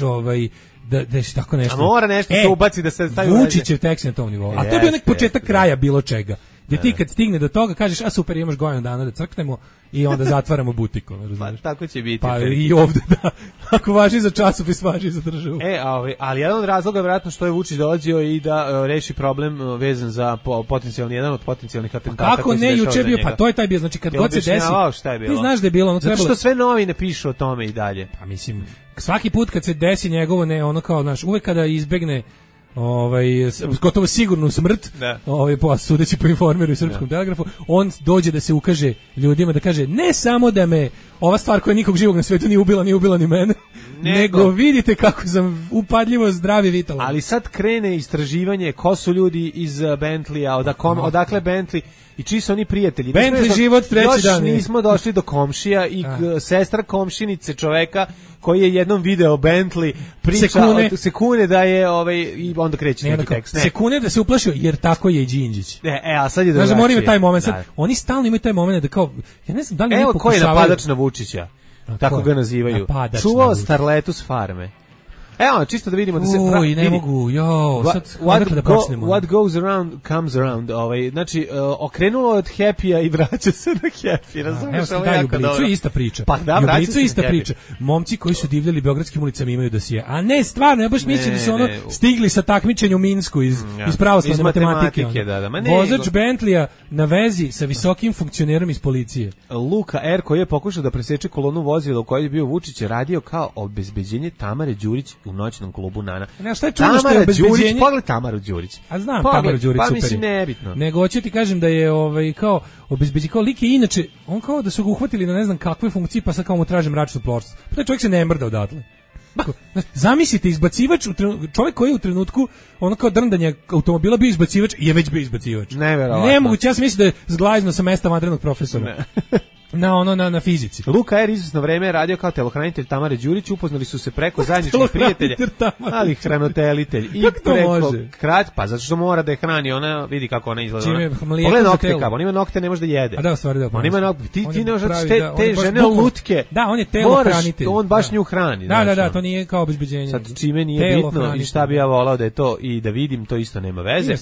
da je tako nešto. A mora nešto se ubaci da se stavi. Vučićev tekst na tom nivou. A to je bio nek početak kraja bilo čega. Gdje ti kad stigne do toga kažeš, a super, imaš godinu dana da crknemo i onda zatvaramo butiku. Pa tako će biti. Pa i ovde da. Ako važi za časopis, važi za državu. Ali jedan od razloga je vjerojatno što je Vučić dolazio i da reši problem vezan za jedan od potencijalnih atentata. Kako ne, juče bio, pa to je taj bio, znači kad god se desi. Ti znaš da je bilo, zato što sve novine pišu o tome i dalje. Pa mislim, svaki put kad se desi njegovo uvek kada izbegne gotovo sigurnu smrt, sudeći po Informeru i Srpskom telegrafu, on dođe da se ukaže ljudima, da kaže ne samo da me ova stvar koja nikog živog na svetu nije ubila ni mene, nego vidite kako sam upadljivo zdrav i vitalan. Ali sad krene istraživanje ko su ljudi iz Bentleya, odakle Bentley i čiji su oni prijatelji. Bentley život treći dan. Još nismo došli do komšija i sestra komšinice čoveka koji je jednom video Bentley priča sekune da je i onda kreće neki tekst. Sekune da se uplašio jer tako je i Đinđić. A sad je drugačije. Znači, taj moment. Oni stalno imaju taj moment da kao, ja ne znam da li oni pokušavaju... Evo ko je napadač na Vučića, tako ga nazivaju. Čuvao starletu s farme. Evo, čisto da vidimo da se... ne mogu, what goes around comes around. Znači, okrenulo od Happy-a i vraća se na Happy. Razumiješ, ovo je jako dobro. Jublicu je ista priča. Pa da, vraća se ista priča. Momci koji su divljali beogradskim ulicama imaju dosije. A ne, stvarno, ja baš mislim da su stigli sa takmičenja u Minsku iz pravoslavne matematike. Vozač Bentleya na vezi sa visokim funkcionerom iz policije. Luka R. koji je pokušao da preseče kolonu vozila u kojoj je bio Vučić, radio kao obezbeđenje Tamare Đurić u noćnom klubu Nana. Šta je čudno što je obezbeđenje? Pogled Tamaru Đurić. A znam Tamaru Đurić, super. Pa mislim nebitno. Nego hoću ti kažem da je kao obezbeđenje, kao lik je inače, on kao da su ga uhvatili na ne znam kakve funkcije, pa sad kao mu traže mračnu ploču. Pa taj čovjek se ne mrda odatle. Zamislite, izbacivač, čovjek koji je u trenutku kao drndanja automobila bio izbacivač, je već bio izbacivač. Neverovatno. Nemoguće, ja sam mislim da je zglajzno sa mesta vanrednog profesora. Na fizici. Luka R. izvesno vreme je radio kao telohranitelj Tamare Đurić, upoznali su se preko zajedničkih prijatelja, ali hranitelitelj. I preko pa zato što mora da je hrani, ona vidi kako ona izgleda. Pogledaj nokte kako, on ima nokte, ne može da jede. A da, stvari da. On ima nokte, ti ne možeš te žene lutke. Da, on je telohranitelj. On baš nju hrani. Da, to nije kao obezbeđenje. Sad čime nije bitno i šta bi ja volao da je to i da vidim, to isto nema veze.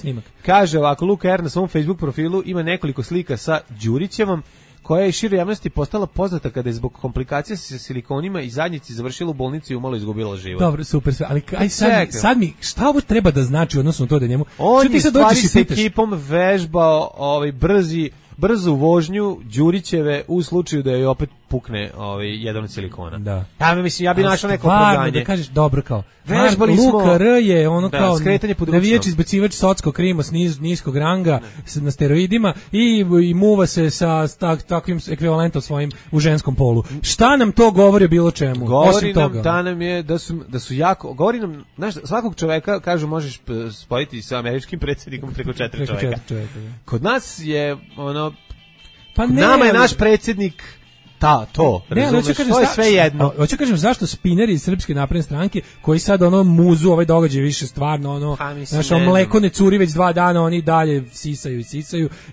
Kaže ovako, Luka R. na svom Facebook profilu ima nekoliko slika sa Đurićevom, koja je široj javnosti postala poznata kada je zbog komplikacija sa silikonima i zadnjici završila u bolnici i umalo izgubila život. Dobro, super sve, ali sad mi, šta ovo treba da znači odnosno to da njemu... On je stvari s ekipom vežbao brzu vožnju Đurićeve u slučaju da joj opet pukne jedan od silikona. Da. Ja bi našao neko opravdanje. Da kažeš dobro kao. Vežbali smo. Luka R. je kao navijač izbacivač socko krima s niskog ranga na steroidima i muva se sa takvim ekvivalentom svojim u ženskom polu. Šta nam to govori o bilo čemu? Govori nam da nam je da su jako, govori nam, znaš, svakog čoveka kažu možeš spojiti sa američkim predsjednikom preko 4 čoveka. Kod nas je nama je naš predsjednik to. Razumeš, to je sve jedno. Hoću kažem zašto spineri iz Srpske napredne stranke koji sad ono muzu ovaj događaj više stvarno ono naše mleko ne curi već 2 dana, oni dalje sisaju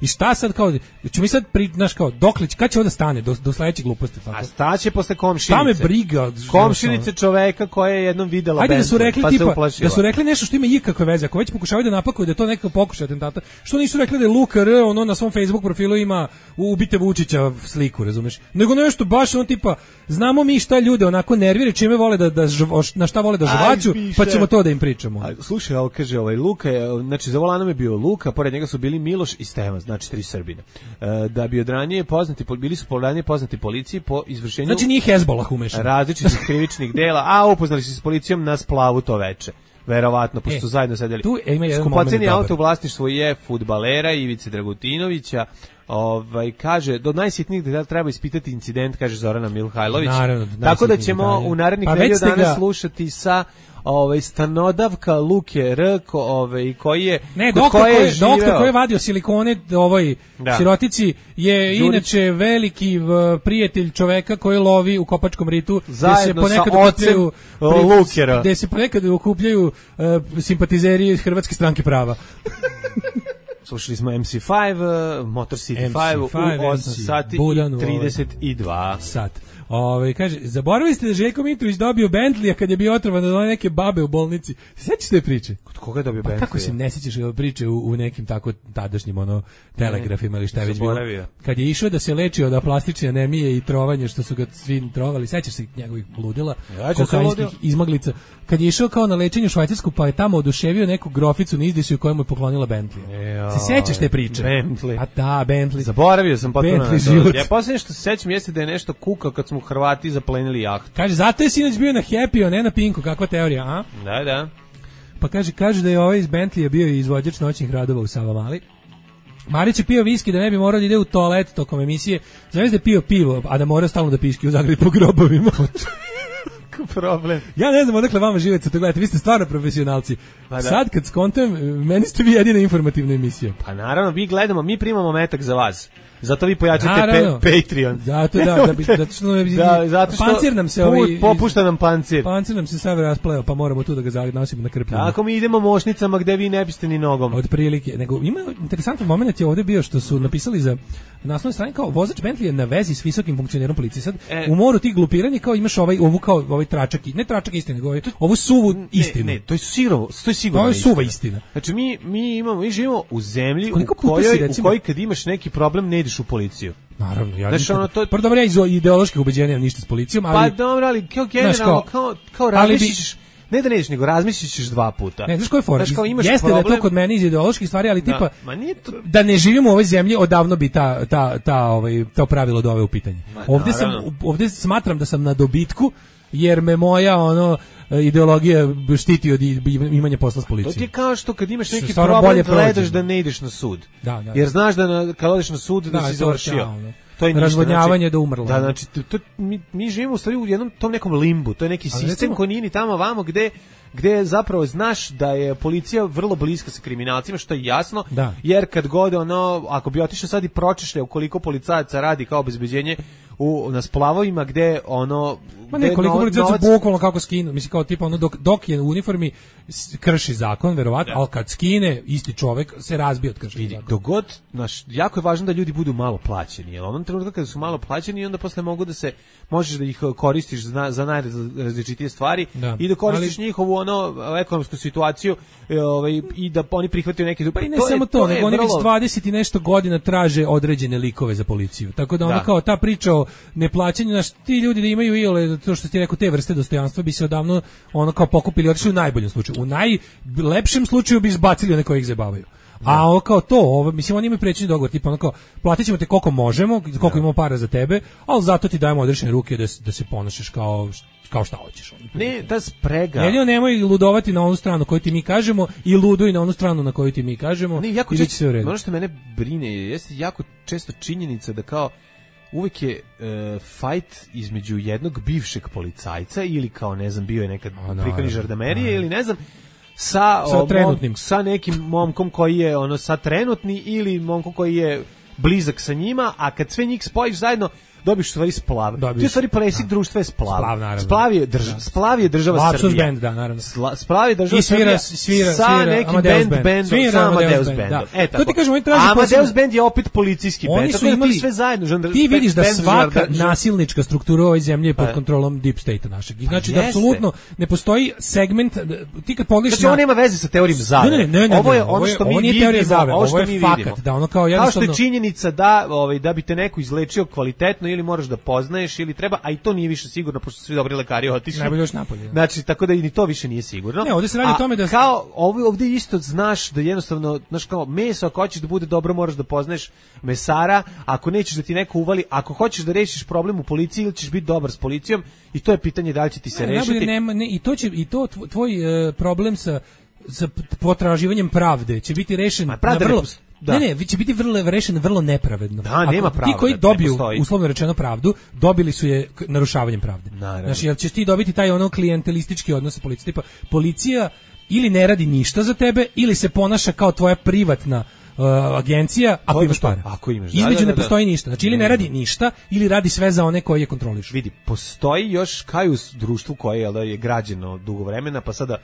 i šta sad kao ćemo mi sad znaš kao doklić kad će onda stane do sledeće gluposti tako. A staće posle komšinice. Šta me briga komšinice čoveka koja je jednom videla Ajde da su rekli tipa da su rekli nešto što ima ikakve veze, ako već pokušavaju da napakuju da je to neki pokušaj atentata, što nisu rekli da je Luka R ono na svom Facebook profilu ima ubite Vučića sliku, razumeš? Nego nešto baš on tipa znamo mi šta ljude onako nervira, čime vole na šta vole da žvaću, pa ćemo to da im pričamo. Slušaj, ovo kaže Luka, znači za volanom je bio Luka, pored njega su bili Miloš i Stevan, znači 3 Srbina. Da bi odranije bili su ranije poznati policiji po izvršenju. Znači nije Hezbollah umešan. Različitih krivičnih dela, a upoznali se s policijom na splavu to veče. Verovatno, pošto su zajedno sedeli. Skupoceni auto u vlasništvu je fudbalera Ivice Dragutinovića. Kaže, do najsitnijih detalja treba ispitati incident, kaže Zorana Mihajlović. Naravno, tako da ćemo u narednih nedelju dana slušati sa stanodavka Luke R koji je doktor koji je vadio silikone sirotici je inače veliki prijatelj čoveka koji lovi u Kopačkom ritu zajedno sa ocem Lukera gde se ponekad okupljaju simpatizeri Hrvatske stranke prava. Slušali smo MC5, Motor City 5 u 8 sati i 32 sat. Kaže, zaboravili ste da Željko Mitrović dobio Bentley kad je bio otrovan od neke babe u bolnici. Sećaš te priče? Kod koga je dobio Bentley? Kako se ne sećaš priče u nekim tako tadašnjim telegrafima ili šta je već bilo? Kad je išao da se leči od aplastične anemije i trovanje što su ga svi trovali, sećaš se njegovih ludila, kokainskih izmaglica. Kad je išao kao na lečenje u Švajcarsku, pa je tamo oduševio neku groficu na izdisaju koja mu je poklonila Bentley. Se sećaš te priče? Bentley. A da, Bentley. Zaboravio sam potpuno. Ja posljednje što se sećam jeste da je nešto kukao kad smo Hrvati zaplenili jahtu. Kaže, zato je sinoć bio na Happy, ne na Pinku, kakva teorija, a? Da. Pa kaže da je ovaj iz Bentleya bio izvođač noćnih radova u Savamali. Marić je pio viski da ne bi morao da ide u toalet tokom emisije. Znaš da je pio pivo, a da mora stalno da piški u Zagrebu po grobovima. Problem. Ja ne znam odakle vama živete to gledate, vi ste stvarno profesionalci. Sad kad skontam, meni ste vi jedina informativna emisija. Pa naravno, mi primamo metak za vas. Zato vi pojačate Patreon. Zato što pancir nam se popušta nam pancir. Pancir nam se sav raspleo, pa moramo tu da ga nosimo na krpljenu. Ako mi idemo mošnicama gde vi ne biste ni nogom. Od prilike. Nego ima interesantan moment je ovdje bio što su napisali za naslovnoj strani kao vozač Bentley je na vezi s visokim funkcionerom policije. Sad u moru tih glupiranja kao imaš ovaj tračak, ne tračak istine, nego ovu suvu istinu. Ne, to je sigurno. To je suva istina. Znači mi živimo u zemlji u kojoj kad imaš neki problem ne ideš u policiju. Naravno, ja prvo dobro, ja iz ideoloških ubeđenja nemam ništa s policijom, ali pa dobro, ali kao generalno kao razmišljaš, ne da neš, nego razmišljaš 2 puta. Ne, znaš koji je fora? Jeste da je to kod mene iz ideoloških stvari, ali tipa da ne živimo u ovoj zemlji, odavno bi to pravilo doveo u pitanje. Ovdje smatram da sam na dobitku, jer me moja ideologija štiti od imanja posla s policijom. To ti je kao što kad imaš neki problem gledaš da ne ideš na sud. Jer znaš da kad odeš na sud da si završio. To je razvodnjavanje do umrlo. Da, znači mi živimo u stvari u jednom tom nekom limbu. To je neki sistem koji nije ni tamo vamo gde zapravo znaš da je policija vrlo bliska sa kriminalcima, što je jasno, jer kad god ako bi otišao sad i pročešljao koliko policajaca radi kao obezbeđenje na splavovima gde ma nekoliko policajaca bukvalno kako skinu, mislim kao tipa dok je u uniformi krši zakon, verovatno, ali kad skine isti čovek se razbije od kršenja zakona. Dogod, jako je važno da ljudi budu malo plaćeni, jer onom trenutku kada su malo plaćeni onda posle mogu da se, možeš da ih koristiš za najrazličitije stvari i da koristiš njihovu ekonomsku situaciju i da oni prihvataju neke... Pa i ne samo to, nego oni već 20 i nešto godina traže određene likove za policiju. Tako da kao ta priča o neplaćanju, ti ljudi da imaju iole, to što ti rekao, te vrste dostojanstva bi se odavno kao pokupili, otišli u najboljem slučaju. U najlepšem slučaju bi izbacili one koji ih zabavaju. A kao to, mislim, oni imaju prećeni dogovor, tipa kao, platit ćemo te koliko možemo, koliko imamo para za tebe, ali zato ti dajemo odrešene ruke da se ponašaš kao šta hoćeš. Ne, ta sprega. Nemoj ludovati na onu stranu koju ti mi kažemo i luduj na onu stranu na koju ti mi kažemo. Ne, jako često, ono što mene brine jeste jako često činjenica da kao uvek je fight između jednog bivšeg policajca ili kao, ne znam, bio je nekad pripadnik žandarmerije ili ne znam, sa nekim momkom koji je sad trenutni ili momkom koji je blizak sa njima, a kad sve njih spojiš zajedno, dobiš u stvari splav. Ti u stvari presik društva je splav. Splav je država Lapsus Srbija. band, da, naravno. Splav je država Srbija sa nekim bendom, sa Amadeus bandom. To ti kažem, oni traže Amadeus band je opet policijski band. Oni su imali sve zajedno. Ti vidiš da svaka nasilnička struktura u ovoj zemlji je pod kontrolom deep state-a našeg. Znači da apsolutno ne postoji segment, ti kad pogledaš, znači ovo nema veze sa teorijom zavere. Ovo je ono što mi vidimo, ovo je fakat, da ono kao jednostavno. Kao što je činjenica da bi te neko izlečio kvalitetno ili moraš da poznaješ ili treba, a i to nije više sigurno pošto su svi dobri lekari otišli. Najbolje još napolje. Znači tako da ni to više nije sigurno. Ne, ovde se radi o tome da kao ovde isto znaš da jednostavno, znaš kao meso ako hoćeš da bude dobro moraš da poznaješ mesara, ako nećeš da ti neko uvali, ako hoćeš da rešiš problem u policiji ili ćeš biti dobar s policijom i to je pitanje da li će ti se rešiti. I to tvoj problem sa potraživanjem pravde će biti rešen vrlo. Ne, će biti rešen vrlo nepravedno. Da, nema pravde. Ti koji dobiju, uslovno rečeno, pravdu, dobili su je narušavanjem pravde. Znači, jel ćeš ti dobiti taj ono klijentelistički odnos sa policijom? Tipa, policija ili ne radi ništa za tebe, ili se ponaša kao tvoja privatna agencija, ako imaš para. Između ne postoji ništa. Znači, ili ne radi ništa, ili radi sve za one koje je kontroliš. Vidi, postoji još kao u društvu koje je građeno dugo vremena, pa sada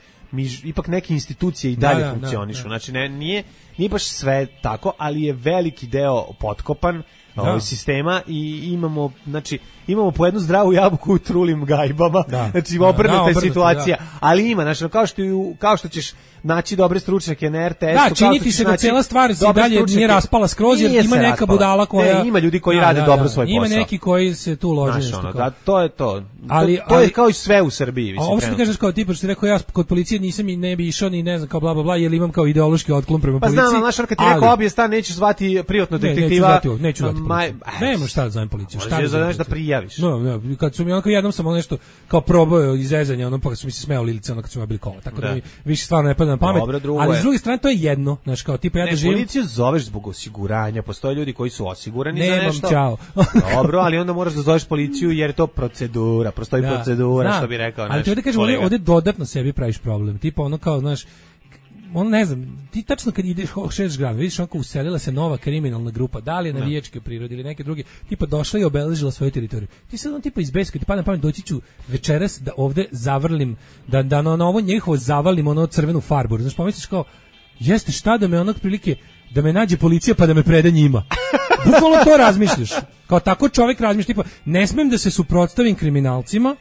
ipak neke institucije i dalje funkcionišu. Znači, nije baš sve tako, ali je veliki deo potkopan sistema i imamo po jednu zdravu jabuku u trulim gajbama. Znači, obrnuta je situacija. Ali ima, znači, kao što ćeš naći dobre stručnjake na RTS-u. Da, čini ti se da cijela stvar se dalje nije raspala skroz, jer ima neka budala koja... ima ljudi koji rade dobro svoj posao. Ima neki koji se tu lože nešto. Da, to je to. To je kao i sve u Srbiji. A ovo što ti kažeš kao tipa, što si rekao, ja kod policije nisam i ne bi išao ni ne znam kao bla bla bla, jer imam kao ideološki otklon prema policiji. Pa znam, znaš, kad ti rekao obje stan, nećeš zvati privatno detektiva. Neću zvati policiju. Nema šta da zovem policiju. Možeš da prijaviš. Kad su mi onako jednom sam nešto kao probao izrezanje, ono pa kad su mi se smejali lice, ono kad su mi bili kola. Tako da mi više stvarno ne pada na pamet. Ali s druge strane to je jedno, znači kao tipa ja da živim. Policiju zoveš zbog osiguranja, postoje ljudi koji su osigurani za nešto. Čao. Dobro, ali onda moraš da zoveš policiju jer je to procedura, postoji procedura, što bi rekao. Ali ti ovdje kažem, ovdje dodatno sebi praviš problem, tipa ono kao, znaš, ono ne znam, ti tačno kad ideš šeš grad, vidiš onako uselila se nova kriminalna grupa, da li je navijačke prirode ili neke druge, tipa došla i obeležila svoju teritoriju. Ti sad on tipa iz Beska, ti pada na pamet, doći ću večeras da ovde zavrlim, da na ovo njihovo zavalim ono crvenu farbu. Znaš, pomisliš kao, jeste šta da me onog prilike, da me nađe policija pa da me preda njima. Bukvalno to razmišljaš. Kao tako čovjek razmišlja, tipa, ne smem da se suprotstavim kriminalcima,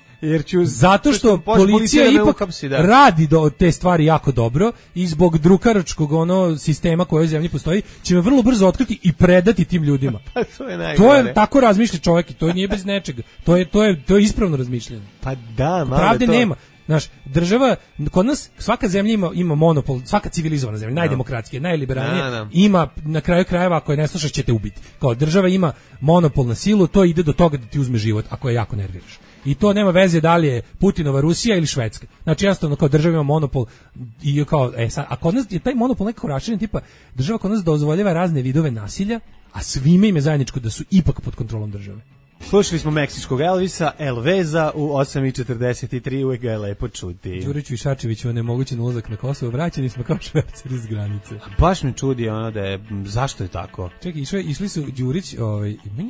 zato što policija ipak radi te stvari jako dobro i zbog drukaračkog sistema koji u zemlji postoji će me vrlo brzo otkriti i predati tim ljudima. To je tako razmišlja čovjek i to nije bez nečega. To je ispravno razmišljanje. Pa da, pravde nema. Znaš, država, kod nas svaka zemlja ima monopol, svaka civilizovana zemlja, najdemokratskija, najliberalnija, ima na kraju krajeva, ako je ne slušaš će te ubiti. Kao država ima monopol na silu, to ide do toga da ti uzme život ako je jako nerviraš. I to nema veze da li je Putinova Rusija ili Švedska. Znači jednostavno kao država ima monopol i kao a kod nas je taj monopol nekako raširen, tipa država kod nas dozvoljava razne vidove nasilja, a svime im je zajedničko da su ipak pod kontrolom države. Slušali smo meksičkog Elvisa, Elveza u 8:43, uvek ga je lepo čuti. Đuriću i Šačeviću nemogućen ulazak na Kosovo, vraćeni smo kao šverceri iz granice. Baš me čudi da je, zašto je tako? Čekaj, išli su Đurić,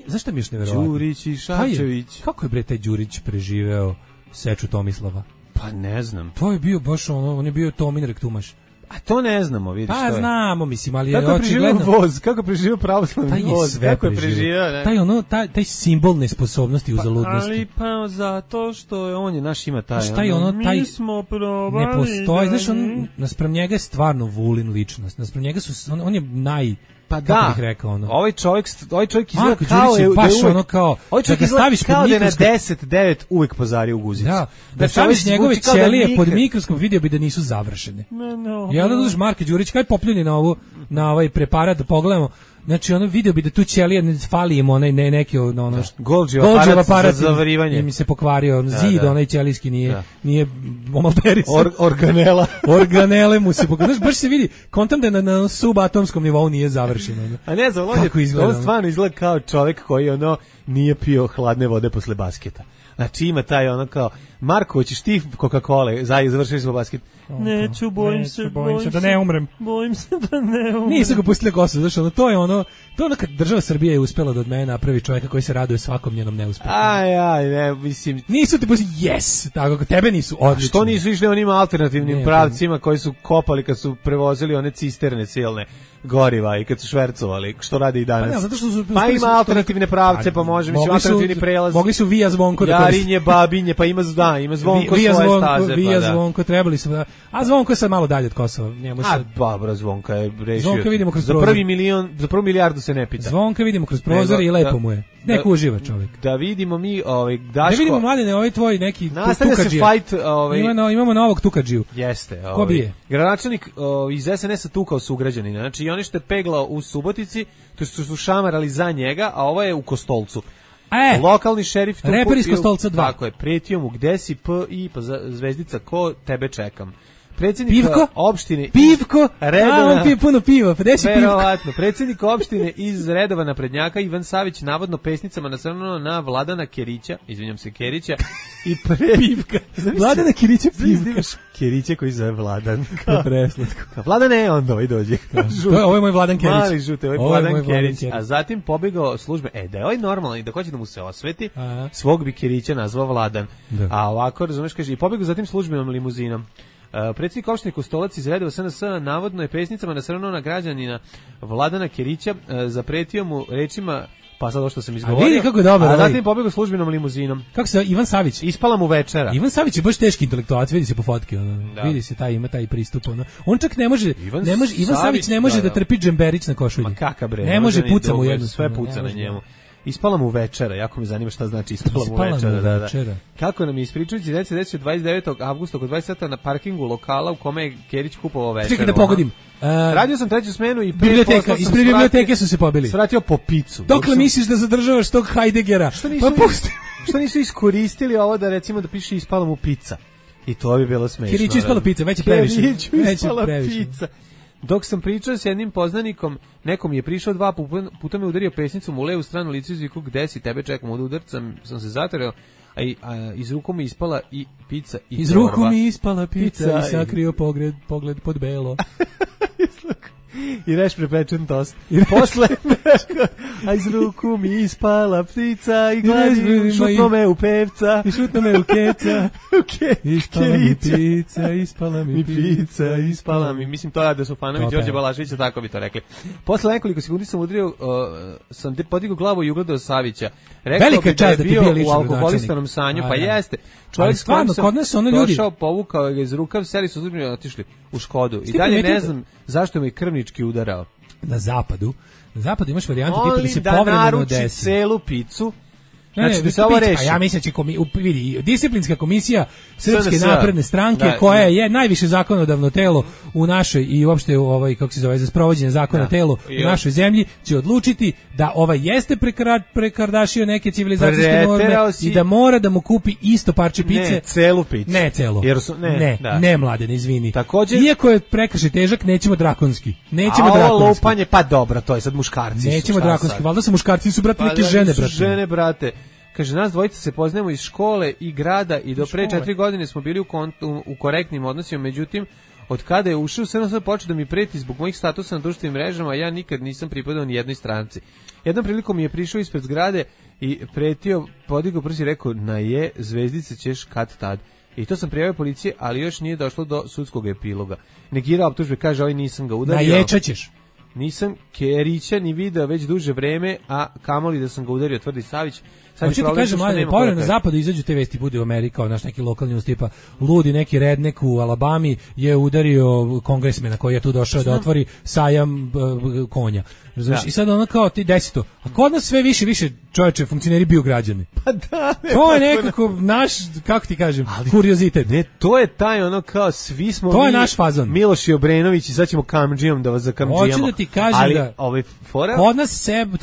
zašto mi još neverovatno? Đurić i Šačević. Kako je bre taj Đurić preživeo seču Tomislava? Pa ne znam. To je bio baš on je bio Tomin Rektumaš. A to ne znamo, vidiš što je. Pa znamo, mislim, ali je očigledno... Kako je preživio pravoslavni voz? Kako je preživio? Taj simbol nesposobnosti u zaludnosti. Ali pa zato što on je naš ima taj... Mi smo probali... Ne postoji, znaš, naspram njega je stvarno Vulin ličnost. Naspram njega on je Pa da, bih rekao, ovaj čovjek izgleda kao je baš ovaj čovjek izgleda kao da je na 10-9 uvijek pozario u guzicu. Da staviš njegove ćelije pod mikroskop, vidio bi da nisu završene. I onda dođeš Marko Đurić, kaj popljuni na ovaj preparat, da pogledamo. Znači vidio bi da tu ćelija ne fali im neki Golgi aparat za zavarivanje. Mi se pokvario, zid onaj ćelijski nije omalterisan. Organele mu se pokvario. Baš se vidi, kontam da na subatomskom nivou nije završeno. A ne znam, on stvarno izgleda kao čovjek koji nije pio hladne vode posle basketa. Znači ima taj kao Marko, hoćeš ti Coca-Cola? Završili smo basket. Neću, bojim se da ne umrem. Bojim se da ne umrem. Nisu ga pustili Kosovo, znaš, to je ono kad država Srbija je uspela da od mene napravi čovjeka koji se raduje svakom njenom neuspehu. Ne, mislim... Nisu ti pustili, yes, tako, tebe nisu odlični. Što nisu išli onim alternativnim pravcima koji su kopali kad su prevozili one cisterne silne goriva i kad su švercovali, što rade i danas. Pa, zato što su, pa ima alternativne pravce, pa može, mislim, alternativni prelaz. Mogli su Vija Zvonko da koriste. Jarinje, Babinje, pa ima Zvonko svoje staze. Vija Zvonko, trebali su da... A Zvonko je sad malo dalje od Kosova. Dobro, Zvonka je rešio. Zvonka vidimo kroz prozor. Za prvu milijardu se ne pita. Zvonka vidimo kroz prozor i lepo mu je. Neko uživa čovjek. Da vidimo mi, Daško... Da vidimo, Mladene, ovaj tvoj neki nastavlja se fight, Imamo novog tukadžiju. Jeste. Ko bije? Gradonačelnik iz SNS-a tukao sugrađanina. Znači, i oni što je peglao u Subotici, to su šamarali za njega, a ovo je u Kostolcu. Lokalni šerif... Reper iz Kostolca 2. Tako je, pretio mu, gde si, pa zvezdica, ko tebe čekam. Predsjednik opštine... Pivko? On pije puno piva, pa gde si Pivko? Verovatno. Predsjednik opštine iz redova naprednjaka Ivan Savić navodno pesnicama nasrnuo na Vladana Kerića, izvinjam se, Kerića, i Pivka. Vladana Kerića, Pivka. Kerića koji zove Vladan. Preslatko. Vladane, onda ovaj dođe. Ovo je moj Vladan Kerić. Mali žute, ovo je Vladan Kerić. A zatim pobegao službe, da je ovaj normalan i da hoće da mu se osveti, svog bi Kerića nazvao Vladan. A ovako, razumeš, kaže, i pobegao zatim službenom limuzinom. Predsjednik opštine Kostolac iz redova SNS navodno je pesnicama nasrnuo na građanina Vladana Kerića, zapretio mu rečima, pa sad ovo što sam izgovorio, vidi kako je dobar, a zatim pobegao službenom limuzinom. Kako se Ivan Savić? Ispala mu večera. Ivan Savić je baš teški intelektualac, vidi se po fotki, vidi se ima taj pristup. On čak ne može, Ivan Savić ne može da trpi džemberić na košulji. Ma kaka bre, ne može, puca mu jedno. Sve puca na njemu. Ispala mu večera, jako me zanima šta znači ispala mu večera. Da. Kako nam je ispričajući, desio 29. avgusta oko 20 sata na parkingu lokala u kome je Kerić kupovao večeru. Čekaj da pogodim. Radio sam treću smenu i ispred biblioteke su se pobili. Svratio po picu. Dokle misliš da zadržavaš tog Heideggera? Što nisu iskoristili ovo da recimo da piše ispala mu pizza? I to bi bilo smešno. Keriću ispala pizza, već je previše. Keriću ispala pizza. Dok sam pričao s jednim poznanikom, nekom je prišao 2 puta me udario pesnicom u levu stranu licu i zviku, gde si, tebe čekam, od udarca sam se zatreo, a iz ruku mi ispala i pizza i iz ruku mi ispala pizza i sakrio pogled pod belo. I reš prepečen tost. I posle, a iz ruku mi ispala ptica i gladim, šutno me u pevca. I šutno me u keca. Ispala mi pizza, ispala mi. Mislim, to je Ade Sofanović, Đorđe Balaševića, tako bi to rekli. Posle nekoliko sekundi sam udario, sam podigao glavu i ugledao Savića. Rekao bi da je bio u alkoholistanom sanju, pa jeste. Čovjek stvarno, kod nas ono ljudi. Došao, povukao ga iz rukav, seli su uzmjeni, otišli u Škodu. I dalje ne znam zašto me krvnički udarao. Na zapadu imaš varijantu tipa da se povremeno desi. Da naruči celu picu. Znači, da se ovo reši. Ja mislim vidi, disciplinska komisija Srpske napredne stranke, koja je najviše zakonodavno telo u našoj i uopšte kako se zove, za sprovođenje zakona telo u našoj zemlji, će odlučiti da jeste prekardašio neke civilizacijske norme i da mora da mu kupi isto parče pice. Ne, celu picu. Ne celo. Ne, Mladen, izvini. Također, iako je prekršaj težak, nećemo drakonski. A ovo lupanje, pa dobro, to je sad muškarci. Nećemo drakonski, valjda su muškarci, su brate neke žene, brate. Kaže, nas dvojica se poznajemo iz škole i grada i do pre 4 godine smo bili u korektnim odnosima, međutim, od kada je ušao, sve počeo da mi preti zbog mojih statusa na društvenim mrežama, a ja nikad nisam pripadao ni jednoj stranci. Jednom prilikom mi je prišao ispred zgrade i pretio, podigao prsi i rekao, na je, zvezdice ćeš kad tad. I to sam prijavio policiji, ali još nije došlo do sudskog epiloga. Negirao optužbe, kaže, nisam ga udario. Naječat ćeš. Nisam Kerića ni video već duže vreme, a kamoli da sam ga udario, tvrdi Savić. Hoće ti kažem, Mladen, povremeno na zapadu izađu te vesti, bude u Amerika, naš neki lokalni news tipa, ludi neki rednek u Alabami je udario kongresmena koji je tu došao da otvori sajam konja. I sad ono kao ti desi to. A kod nas sve više čovječe funkcioneri bio građani. Pa da. To je nekako naš, kako ti kažem, kuriozitet. Ne, to je taj ono kao svi smo to je naš fazon. Miloš i Obrenović i sad ćemo kamdžijom da vas zakamdžijamo. Hoću da ti kažem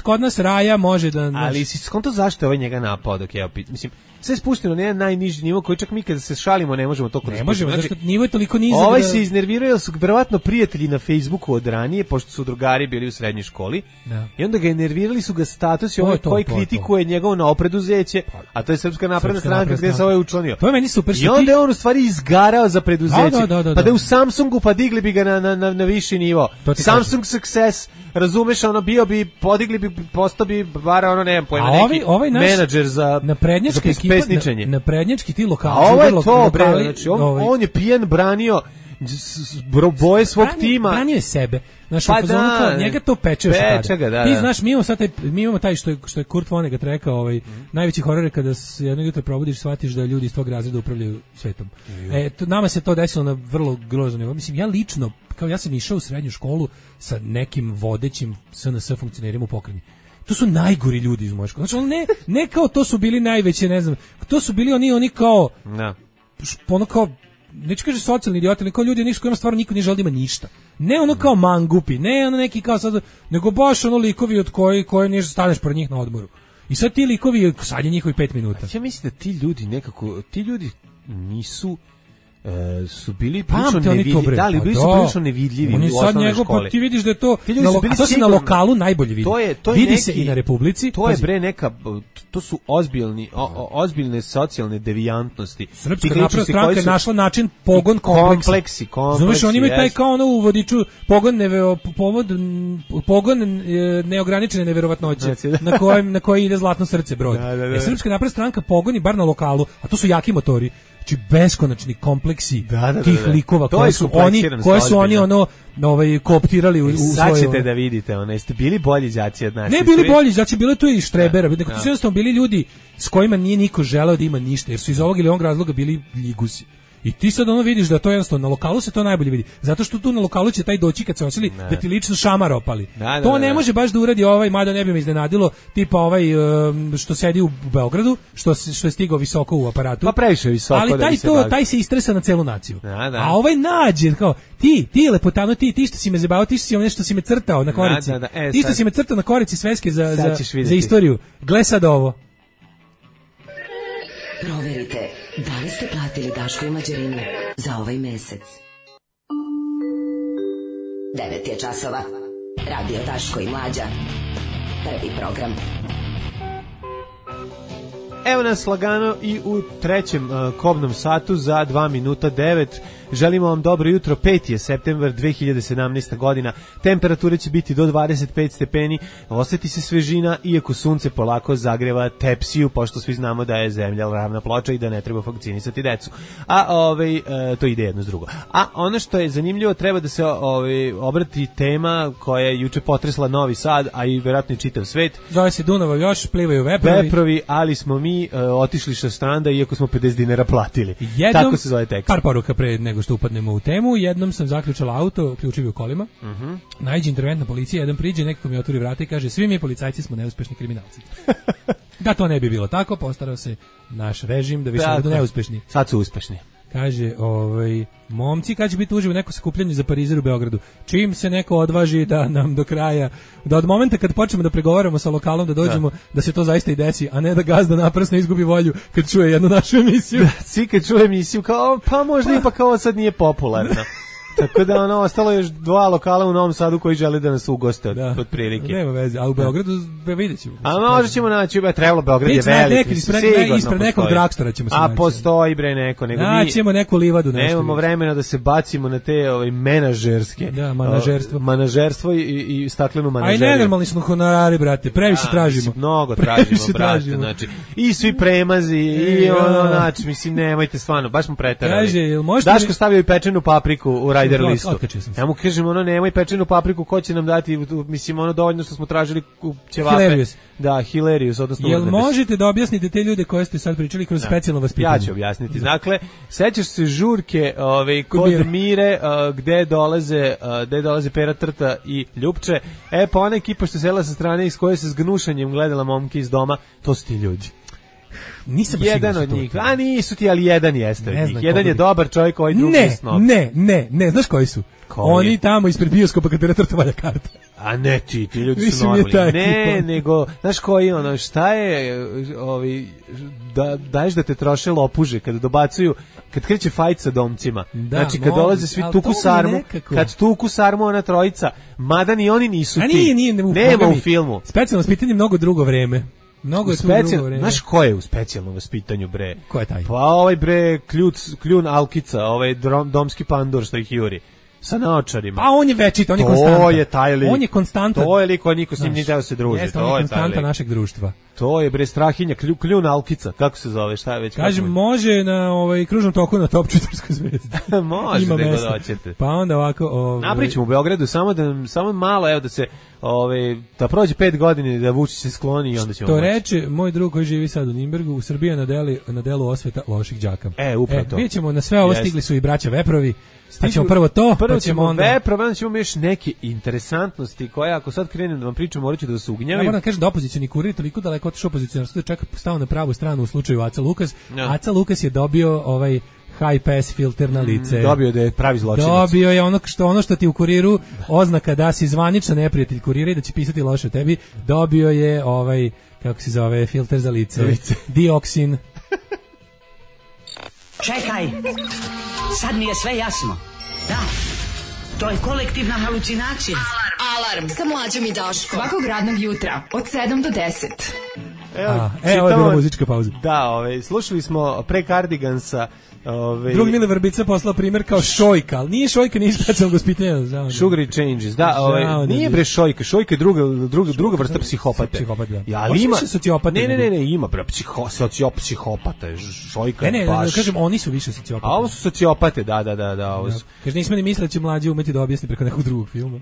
kod nas raja može da... Ali si skonto zašto je ovaj njega napao dok je mislim, sve spušteno na jedan najniži nivo koji čak mi kada se šalimo ne možemo toliko da spustimo. Ne možemo, znači, nivo je toliko nizak. Ovaj se iznervirao jer su verovatno prijatelji na Facebooku od ranije, pošto su drugari bili u srednjoj školi. Da. I onda ga nervirali su ga statusi koji kritikuje njegovo novopreduzeće, a to je Srpska napredna stranka gde se ovaj učlanio. To je meni super. I onda je on u stvari izgarao za preduzeće. Pa da je u Samsungu pa digli bi ga na viši nivo. Samsung success, razumeš, ono bio bi, podigli bi, postao bi bar ono, ne znam pojma, neki menadžer za pesničenje. Na prednjački ti lokali. A ovo je to, bre, znači on je pijan branio boje svog tima. Branio je sebe. Znaš, kao, njega to peče još tada. Ti znaš, mi imamo taj što je Kurt Vonnegut rekao, najveći horor je kada se jednog jutra probudiš, shvatiš da ljudi iz tog razreda upravljaju svetom. Nama se to desilo na vrlo grozno nivo. Mislim, ja lično, kao ja sam išao u srednju školu sa nekim vodećim SNS funkcionerima u pokrajini. To su najgori ljudi iz moje škole. Znači, ne kao to su bili najveće, ne znam, to su bili oni kao, ono kao, neću kaže socijalni idioti, ali kao ljudi nisu kojima stvarno niko nije želi da ima ništa. Ne ono kao mangupi, ne ono neki kao sad, nego baš ono likovi od koje nije staneš pored njih na odmoru. I sad ti likovi, sad je njihovi 5 minuta. Ja mislim da ti ljudi nekako, nisu su bili prilično nevidljivi. Da, bili su prilično nevidljivi u osnovnoj školi. Ti vidiš da je to, to se na lokalu najbolje vidi. Vidi se i na Republici. To je bre neka, to su ozbiljne socijalne devijantnosti. Srpska napredna stranka je našla način pogon kompleksi. Znaš, oni imaju taj kao ono u vodiču pogon neograničene neverovatnoće na koji ide zlatno srce brod. Srpska napredna stranka pogoni bar na lokalu, a to su jaki motori. Znači beskonačni kompleksi tih likova koje su oni kooptirali u svoje. Sad ćete da vidite, jeste bili bolji đaci od nas. Ne bili bolji đaci, bilo je tu i štrebera, to su jednostavno bili ljudi s kojima nije niko želeo da ima ništa, jer su iz ovog ili onog razloga bili ligusi. I ti sad ono vidiš da to jednostavno na lokalu se to najbolje vidi. Zato što tu na lokalu će taj doći kad se osili da ti lično šamar opali. To ne može baš da uradi mada ne bi me iznenadilo, tipa što sedi u Beogradu, što je stigao visoko u aparatu. Pa previše visoko. Ali taj se istresa na celu naciju. A nađe kao ti lepotano, ti što si me zabavao, ti što si nešto si me crtao na korici. Ti što si me crtao na korici sveske za istoriju. Gle sad ovo. Proverite, da li ste platili Daško i Mlađarinu za ovaj mesec? 9 je časova. Radio Daško i Mlađa. Prvi program. Evo nas lagano i u trećem kobnom satu za 2 minuta 9. Želimo vam dobro jutro, 5. je septembar 2017. godina, temperature će biti do 25 stepeni, osjeti se svežina, iako sunce polako zagreva tepsiju, pošto svi znamo da je zemlja ravna ploča i da ne treba vakcinisati decu. A to ide jedno s drugo. A ono što je zanimljivo, treba da se obrati tema koja je juče potresla Novi Sad, a i vjerojatno i čitav svet. Zove se Dunava još, plivaju veprovi. Ali smo mi otišli sa stranda, iako smo 50 dinara platili. Tako se zove tekst. Par poruka pre nego što upadnemo u temu. Jednom sam zaključala auto, ključevi u kolima. Naiđe interventna policija, jedan priđe, nekako mi otvori vrata i kaže: svi mi policajci smo neuspešni kriminalci. Da to ne bi bilo tako, postarao se naš režim da više budu neuspešni. Sad su uspešni. Kaže, momci, kad će biti uživo neko sakupljanje za parizer u Beogradu? Čim se neko odvaži da nam do kraja, da od momenta kad počnemo da pregovaramo sa lokalom da dođemo, da se to zaista i desi, a ne da gazda naprasno izgubi volju kad čuje jednu našu emisiju. Svi kad čuje emisiju kao, pa možda ipak ovo sad nije popularno. Tako da ostalo je još 2 lokala u Novom Sadu koji žele da nas ugoste od prilike. Nema veze, a u Beogradu vidjet ćemo. A možda ćemo naći, trebalo, Beograd je veliki. Ispred nekog dragstora ćemo se naći. A postoji bre neko. Naćemo neku livadu. Nemamo vremena da se bacimo na te menažerske. Da, manažerstvo i staklenu manažeriju. Aj nenormalni smo honorari, brate, previše tražimo. Mnogo tražimo, brate, znači. I svi premazi, i znači, mislim, nemojte stvarno, baš smo preterali. Daško stavio i pečenu papriku u rider listu. Ja mu kažem, nemoj pečenu papriku, ko će nam dati, mislim, dovoljno što smo tražili ćevape. Hilarious. Da, hilarious, odnosno jel možete da objasnite te ljude koje ste sad pričali kroz specijalno vaspitanje? Ja ću objasniti. Dakle, sećaš se žurke kod Mire, gde dolaze Pera Trta i Ljupče, pa ona ekipa što se sela sa strane iz koje se s gnušanjem gledala momke iz doma, to su ti ljudi. Nisam jedan od njih. A nisu ti, ali jedan jeste od njih. Jedan je dobar čovjek, ovaj drugi je snob. Ne, znaš koji su? Oni tamo ispred bioskopa kad direktor valja karta. A ne ti ljudi su normalni. Ne, nego, znaš koji ono, šta je, da daješ da te troše lopuže kada dobacuju, kad kreće fajt sa domcima. Znači kad dolaze svi tuku sarmu, kad tuku sarmu ona trojica, mada ni oni nisu ti. Nema u filmu. Specijalno vaspitanje mnogo drugo vreme. Mnogo je tu drugo vreme. Znaš ko je u specijalnom vaspitanju, bre? Ko je taj? Pa ovaj bre, kljun Alkica, ovaj domski pandur što ih juri. Sa naočarima. Pa on je večit, on je konstantan. To je taj lik. On je konstantan. To je lik, on niko s njim nije teo se druži. Jeste, on je konstanta našeg društva. To je bre Strahinja, kljun Alkica, kako se zove, šta je već? Kažem, može na kružnom toku na Top 4 zvezda. Može da ga doćete. Pa onda ovako... Napričamo u Beogradu, samo malo, evo da se... da prođe 5 godina da Vučić se skloni i onda ćemo to reče moj drug koji živi sad u Nimbergu, u Srbiji na delu osveta loših đaka. Upravo to. Vidjet ćemo na sve ovo, stigli su i braća Veprovi, pa ćemo prvo to, pa ćemo onda... Veprove, onda ćemo još neke interesantnosti koje ako sad krenem da vam pričam, morat ću da se ugnjavim. Ja moram da kažem da opozicioni kurir toliko daleko otišao opozicionar, da čak stao na pravu stranu u slučaju Aca Lukas. Aca Lukas je dobio high pass filter na lice. Dobio da je pravi zločinac. Dobio je ono što ti u kuriru oznaka da si zvaničan neprijatelj kurira i da će pisati loše o tebi. Dobio je kako se zove, filter za lice. Dioksin. Čekaj, sad mi je sve jasno. Da, to je kolektivna halucinacija. Alarm sa Mlađom i Daškom. Svakog radnog jutra od 7 do 10. Ovo je bila muzička pauza. Da, slušali smo pre Cardigansa. Drug Mile Vrbica poslao primjer kao šojka, ali nije šojka, nije specijalno gospitanje. Sugary changes, nije bre šojka, šojka je druga vrsta psihopate. Psihopata. Ja, ali ima sociopata. Ne, ima bre psihopata, šojka. Ne, kažem, oni su više sociopate. A ovo su sociopate, da. Kaže, nismo ni mislili da će Mlađi umeti da objasni preko nekog drugog filma.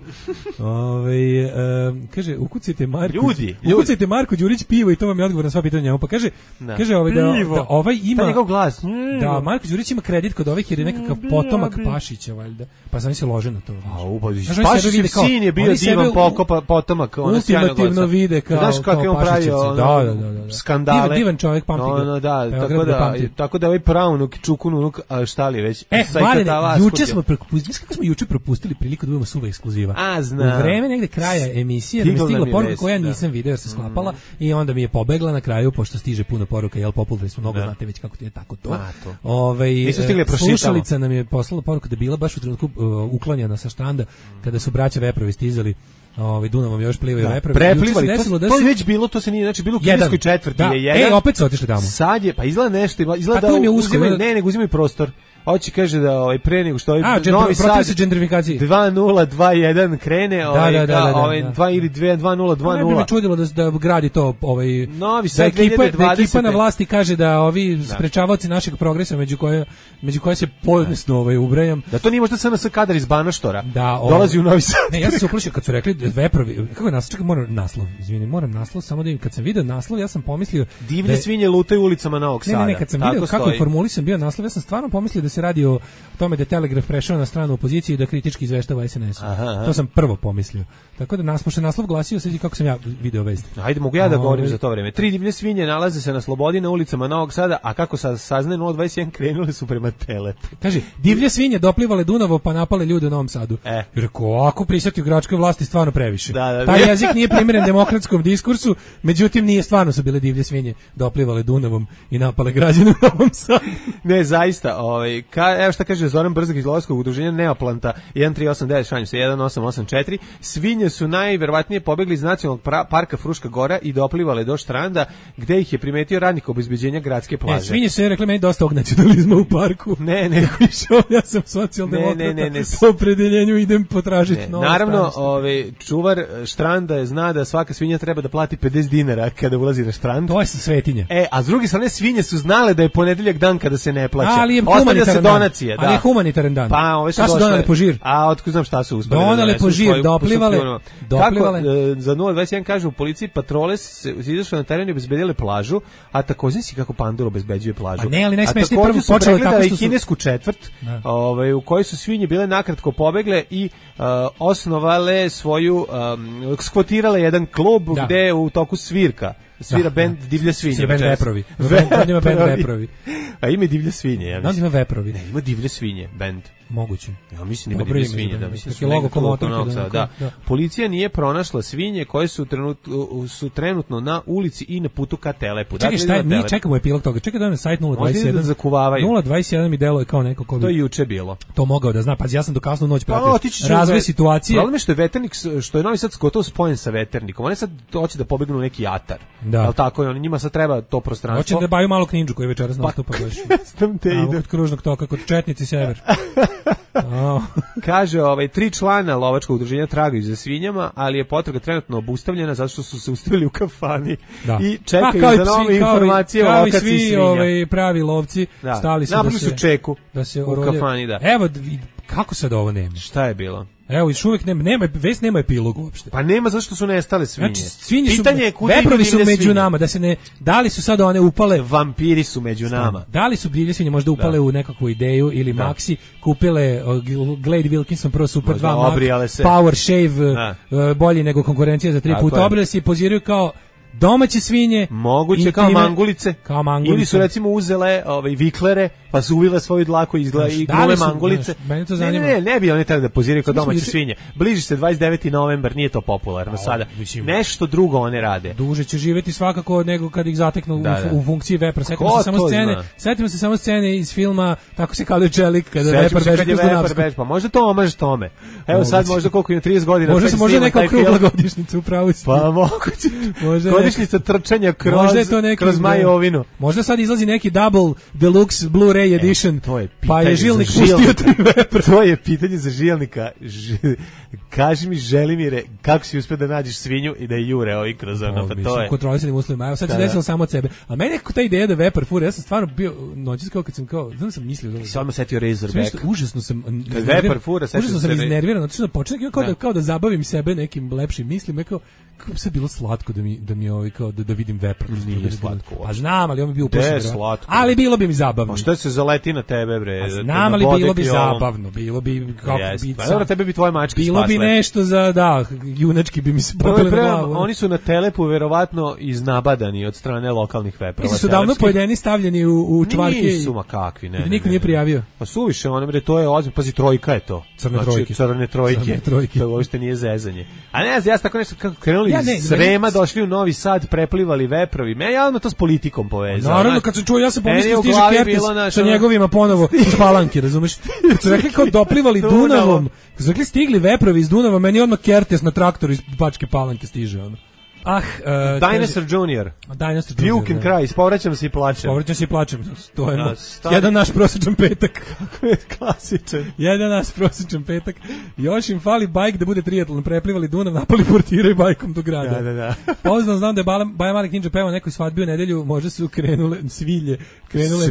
Kaže, ukucajte Marko Đurić pivo i to vam je odgovor na sva pitanja. Pa kaže da ovaj ima... njegov glas. Da, Marko Đurić ima kredit kod ovih jer je nekakav potomak Pašića, valjda. Pa sam se lože na to. Pašićev sin je bio divan potomak. Ultimativno vide kao znaš kako je on pravio skandale. Divan čovjek, pamti ga. Tako da ovaj pravnuk, čukunuk, šta li već. Juče smo propustili priliku da budemo suva ekskluziva. U vreme negde kraja emisije mi je stigla poruka koja nisam video jer se sklapala i onda mi je pobegla na kraju, pošto stiže puno poruka, jel popularni smo, mnogo znate već kako ti je tako to. Slušalica nam je poslala poruku da je bila baš u trenutku uklanjana sa štranda kada su braća Veprovi stizali Dunavom još plivaju Veprovi. Preplivali, to je već bilo, to se nije, znači bilo u kineskoj četvrti je jedan. Opet su otišli tamo. Sad je, pa izgleda nešto, izgleda da uzimaju prostor. Hoće kaže da pre nego što Novi Sad se gentrifikacije 2021 krene 2 ili 2020. Ne bi me čudilo da gradi to Novi Sad 2020. Ekipa na vlasti kaže da ovi sprečavaoci našeg progresa među koje se pojednosno ubrajam. Da to nije možda SNS kadar iz Banaštora. Dolazi u Novi Sad. Ne, ja sam se uplašio kad su rekli Veprovi. Kako je naslov? Čekaj, moram naslov, samo da im kad sam video naslov, ja sam pomislio divlje svinje lutaju ulicama Novog Sada. Ne, kad sam video kako je formulisan bio naslov, ja sam stvarno pomislio da se radi o tome da je Telegraf prešao na stranu opozicije i da kritički izveštava SNS. To sam prvo pomislio. Tako da pošto naslov glasio, sad kako sam ja video vest. Ajde, mogu ja da govorim za to vreme. 3 divlje svinje nalaze se na slobodi na ulicama Novog Sada, a kako saznaje 021 krenule su prema Telepu. Kaže, divlje svinje doplivale Dunavo pa napale ljude u Novom Sadu. Rekao, ako prisjeti u gradskoj vlasti stvarno previše. Taj jezik nije primjeren demokratskom diskursu, međutim nije stvarno su bile divlje svinje doplivale Dunavom i napale građane u Novom Sadu. Ne, zaista, evo šta kaže Zoran Brzak iz Lovskog udruženja Neoplanta 1389, šanju se 1884, svinje su najverovatnije pobegli iz nacionalnog parka Fruška Gora i doplivale do štranda gde ih je primetio radnik obezbeđenja gradske plaže. Svinje su rekli meni dosta ovog nacionalizma u parku. Ne. Ja sam socijaldemokrata. Po opredeljenju idem potražiti novo naravno, čuvar štranda zna da svaka svinja treba da plati 50 dinara kada ulazi na štrand. To je svetinja. A s druge strane svinje su znale da je ponedeljak dan kada se ne plaća. Ali je donacije, ali je humanitaran dan. Pa, ove su donale po žir. A otkud znam šta su uspeli. Donale po žir, doplivale. Kako za 021 kažu u policiji patrole se izašle na teren i obezbedile plažu, a takođe si kako Pandor obezbeđuje plažu. A ne, ali najsmešnije prvo počelo tako što su kinesku četvrt, u kojoj su svinje bile nakratko pobegle i osnovale svoju imaju skvotirale jedan klub gde u toku svira bend Divlje svinje. Svira bend Veprovi. Veprovi. A ima Divlje svinje, ja mislim. Ima Veprovi. Ne, ima Divlje svinje, bend. Moguće. Ja mislim da ima Divlje svinje, da mislim su logo Novog Sada. Policija nije pronašla svinje koje su trenutno na ulici i na putu ka Telepu. Čekaj, šta mi čekamo epilog toga. Čekaj da na sajt 021. Da zakuvavaju. 021 mi deluje kao neko ko bi. To je juče bilo. To mogao da zna. Pa ja sam do kasnu noć pratio. Razvoj situacije. Problem je što je Veternik, što je Novi Sad gotovo spojen sa Veternikom. Oni sad hoće da pobegnu u neki atar. Al tako je, oni njima sad treba to prostranstvo. Hoće da baju malo Knindžu koji večeras nastupa baš. Znam te ide od kružnog toka kod Četnici sever. Kaže, 3 člana lovačkog udruženja tragaju za svinjama, ali je potraga trenutno obustavljena zato što su se ustavili u kafani i čekaju za nove informacije o lokaciji svinja. Kao i svi pravi lovci stali su napravili su čeku u kafani, da. Evo, kako sad ovo nema? Šta je bilo? Evo, još uvijek nema epilog uopšte. Pa nema, zašto su nestale svinje. Znači, svinje su, veprovi su među nama, da li su sad one upale... Vampiri su među nama. Da li su divlje svinje možda upale u nekakvu ideju ili Maxi, kupile Glade Wilkinson Pro Super 2 Max, Power Shave, bolji nego konkurencija za 3 puta, obrile se i poziraju kao domaće svinje, moguće kao mangulice, ili su recimo uzele viklere pa su uvile svoju dlaku i gole mangulice. Ne bi oni trebali da poziraju kao domaće svinje. Bliži se 29. novembar, nije to popularno sada. Nešto drugo one rade. Duže će živjeti svakako nego kad ih zateknu u funkciji vepra. Setimo se samo scene iz filma Tako se kaluje čelik kada vepar beže kroz Dunavsku. Pa možda to omaže tome. Evo sad možda koliko ima 30 godina. Možda neka okrugla godišnjica upravo. Pa moguće. Godišnjica trčanja kroz Majovinu. Možda sad izlazi neki double deluxe Blu-ray edition, pa je Žilnik pustio 3 vepra. To je pitanje za Žilnika. Kaži mi, Želimire, kako si uspio da nađeš svinju i da je jure ovi kroz ono, pa to je. Kontrolisanim uslovima, evo sad se desilo samo od sebe. A meni je ta ideja da vepar fura, ja sam stvarno bio noćas kao kad sam sam mislio. Samo setio Razorback. Užasno sam vepar fura, užasno sam iznerviran, zato što počinjem kao da zabavim sebe nekim lepšim mislima, kako bi se bilo slatko da mi kao da vidim vepar. Nije slatko. Pa znam, ali on bi bio uplašen. Ali bilo bi mi zabavno. Pa što se zaleti na tebe, bre? Znam, ali bilo bi zabavno. Bilo bi kako bi. Pa dobro, tebe bi tvoje mačke spasle. Bilo bi nešto za junački bi mi se popele na glavu. Oni su na Telepu verovatno iznabadani od strane lokalnih veprova. Oni su davno pojedeni stavljeni u čvarke. Nisu ma kakvi, ne. Niko nije prijavio. Pa suviše, bre, to je ozbiljno. Pazi, trojka je to. Crne trojke. To uopšte nije zezanje. A ne, ja tako nešto kako krenuli Srema, došli u Novi Sad, preplivali veprovi. Ja odmah to s politikom povezao. Naravno, kad sam čuo, ja sam pomislio stiže Kertes sa njegovima ponovo iz Palanke, razumeš? Kad su rekli kao doplivali Dunavom, kad su rekli stigli veprovi iz Dunava, meni odmah Kertes na traktoru iz Bačke Palanke stiže, ono. Dinosaur Junior. Puke and Cry, povraćam se i plačem. To je jedan naš prosječan petak. Kako je klasičan. Jedan naš prosječan petak. Još im fali bajk da bude triatlon. Preplivali Dunav, napali portiraju bajkom do grada. Da. Poznam, znam da je Baja Malik Ninja pevao nekoj svadbi u nedelju, možda su krenule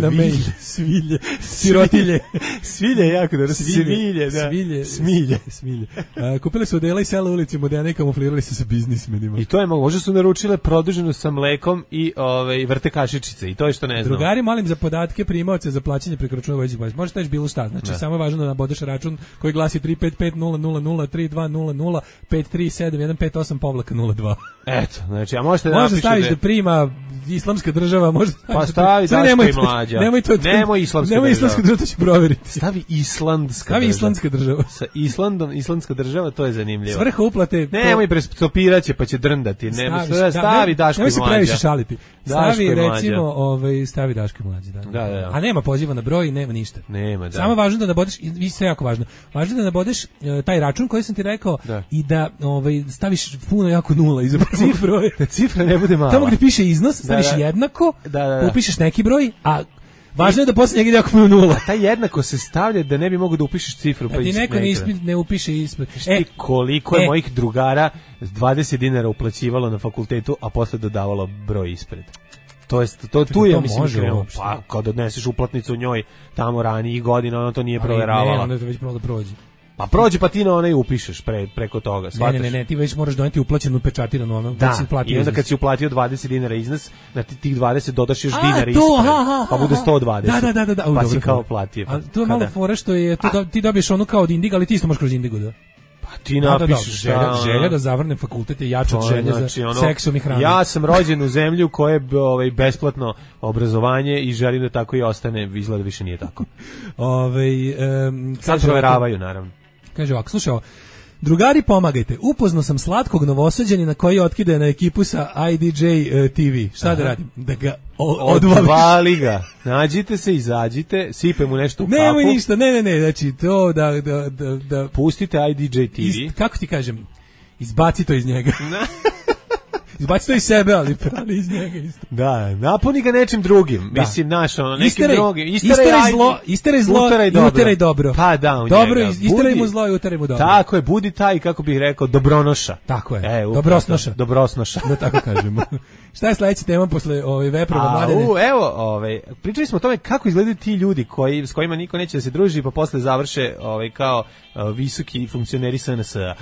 na mail. Svilje. Sirotilje. Svilje je jako dobro. Smilje. Kupili su odela i sela ulici moderne i kamuflirali se sa biznismenima. I to je možda su naručile produženu sa mlekom i vrte kašičice i to je što ne znam. Drugari, molim za podatke primaoce za plaćanje preko računa vojnih baza. Može taći bilo šta, znači samo je važno da nabodeš račun koji glasi 35500032005371558-02. Eto, znači, a možete da staviš da prima Islamska država, može pa stavi Daško i Mlađa. Nemoj Islamska država, to će provjeriti. Stavi Islandska država. Sa Islandom, Islandska država, to je zanimljivo. Svrha uplate. Nemoj prestopiraće pa će drndati. Stavi Daško i Mlađa. Nemoj se previše šaliti. Stavi recimo, stavi Daško i Mlađa. Da. A nema poziva na broj, nema ništa. Nema, da. Samo važno da nabodeš, i sve jako važno. Važno da nabodeš taj račun koji sam ti rekao i da staviš puno jako nula iza cifre. Da cifra ne bude mala. Tamo gdje piše iznos, staviš jednako, upišeš neki broj, a važno je da posle njega ide jako puno nula. A taj jednako se stavlja da ne bi mogao da upišeš cifru. Pa ti neko ne upiše ispred. Koliko je mojih drugara s 20 dinara uplaćivalo na fakultetu, a posle dodavalo broj ispred. Tu je, mislim, krenuo. Pa, kad odneseš uplatnicu u njoj tamo ranijih godina, ona to nije proveravala. Ne, ona to već mogla da prođe. Pa prođe, pa ti na onaj upišeš preko toga. Ne, ti već moraš doneti uplaćenu pečatiranu ono. Da, i onda kad si uplatio 20 dinara iznos, na tih 20 dodaš još dinara ispred, pa bude 120. Da. Pa si kao platio. A to je malo fora što je, ti dobiješ onu kao od Indigo, ali ti isto možeš kroz Indigo, da? Pa Ti napišeš želja da zavrnem fakultet je jača od želje za seksom i hranom. Ja sam rođen u zemlji u kojoj je besplatno obrazovanje i želim da tako i ostane, izgleda više nije tako. Sad proveravaju, naravno. Kaže ovako, slušaj, drugari, pomagajte. Upoznao sam slatkog Novosađanina koji otkidaje na ekipu sa IDJ TV. Šta da radim? Da ga odvali ga. Nađite se, izađite, sipe mu nešto u kapu. Nemoj ništa, ne, znači to da pustite IDJ TV. Kako ti kažem? Izbaci to iz njega. Izbaci to iz sebe, ali iz njega isto. Da, napuni ga nečim drugim. Da. Mislim, nekim drugim. Isteraj zlo i uteraj dobro. Pa da, u dobro, njega. Isteraj mu zlo i uteraj mu dobro. Tako je, budi taj, kako bih rekao, dobronoša. Tako je, dobrosnoša. Da tako kažemo. Šta je sledeća tema posle veprova Mladene? Evo, pričali smo o tome kako izgledaju ti ljudi s kojima niko neće da se druži, pa posle završe kao visoki funkcioneri SNS-a.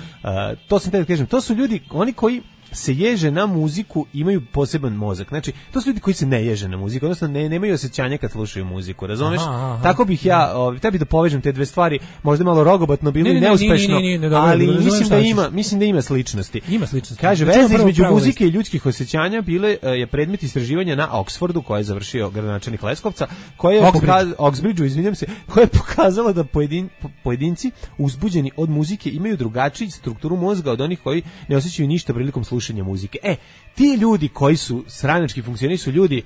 To sam te da kažem, to su ljudi, oni koji se ježe na muziku, imaju poseban mozak. Znači, to su ljudi koji se ne ježe na muziku, odnosno nemaju osjećanja kad slušaju muziku, razumeš? Tako bih ja, tebi da povežem te dve stvari, možda malo rogobatno bilo i neuspešno, ali mislim da ima sličnosti. Ima sličnosti. Kaže, veza između muzike i ljudskih osjećanja je predmet istraživanja na Oxfordu, koje je završio gradonačelnik Leskovca, Oxbridgeu, izvinjam se, koja je pokazala da pojedinci uzbuđeni od muzike imaju drugačiju strukturu mozga od onih koji ne osjećaju ništa prilikom slušanja muzike. Ti ljudi koji su stranački funkcioneri su ljudi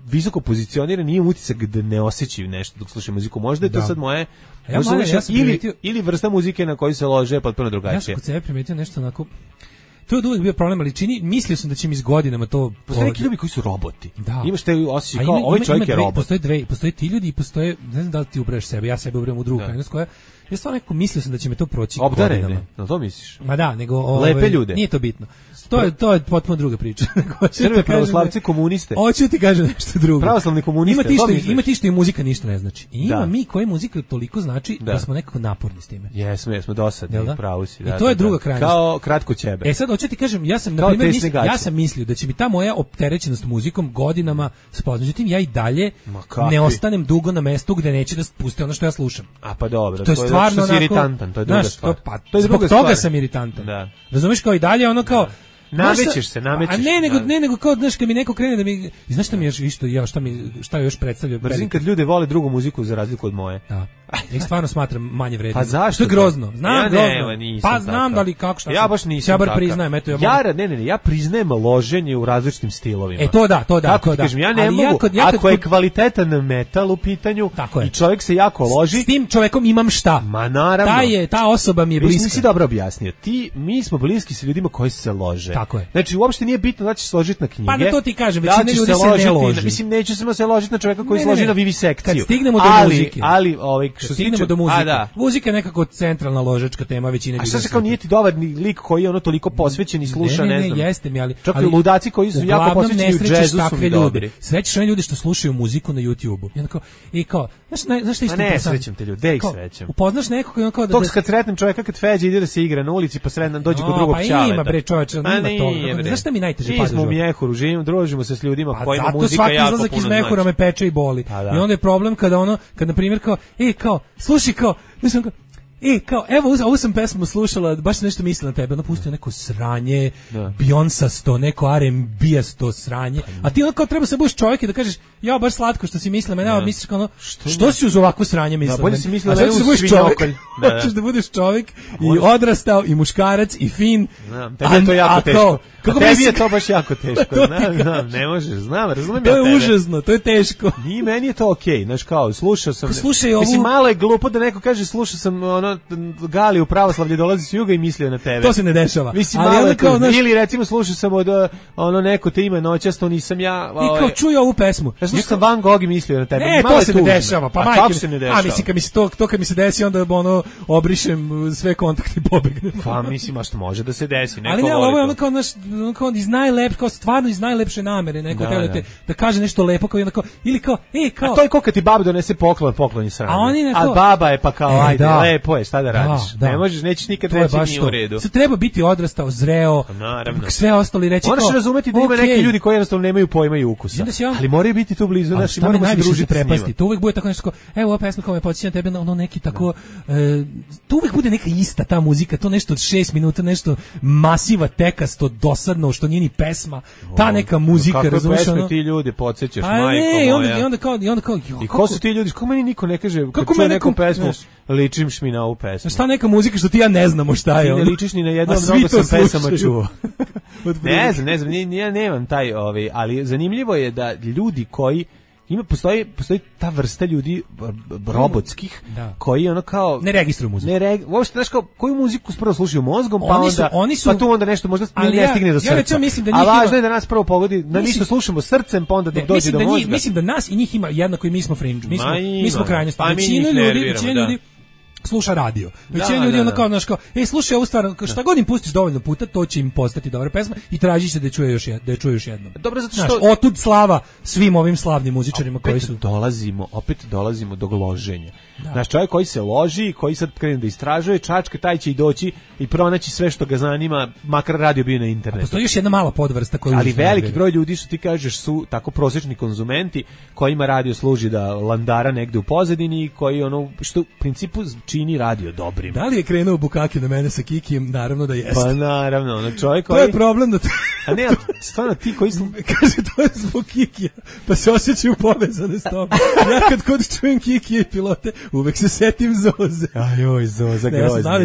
visoko pozicionirani, imaju utisak da ne osjećaju nešto dok slušaju muziku. Možda je to sad moje ili vrsta muzike na koju se lože potpuno drugačije. Ja sam kod sebe primetio nešto onako. To je od uvijek bio problem, ali mislio sam da će mi s godinama to... Postoje neki ljudi koji su roboti. Da. Imaš te osjećaj kao, ovaj čovjek je robot. Postoje ti ljudi i postoje, ne znam da li ti ubraješ sebe, ja sebe ubrajem u drugu krajnost koja... Ja stvarno nekako mislio sam da će me to proći godinama. Obdarene, na to misliš? Ma da, nego... Lepe ljude. Nije to bitno. To je potpuno druga priča. Srbe, pravoslavci, komuniste. Hoću ti kažem nešto drugo. Pravoslavni komuniste, ima ti što i muzika ništa ne znači. I ima mi koji muzika toliko znači da smo nekako naporni s time. Jesmo dosadni, pravo si. I to je druga krajnost. Kao kratko ćebe. Sad hoću ti kažem, ja sam mislio da će mi ta moja opterećenost muzikom godinama spoznati. Međutim, ja i dalje ne ostanem dugo na mestu gde neće da puste ono što ja slušam. A pa dobro, to je stvarno iritantan, to je druga stvar. Zbog toga sam iritantan. Razumeš, kao i dalje ono kao namećeš se. A ne nego kao znaš kad mi neko krene da mi znaš šta mi još isto šta još predstavlja. Brzim kad ljudi vole drugu muziku za razliku od moje. Da. Ja stvarno smatram manje vrednim. Pa zašto? To je grozno. Znam, grozno. Pa znam da li kako šta. Ja baš nisam. Ja bar priznajem, eto ja priznajem loženje u različitim stilovima. To da. Kažem, ja ne mogu. Ako je kvalitetan metal u pitanju i čovjek se jako loži, s tim čovjekom imam šta? Ma naravno. Ta osoba mi je bliska. Nisi dobro objasnio. Mi smo bliski sa ljudima koji se lože. Tako je. Znači uopšte nije bitno da ćeš složiti na knjige. Pa da to ti kažem, većina ljudi se ne loži. Mislim neću se ložiti na čovjeka koji složi na vivisekciju. Kad stignemo do muzike. Ali što stignemo do muzike. Muzika je nekako centralna ložačka tema većine ljudi. A šta se kao nije ti dobar lik koji je ono toliko posvećen i sluša, ne znam. Ne, jeste mi, ali čak i ludaci koji su jako posvećeni u džezu su mi dobri. Srećeš one ljudi što slušaju muziku na YouTubeu. I kao, znaš šta isto ne srećem te ljudi, ih srećem. Upoznaš nekog i on kao da kad sretnem čovjeka kad Feđa ide da se igra na ulici, pa sretnem dođe kod drugog čaleta. Pa ima bre čoveče, ima to. Znaš šta mi najteže pada? Mi smo u Mjehuru, družimo se s ljudima kojima muzika jako puno znači. Zato svaki izlazak iz Mjehura me peče i boli. I onda je problem kada na primjer kao, slušaj kao, mislim kao, kao, evo, ovu sam pesmu slušala, baš sam nešto mislila na tebe, ono pustio neko sranje, Beyoncé-sto, neko R&B-asto sranje, a ti ono kao treba se budeš čovjek i da kažeš, ja, baš slatko što si mislila, mene, misliš kao ono, što si uz ovako sranje mislila? Da, bolje si mislila da budeš svinjokolj. Hoćeš da budeš čovjek i odrastao i muškarac i fin. Tebi je to jako teško. Tebi je to baš jako teško. Ne možeš, razumem ja tebe. To je užasno, to je teško. I meni je to okej, znaš kao, slušao sam. Mislim, malo je glupo da neko kaže, slušao sam Gali u pravoslavlje dolazi s juga i mislio na tebe. To se ne dešava. Mislim, ili recimo slušao sam od neko te ima noćasto, nisam ja. I kao čuju ovu pesmu. Ja slušao sam Van Gogh i mislio na tebe. Ne, to se ne dešava. Pa kako se ne dešava? A mislim, kad mi se desi, onda obrišem sve kontakte i pobegnem. Pa mislim, a što može da se desi. Ali ne, ovo je ono kao iz najlepše, kao stvarno iz najlepše namere. Neko da kaže nešto lepo, kao ili kao, A to je kao kad ti baba donese poklon je sranje. A baba je pa kao, ajde, lepo je. je, šta da radiš? Ne možeš, nećeš nikad reći nije u redu. Sad treba biti odrastao, zreo, sve ostalo i reći moraš razumeti da ima neki ljudi koji jednostavno nemaju pojma i ukusa. Ali moraju biti tu blizu, znači moramo se družiti s njima. To uvek bude tako nešto, evo ova pesma koja me podsjeća na tebe, ono neki tako, tu uvek bude neka ista ta muzika, to nešto od 6 minuta, nešto masiva, tekasto, dosadno, što nije ni pesma, ta neka muzika, razumiješ ono? Kako pesme ti ljudi podsjećaš, majko moja? I onda kao, i ko su ti ljudi, kako meni niko ne kaže, kako čuje neku pesmu, ličiš mi na ovu pesmu. Šta neka muzika što ti ja ne znamo šta je? Ti ne ličiš ni na jednom, mnogo sam pesama čuo. Ne znam, ja nemam taj, ali zanimljivo je da ljudi koji postoji ta vrsta ljudi robotskih koji ono kao ne registruju muziku. Uopšte znaš kao koju muziku prvo slušaju mozgom, pa tu onda nešto možda ne stigne do srca. A važno je da nas prvo pogodi, da mi slušamo srcem, pa onda dok dođe do mozga. Mislim da nas i njih ima jednako i mi smo fringe. Mi smo krajnosti. Većina ljudi sluša radio. Većina ljudi onda kao znaš kao, slušaj ovu stvar, šta god im pustiš dovoljno puta, to će im postati dobra pesma i traži se da je čuje još jednom. Dobro, zato što otud slava svim ovim slavnim muzičarima koji su opet dolazimo do gloženja. Naš čovjek koji se loži, koji sad krene da istražuje, čačka, taj će i doći i pronaći sve što ga zanima, makar radio bio na internetu. Postoji još jedna mala podvrsta koju ali veliki broj ljudi što ti kažeš su tako prosječni konzumenti kojima radio služi da landara negde u pozadini, koji ono što u principu čini radio dobrim. Da li je krenuo Bukaki na mene sa Kikijem? Naravno da jeste. Pa naravno, ono čovjek koji... To je problem da... A ne, stvarno ti koji su... Kaže, to je zbog Kikija, pa se osjećaju povezane s tobom. Ja kad kod čujem Kikije i pilote, uvek se setim Zoze. Ajoj, Zoza, grozno. Ja sam znao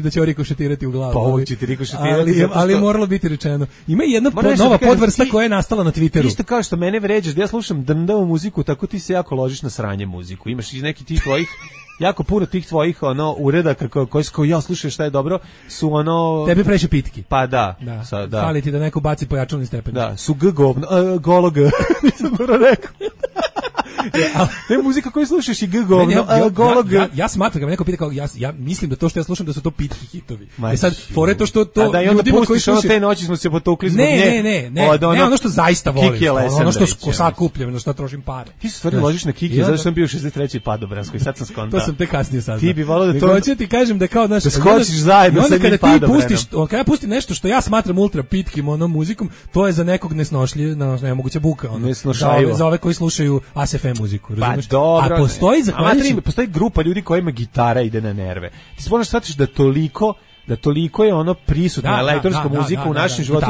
da će ovo rikošetirati u glavu. Pa ovo će ti rikošetirati. Ali je moralo biti rečeno. Ima jedna nova podvrsta koja je nastala na Twitteru. Isto kao što mene vređaš, da ja slušam drndavu muziku, tako ti se jako ložiš na sranje muziku. Imaš i neki tih tvojih jako puno tih tvojih uredaka koji ja slušam šta je dobro su tebi previše pitki. Pa da. Fali ti da neko baci pojačalni stepen. Da, su golo g. Nisam dobro rekao. Ne muzika koju slušaš i golo g. Ja smatram kad me neko pita kao ja mislim da to što ja slušam da su to pitki hitovi. Sad fore to što to da ljudima koji slušaju te noći smo se potukli zbog nje. Ne, ono što zaista volim. Ono što sakupljam, na što trošim pare. Ti se stvarno ložiš na Kiki, zato što sam bio 63. Padobranskoj, sad sam skontao. To sam te kasnije saznao. Ti bi voleo da to... Hoću ti kažem da kao, znaš... Da skočiš zajedno sa njim Padobranom. Kada ja pustim nešto što ja smatram ultra pitkim muzikom, to je za nekog nemoguća buka. Za ove koji slušaju ASFM muziku. Pa dobro. A postoji grupa ljudi kojima gitara ide na nerve. Ti se možeš shvatiti da toliko je ono prisutna elektronska muzika u našem životu.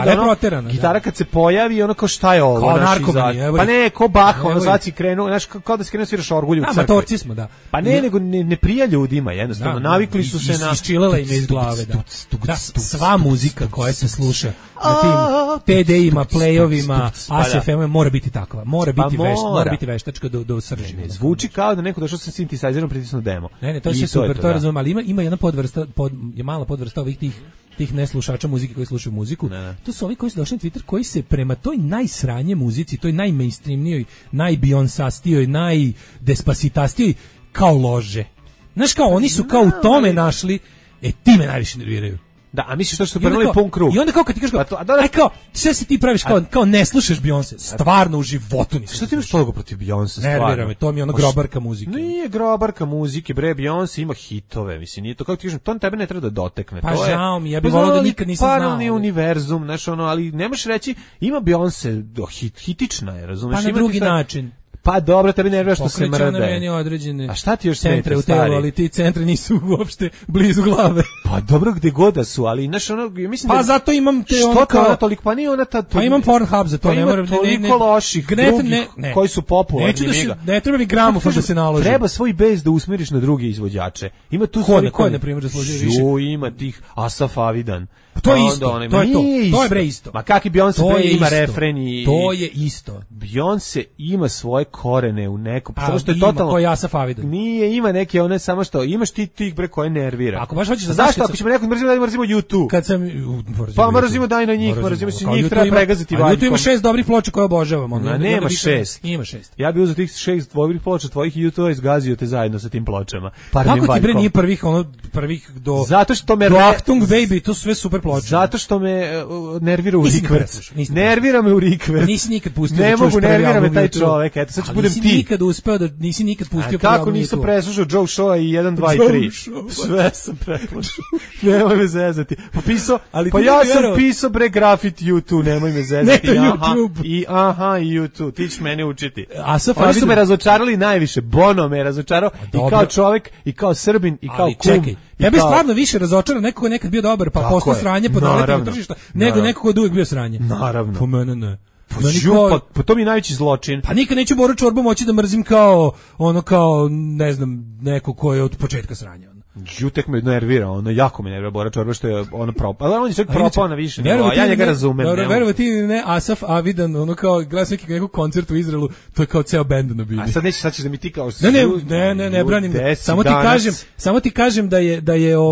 Gitara kad se pojavi, ono kao šta je ovo? Kao narkomani. Pa ne, ko Bach, ono sad si krenuo, znaš, kao da si krenuo sviraš orgulju u crkvi. Amatorci smo, da. Pa ne, nego ne prija ljudima, jednostavno. Navikli su se na... Isčilela im iz glave, da. Sva muzika koja se sluša na tim TD-ima, play-ovima, ASFM mora biti takva. Mora biti veštačka do srži. Zvuči kao da neko došao sa sintesajzerom pritisnuo demo. Ne, to je super, to razumem, ali ima jedna podvrsta, je mala podvrsta ovih tih neslušača muzike koji slušaju muziku. To su ovi koji su došli na Twitter koji se prema toj najsranje muzici, toj najmainstreamnijoj, najbeyonsastijoj, najdespacitastijoj kao lože. Znaš kao, oni su kao u tome našli, ti me najviše nerviraju. Da, a misliš to što su prvenili pun krug? I onda kao kad ti kažeš kao, sve se ti praviš kao ne slušaš Beyoncé, stvarno u životu nisam. Što ti imaš toliko protiv Beyoncé, stvarno? Nervira me, to mi je ono grobarka muzike. Nije grobarka muzike, bre, Beyoncé ima hitove, mislim, nije to, kako ti kažem, to tebe ne treba da dotekne. Pa žao mi, ja bih volao da nikad nisam znao. Paralelni univerzum, znaš ono, ali ne možeš reći, ima Beyoncé, hitična je, razumeš? Pa na drugi način. Pa dobro, tebi nervira što se mrde. Pokreće na meni određene a šta ti još centre u telu, ali ti centri nisu uopšte blizu glave. Pa dobro, gde god da su, ali znaš ono, mislim pa zato imam te ono kao... Što toliko, pa nije ona ta... Pa imam Pornhub za to, ne moram... Pa ima toliko loših drugih koji su popularni. Ne treba mi gramofon da se naloži. Treba svoj bes da usmiriš na druge izvođače. Ima tu ko na primjer, da složi više? Ima tih Asaf Avidan. To je isto, to je bre isto. Ma kakvi Beyoncé bre ima refren i... To je isto. Beyoncé ima svoje korene u nekom... Samo što je totalno... Ko Asaf Avidan. Nije, ima neke one samo što... Imaš ti tih bre koje nervira. Ako baš hoćeš da zašto? Ako ćemo nekog mrzimo, da mrzimo YouTube. Kad sam... Pa mrzimo daj na njih, mrzimo se njih, treba pregaziti valjkom. YouTube ima 6 dobrih ploča koje obožavam. Nema 6. Ima 6. Ja bih uzeo tih 6 dobrih ploča tvojih i YouTube izgazio te zajedno sa tim pločama. Kako ti bre nije prvih do... Zato što me... Do Achtung Baby, to su sve super ploče. počeo. Zato što me nervira u rikverc. Nervira me u rikverc. Nisi nikad pustio. Ne mogu, nervira me taj čovek. Eto, sad ću budem ti. Nisi nikad pustio. Kako nisam preslušao Joe Showa i 1, 2 i 3? Sve sam preslušao. Nemoj me zezati. Pa ja sam pisao bre grafit YouTube, nemoj me zezati. I YouTube. Ti ćeš mene učiti. Oni su me razočarali najviše. Bono me razočarao i kao čovek, i kao Srbin, i kao kum. Čekaj, ja bih stvarno više razočarao nekog ko nekad bio dobar, pa postao sranje po naletimo tržišta, nego nekog ko uvijek bio sranje. Naravno. Po mene ne. Pa to mi je najveći zločin. Pa nikad neću Boru Čorbu moći da mrzim kao ne znam, neko ko je od početka sranja. Jutek me nervira, jako me nervira Bora Čorba što je propao. Ali on je čak propao na više nivoa, ja njega razumem. Dobro, verovo ti ne, Asaf Avidan, kao gledam nekog koncerta u Izraelu, to je kao ceo bend na bini. A sad ćeš da mi ti kao... Ne, branim. Samo ti kažem da je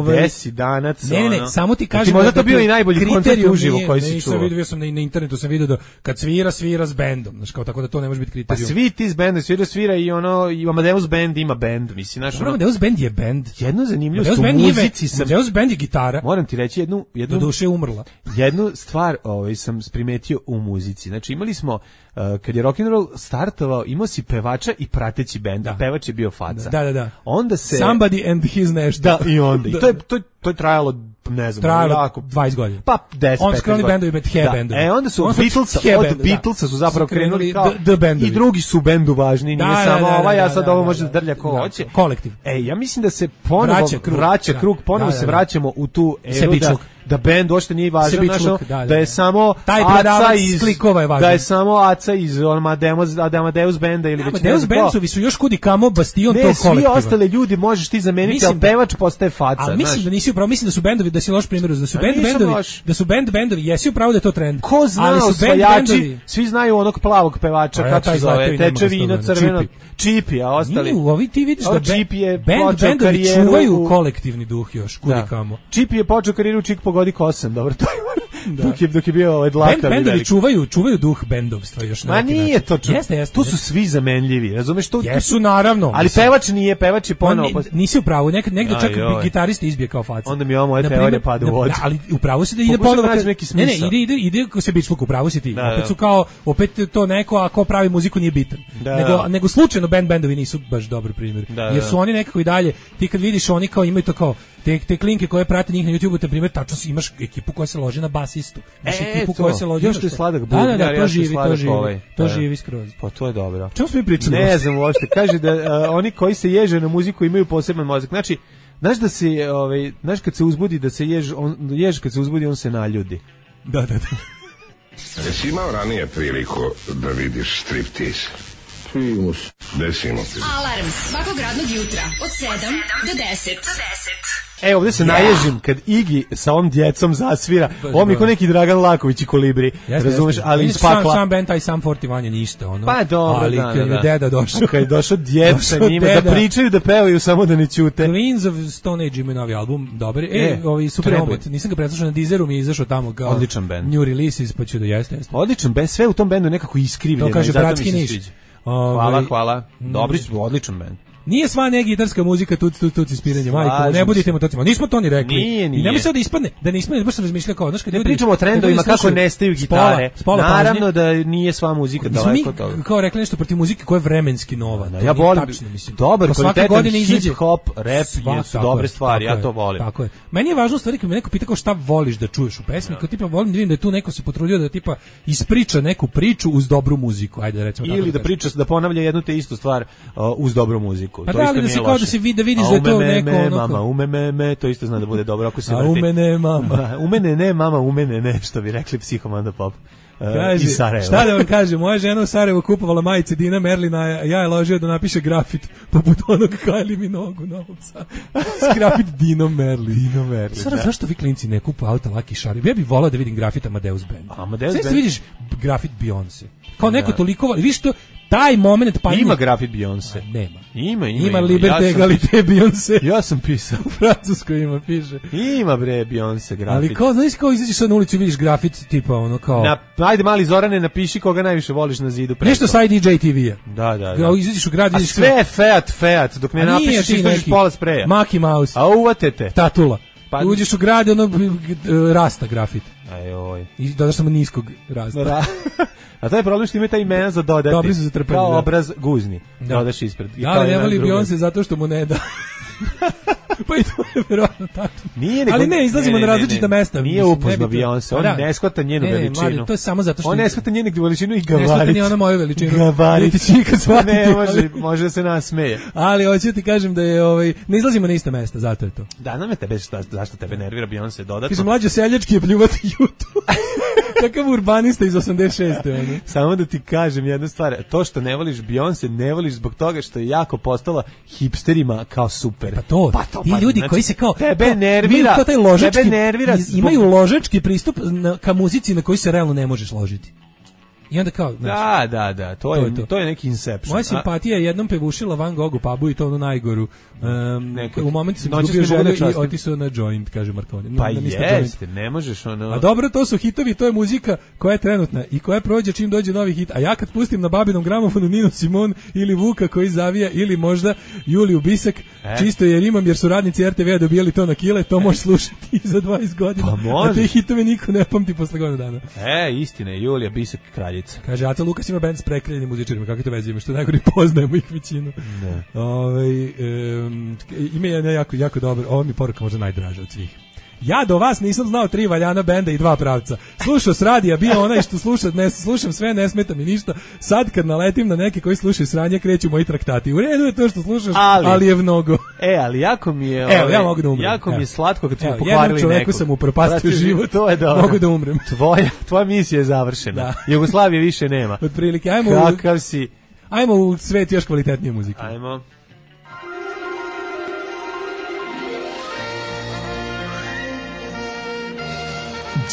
Desi danac. Ne, samo ti kažem... Ti možda to bio i najbolji koncert uživo koji si čuo. Vidio sam na internetu, sam vidio da kad svira s bendom, znači kao tako da to ne može biti kriterijum. Pa svi ti s bendom, svira i i Amadeus band ima bend, mislim, znaš. Amadeus band je bend. Jedno zanimljivost u muzici sam... Amadeus band je gitara. Moram ti reći jednu do duše umrla. Jednu stvar sam primetio u muzici. Znači imali smo, kad je rock and roll startovao, imao si pevača i prateći bend, a pevač je bio faca. Da. Onda se... Somebody and his nešto. Da, i onda. I to je trajalo, ne znam, jako... 20 godina. Pa 10-15 On skroni bendovi, bet hair bendovi. Onda su od Beatlesa su zapravo krenuli kao... I drugi su bendu važni, nije samo ovaj, a sad ovo može da drlja ko hoće. Kolektiv. Ja mislim da se ponovo vraća krug, ponovo se vraćamo u tu eru da bend uopšte nije važan, da je samo Aca iz klikova je važan. Da je samo Aca iz Amadeus benda ili već Amadeus bendovi su još kudi kamo bastion tog kolektiva. Svi ostale ljudi možeš ti zameniti, ali pevač postaje faca. Ali mislim da nisi upravo, mislim da su bendovi, da si loš primjer, da su bendovi, jesi upravo da je to trend. Ko zna, osvajači, svi znaju onog plavog pevača, kako se zove, teče vino crveno, Čipi, a ostali. Ovi ti vidiš da bendovi čuvaju kolektivni duh još, kudi kamo. Čipi je počeo karijeru Čik pogodi kosam, dobro, to je dok je bio dlaka. Bendovi čuvaju duh bendovstva još. Ma nije to tu su svi zamenljivi, razumeš? Jesu, naravno. Ali pevač nije, pevač je ponovo. Nisi u pravu, negde čak gitarist izbije kao faca. Onda mi moja teorija pada u vodu. Ali u pravu si da ide ponovo. Ne, ide ko se bičluk, u pravu si ti. Opet su kao, opet to neko, a ko pravi muziku nije bitan. Nego slučajno bendovi nisu baš dobar primjer. Jer su oni nekako i dalje, ti kad vidiš oni kao imaju to kao te klinke koje prate njih na YouTubeu, te primjer, tačno imaš ekipu koja se loži na basistu. Ekipu koja se loži. Još to je sladak bubnjar, to živi skroz. Pa to je dobro. Čemu smo mi pričali? Ne znam uopšte. Kaže da oni koji se ježe na muziku imaju poseban mozak. Znači, znaš da se, znaš kad se uzbudi da se jež kad se uzbudi on se naljudi. Da. Jesi imao ranije priliku da vidiš striptease? Desimo ti. Alarm svakog radnog jutra od 7 do 10. Ovdje se naježim kad Igi sa ovom djecom zasvira. Ovo mi je ko neki Dragan Laković i Kolibri. Razumeš, ali iz pakla. Sam band, taj Sam 41 je ništa. Pa dobro, ali kad je deda došao. Kad je došao djeca njima da pričaju, da pevaju, samo da ne ćute. Queens of Stone Age imaju novi album, dobar. Ovi super omot. Nisam ga preslušao na Deezeru, mi je izašao tamo kao odličan band. New releases, pa ću da jeste. Odličan band, sve u tom bendu nekako iskrivljeno. To kaže Bratski Niš. Hvala. Dobri su, odličan band. Nije sva ne gitarska muzika tuc ispiranje, majko, ne budite motocima. Nismo to ni rekli. Nije. I nemoj sad da ispadne, da ne ispadne, baš sam razmišljao kao, znaš, kad ljudi pričamo o trendovima kako nestaju gitare. Naravno da nije sva muzika daleko od toga. Kao rekli nešto protiv muzike koja je vremenski nova. Ja volim, dobar, kvalitetan hip hop, rap, su dobre stvari, ja to volim. Tako je. Meni je važno stvari kad me neko pita kao šta voliš da čuješ u pesmi, kao tipa volim da vidim da je tu neko se potrudio da tipa ispriča neku priču uz dobru muziku, ajde da recimo tako. Ili da priča, da ponavlja jednu te istu stvar uz dobru muziku. To isto nije loše. Da se vidiš da je to neko mama, ume, to isto zna da bude dobro ako se vrti. U mene mama. U mene ne, mama, u mene ne, što bi rekli Psihomanda Pop. Kaže, šta da vam kažem, moja žena u Sarajevu kupovala majice Dina Merlina, ja je ložio da napiše grafit poput onog Kylie Minogue u Novom Sadu. Grafit Dino Merlin. Sada, zašto vi klinci ne kupu auta Lucky Shark? Ja bih volao da vidim grafit Amadeus Band. Sada vidiš grafit Beyoncé. Kao neko toliko, vidiš to, taj moment pa ima grafit Beyoncé. Nema. Ima Liberté Egalité Beyoncé. Ja sam pisao. U Francuskoj ima, piše. Ima bre Beyoncé grafit. Ali kao, znaš kao izađeš sad na ulicu i vidiš grafit tipa ono kao... Ajde mali Zorane, napiši koga najviše voliš na zidu. Nešto sa DJ TV-a. Da. Izađeš u grad, vidiš... A sve je Fiat, dok ne napišeš izdržiš pola spreja. Maki Mouse. A uvatete. Tatula. Pa uđeš u grad, ono rasta grafit. Ajoj. I dodaš samo niskog rasta. A to je problem što ima ta imena za dodati. Dobri su za trpanje. Kao obraz guzni. Dodaš ispred. Ali ne voli Beyoncé zato što mu ne da. Pa i to je verovatno tačno. Ali ne, izlazimo na različita mesta. Nije upozno Beyoncé, on ne shvata njenu veličinu. To je samo zato što... On ne shvata njenu veličinu i gabarit. Ne shvata ni ona moju veličinu. Gabarit. Ne, može da se nasmeje. Ali hoću ti kažem da je... Ne izlazimo na ista mesta, zato je to. Da, nam je tebe, zašto tebe nervira Beyoncé dodatno? Kaže, mlađo seljački je pljuvati YouTube. Kakav urbanista iz 86. Samo da ti kažem jednu stvar, to što ne voliš Beyoncé, ne voliš zbog toga što je jako postala hipsterima kao super. Pa to ti ljudi koji se kao tebe nervira, imaju ložački pristup ka muzici na koji se realno ne možeš ložiti. I onda kao, znači, da, to je neki Inception. Moja simpatija je jednom pevušila Van Gogh u pubu i to ono najgoru. U momentu sam izgubio želju i otisao na joint, kaže Markovni. Pa jeste, ne možeš ono... A dobro, to su hitovi, to je muzika koja je trenutna i koja prođe čim dođe novi hit. A ja kad pustim na babinom gramofonu Ninu Simon ili Vuka koji zavija ili možda Juliju Bisak, čisto jer su radnici RTV-a dobijali to na kile, to možeš slušati i za 20 godina. Pa može. A te hitove niko ne pamti posle godinu dana. Istina je, Julija Bisak kraljica. Kaže, Aca Lukas ima band s prekraljenim muzičarima, kako to veze ima, što najgore poznajemo ih većinu. Ime je jako dobro, ovo mi poruka možda najdraža od svih. Ja do vas nisam znao 3 valjana benda i 2 pravca. Slušao s radija, bio onaj što slušam sve, ne smeta mi ništa. Sad kad naletim na neke koji slušaju sranje, kreću moji traktati. U redu je to što slušaš, ali je mnogo. Ali jako mi je... ja mogu da umrem. Jako mi je slatko kad smo pokvarili jednom čoveku sam upropastio život, to je dobro. Mogu da umrem. Tvoja misija je završena. Jugoslavije više nema. Otprilike, ajmo u svet još kvalitetnije muzike. Ajmo.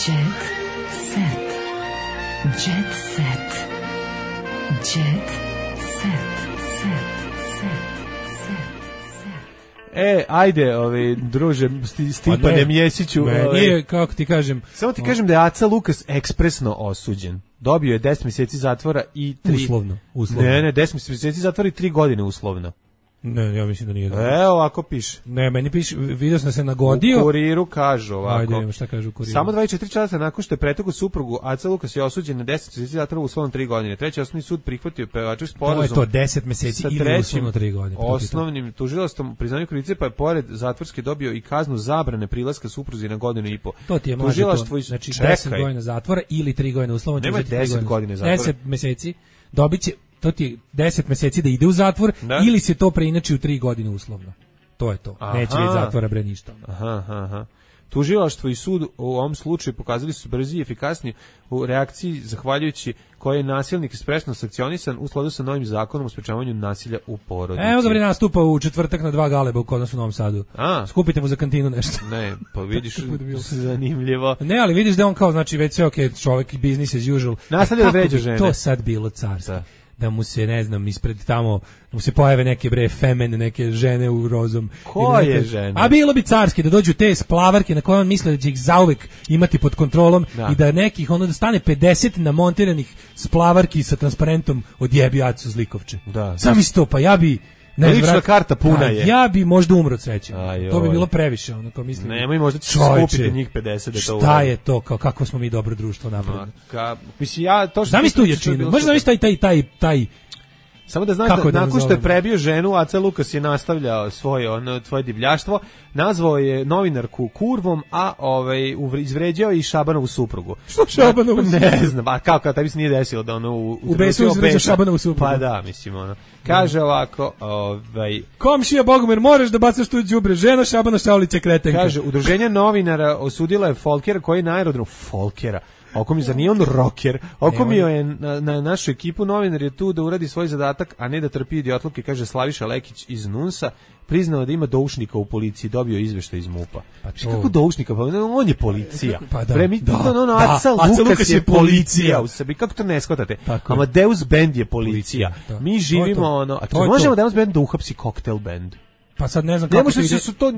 Jet set. Jet set. Jet set. Ajde, druže, Stipane Mjesiću. Nije, kako ti kažem. Samo ti kažem da je Aca Lukas ekspresno osuđen. Dobio je 10 mjeseci zatvora i 3... Uslovno. Ne, 10 mjeseci zatvora i 3 godine uslovno. Ne, ja mislim da nije. Ovako piše. Ne, meni piše, vidio sam se nagodio. U Kuriru kažu ovako. Ajde, šta kaže u Kuriru. Samo 24 časa nakon što je pretekao suprugu, Aca Lukas je osuđen na 10 mjeseci zatvora uslovno 3 godine. Treći osnovni sud prihvatio pevačev sporazum. To je to, 10 mjeseci ili uslovno 3 godine. Osnovnim tužilaštvom priznanju krivice, pa je pored zatvorske dobio i kaznu zabrane prilaska supruzi na 1,5 godine. To ti je mlađe to. Znači 10 godina zatvora ili 3 godine uslovno. Nema 10 godine zatvora. 10 mjeseci dobiće. To ti je 10 mjeseci da ide u zatvor ili se to preinači u 3 godine uslovno. To je to. Neće biti zatvora bre ništa. Aha. Tužilaštvo i sud u ovom slučaju pokazali su brzi i efikasni u reakciji zahvaljujući koje je nasilnik sprešno sankcionisan u skladu sa novim zakonom o sprečavanju nasilja u porodici. Evo ga bre nastupa u četvrtak na 2 galeba kod nas u Novom Sadu. Skupite mu za kantinu nešto. Ne, pa vidiš zanimljivo. Ne, ali vidiš da on kao znači već sve okej, čovjek business as usual. Nastavlja da vređa žene. To sad bilo carsko. Da mu se, ne znam, ispred tamo, da mu se pojave neke neke žene u rozom. Koje žene? A bilo bi carski da dođu te splavarke na koje on misle da će ih zauvek imati pod kontrolom i da nekih, da stane 50 namontiranih splavarki sa transparentom odjebi Acu Zlikovče. Sam isto, pa ja bi... Lična karta puna je. Ja bi možda umro od sreće. To bi bilo previše, kao mislim. Nemoj, možda će skupiti njih 50 da to uradi. Šta je to, kako smo mi dobro društvo napravili? Mislim, ja to što... Zamisli tu jačinu, možda zamisli taj... Samo da znaš da nakon što je prebio ženu, Aca Lukas je nastavljao svoje divljaštvo, nazvao je novinarku kurvom, a izvređao i Šabanovu suprugu. Što Šabanovu suprugu? Ne znam, a kako, taj bi se nije desilo da u besu izvređao Šabanovu suprugu. Pa da, mislim, kaže ovako, Komšija Bogomir, moraš da bacaš tu đubre, žena Šabana Šaulića kretenka. Kaže, udruženje novinara osudila je Folkera koji na aerodromu Folkera. Oko mi, zar nije on rocker? Oko mi je na našu ekipu novinar je tu da uradi svoj zadatak, a ne da trpi idiotluke, kaže Slaviša Lekić iz NUNS-a, priznao da ima doušnika u policiji, dobio izveštaj iz MUP-a. Kako doušnika? Pa on je policija. Pa da. Aca Lukas je policija u sebi. Kako to ne shvatate? Amadeus Band je policija. Mi živimo a možemo Amadeus Band da uhapsi Koktel Band. Pa sad ne znam kako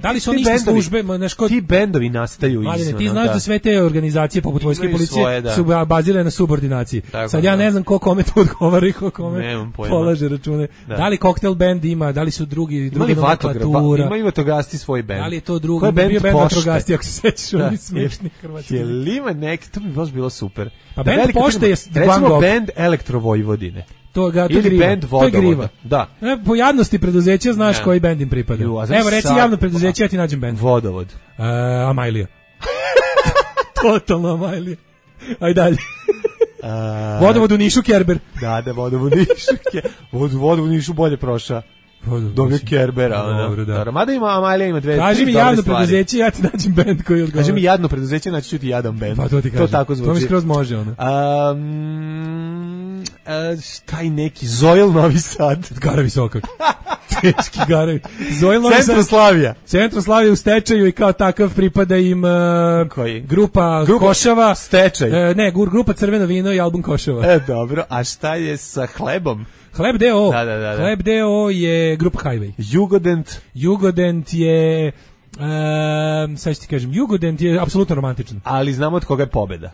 da li su oni iste službe, ti bendovi nastaju isto. Ti znaš da sve te organizacije poput vojske i policije su bazirane na subordinaciji. Sad ja ne znam ko kome to odgovara i ko kome polaže račune. Da li koktel bend ima, da li su drugi nomenklatura. Imaju vatrogasci svoj bend. Da li je to drugi, bio bend vatrogasci, ako se sećaš, oni smiješni hrvatski. Je li ima neki, to bi baš bilo super. Pa bend Pošte je recimo bend Elektrovojvodine. Ili bend Vodovoda. Da. Po jadnosti preduzeća znaš koji bend im pripada. Evo, reci javno preduzeće, ja ti nađem bend. Vodovod. Amajlija. Totalno Amajlija. Ajde dalje. Vodovod u Nišu Kerber. Da, Vodovod u Nišu. Vodovod u Nišu bolje prošao. Dobio Kerbera. Dobro. Mada ima, Amalija ima dve. Kaži mi javno preduzeće, ja ti nađem bend koji odgovara. Kaži mi jadno preduzeće, naći ću ti jadan bend. Pa to ti kažem. To tako zvuči. To mi skroz može, ono. Taj neki Zojl Novi Sad. Garavi Sokak. Teški Garavi. Zojl Novi Sad. Centroslavija. Centroslavija u stečaju i kao takav pripada im grupa Košava. Stečaj. Ne, grupa Crveno vino i album Košava. Dobro. A šta je sa Hlebom? Hleb D.O. Da. Hleb D.O. je grupa Highway. Jugodent je sad ću ti kažem, Jugodent je apsolutno romantičan. Ali znamo od koga je pobeda.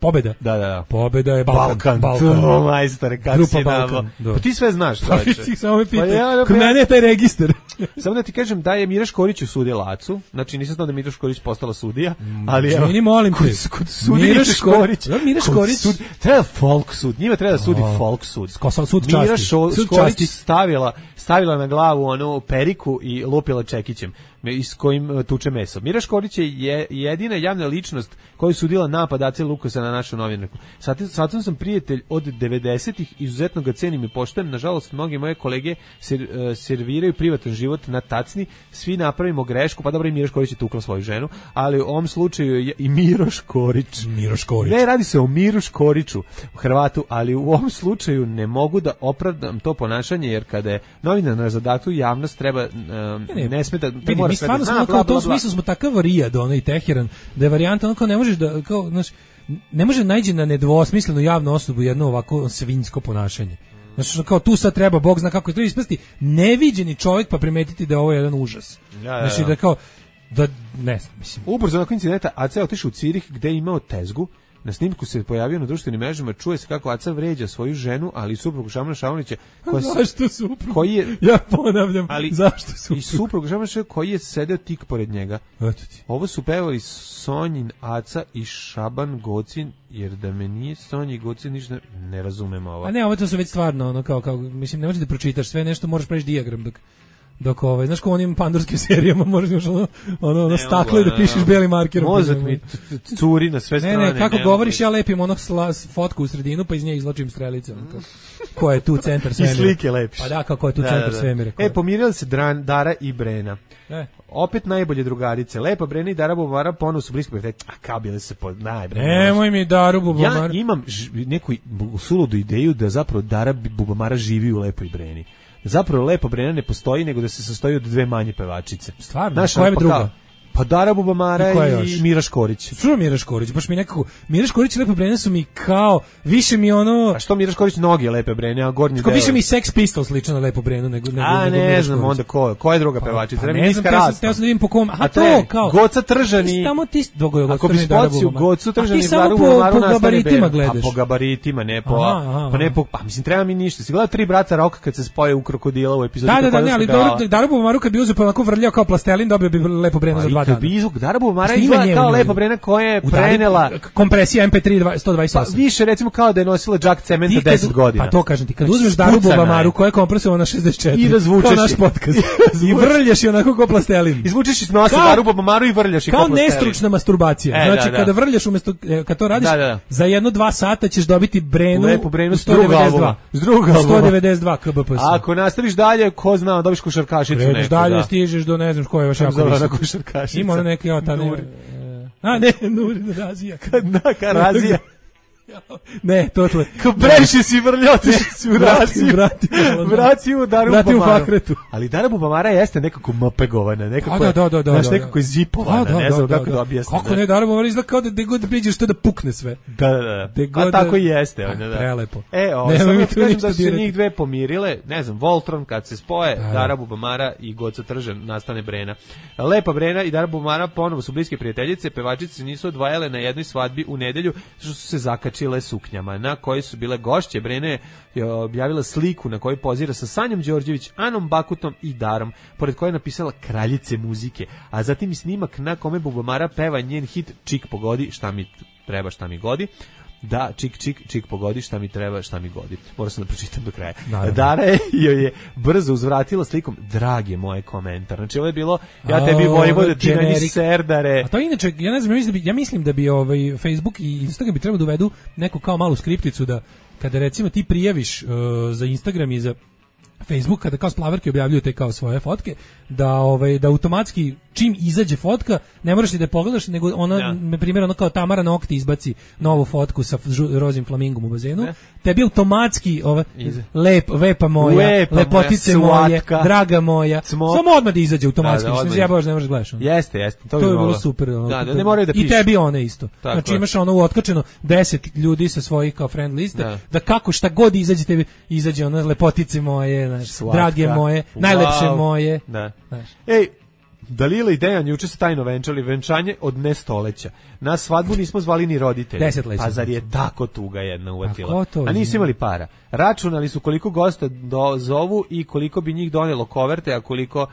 Pobeda? Da. Pobeda je Balkan. To, majstore, kako si Balkan. Pa ti sve znaš, čovječe. Pa ti samo me pitaj. Kod mene je taj registar. Samo da ti kažem da je Mira Škorić usudila Acu. Znači nisam znao da Mira Škorić postala sudija. Ali evo. Meni molim te. Kod Mira Škorić. Mira Škorić. Treba folk sud. Njima treba da sudi folk sud. Sud časti. Mira Škorić stavila na glavu onu periku i lupila čekićem s kojim tuče meso. Mira Škorić je jedina javna ličnost koja je sudila napad Ace Lukasa na našu novinarku. Sad sam prijatelj od 90-ih, izuzetno ga cenim i poštujem. Nažalost, mnogi moje kolege serviraju privatan život na tacni, svi napravimo grešku, pa dobro i Mira Škorić je tukla svoju ženu, ali u ovom slučaju je i Miro Škorić. Ne, radi se o Miru Škoriću, Hrvatu, ali u ovom slučaju ne mogu da opravdam to ponašanje, jer kada je novinar na zadatku, javnost treba, ne sme da... Mi stvarno smo kao u tom smislu smo takav Rijad, ono i Teheran, da je varijanta ono kao ne možeš da, kao, znaš, ne može naći na nedvosmislenu javnu osobu jedno ovako svinjsko ponašanje. Znači, kao tu sad treba, Bog zna kako je to ispasti, neviđeni čovjek pa primetiti da je ovo jedan užas. Znači da kao, da, ne znam, mislim. Ubrzo nakon incidenta Aca je otišao u Cirih gde je imao tezgu. Na snimku se pojavio na društvenim mrežama, čuje se kako Aca vređa svoju ženu, ali i suprugu Šamana Šaunića. Zašto suprug? Koji je, ja ponavljam, zašto suprug? I suprug Šamana Šaunića koji je sedeo tik pored njega. Ovo su pevali Sonjin Aca i Šaban Gocin, jer da me nije Sonji Gocin ništa ne razumem ovo. A ne, ovo to su već stvarno, ono, kao mislim, ne možeš da pročitaš sve nešto, moraš preći dijagram dok znaš ko onim pandurskim serijama možeš još ono stakle da pišeš belim markerom. Mozak mi curi na sve strane. Ne, kako govoriš, ja lepim onog fotku u sredinu, pa iz nje izločim strelice. Ko je tu centar svemira? I slike lepiš. Pa da, kako je tu centar svemira. Pomirili se Dara i Brena. Opet najbolje drugarice. Lepa Brena i Dara Bubamara ponovno su blisko. A kao bile se najbre. Nemoj mi Daru Bubamara. Ja imam neku suludu ideju da zapravo Dara Bubamara živi u Lepoj Breni. Zapravo Lepa Brena ne postoji, nego da se sastoji od dve manje pevačice. Stvarno? Koja je druga? Pa Dara Bubamara i Mira Škorić. Što Mira Škorić? Baš mi nekako Mira Škorić i Lepa Brena su mi kao više mi ono. A što Mira Škorić noge Lepe Brene, a gornji deo. Više mi Sex Pistols slično na Lepu Brenu nego ne znam onda ko je druga pevačica. Pa, ne znam, ja sam da vidim po kom. A to kao Goca Tržani. Samo ti ako bi spociju Gocu Tržani Daru Bubumaru na gabaritima gledaš. A po gabaritima ne po pa mislim treba mi ništa. Si gledao Tri brata Roka kad se spoje u krokodila u epizodi kako da ne, ali Daru Bubumaru kad bi uzeo pa onako vrljao kao plastelin, dobio bi Lepu Brenu za 2 dana. Bubamara izgleda kao Lepa Brena koja je prenela kompresija MP3 128. Pa više recimo kao da je nosila džak cementa 10 godina. Pa to kažem ti, kad uzmeš Daru Bubamaru koja je kompresovana na 64 i razvučeš naš podcast i vrljaš je onako kao plastelin. Izvučeš iz nosa Daru Bubamaru i vrljaš je kao plastelin. Kao nestručna masturbacija. Znači kada vrljaš umesto kad to radiš za 1-2 sata ćeš dobiti Brenu, Lepu Brenu s drugog albuma. 192 kbps. Ako nastaviš dalje, ko zna, dobiš košarkašicu neku. Dalje stižeš do ne znam koja je vaša košarkašica. Ima neki ne, Nurin Razija. Razija. Ne, to je. Kao previše si vrljotiš, si vrati u Daru Bubamaru. Ali Dara Bubamara jeste nekako mapegovana, nekako je zipovana, ne znam kako da objasnim. Kako ne, Dara Bubamara izgleda kao da god priđeš to da pukne sve. Da. A tako i jeste. Prelepo. Samo kažem da su se njih dve pomirile, ne znam, Voltron kad se spoje, Dara Bubamara i Goca Tržan, nastane Brena. Lepa Brena i Dara Bubamara ponovo su bliske prijateljice, pevačice se nisu odvajale na jednoj svadbi u nedelju, što su se zakačile suknjama, na kojoj su bile gošće. Brena je objavila sliku na kojoj pozira sa Sanjom Đorđević, Anom Bakutom i Darom, pored koje je napisala kraljice muzike, a zatim i snimak na kome Bubamara peva njen hit Čik pogodi, šta mi treba, šta mi godi. Da, čik pogodi, šta mi treba, šta mi godi. Moram sam da pročitam do kraja. Dara joj je brzo uzvratila slikom, dragi moj komentar. Znači ovo je bilo, ja tebi vojvoda, ti na njih serdare. A to inače, ja ne znam, ja mislim da bi Facebook i Instagram bi trebalo da uvedu neku kao malu skripticu da kada recimo ti prijaviš za Instagram i za Facebook, kada kao splaverke objavljuju te kao svoje fotke, da automatski čim izađe fotka, ne moraš ni da je pogledaš, nego ona, na primjer, ono kao Tamara Nokti izbaci novu fotku sa rozim flamingom u bazenu, tebi automatski vepa moja, lepotice moje, draga moja, samo odmah da izađe automatski, što ja baš ne možeš gledaš. Jeste, to je bilo super. Ne moraju da pišu. I tebi one isto. Znači imaš ono otkačeno 10 ljudi sa svojih kao friend liste, da kako šta god izađe, tebi izađe ono lepotice moje, drage moje, najlepše moje. Ej, Dalila i Dejan juče se tajno venčali, venčanje od nestoleća. Na svadbu nismo zvali ni roditelje. 10 leća. Pa zar je tako tuga jedna uvatila? A nisu imali para. Računali su koliko gosta zovu i koliko bi njih donelo koverte, a koliko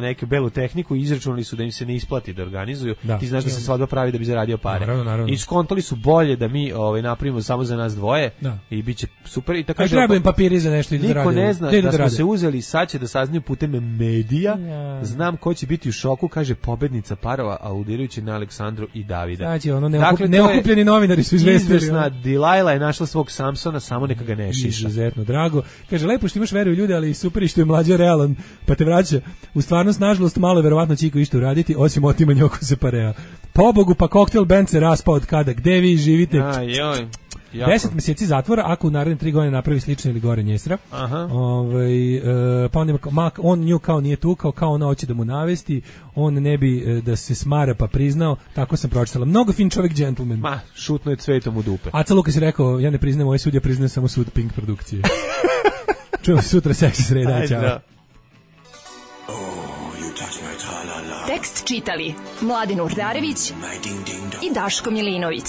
neku belu tehniku, izračunali su da im se ne isplati da organizuju. Ti znaš da se svadba pravi da bi zaradio pare. Naravno. I skontali su bolje da mi napravimo samo za nas dvoje i biće super. I tako treba im papiri za nešto i da niko ne zna da smo se uzeli, sad će da saznaju putem medija. Znam ko će biti u šoku, kaže pobednica parova, aludirajući na Aleksandru i Davida. Znači, neokupljeni novinari su izvestili. Izvesna Dilajla je našla svog Samsona, samo neka ga ne šiša. Izuzetno drago. Kaže, lepo što imaš veru u ljude, ali super što je mlađe realan, pa te vraća. U stvarnost, nažalost, malo je verovatno Čiko išto uraditi, osim otimanja oko se parea. Pobogu, pa koktel band se raspao od kada. Gde vi živite? 10 meseci zatvora ako u naredne 3 godine napravi slično ili gore njesra. Pa on nju kao nije tukao, kao ona hoće da mu navesti, on ne bi da se smara pa priznao, tako sam pročitala. Mnogo fin čovjek, gentleman. Šutno je cvetom u dupe. Aca Lukas je rekao, ja ne priznajem ovaj sud, ja priznajem samo sud Pink produkcije. Čujemo sutra, seksi sreda, ćao. Tekst čitali Mladin Urdarević i Daško Milinović.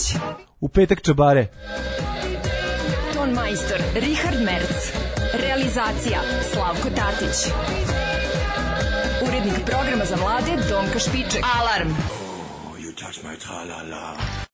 U petak čabare. Ton majstor Richard Merc. Realizacija Slavko Tatić. Urednik programa za mlade Donka Špiček. Alarm!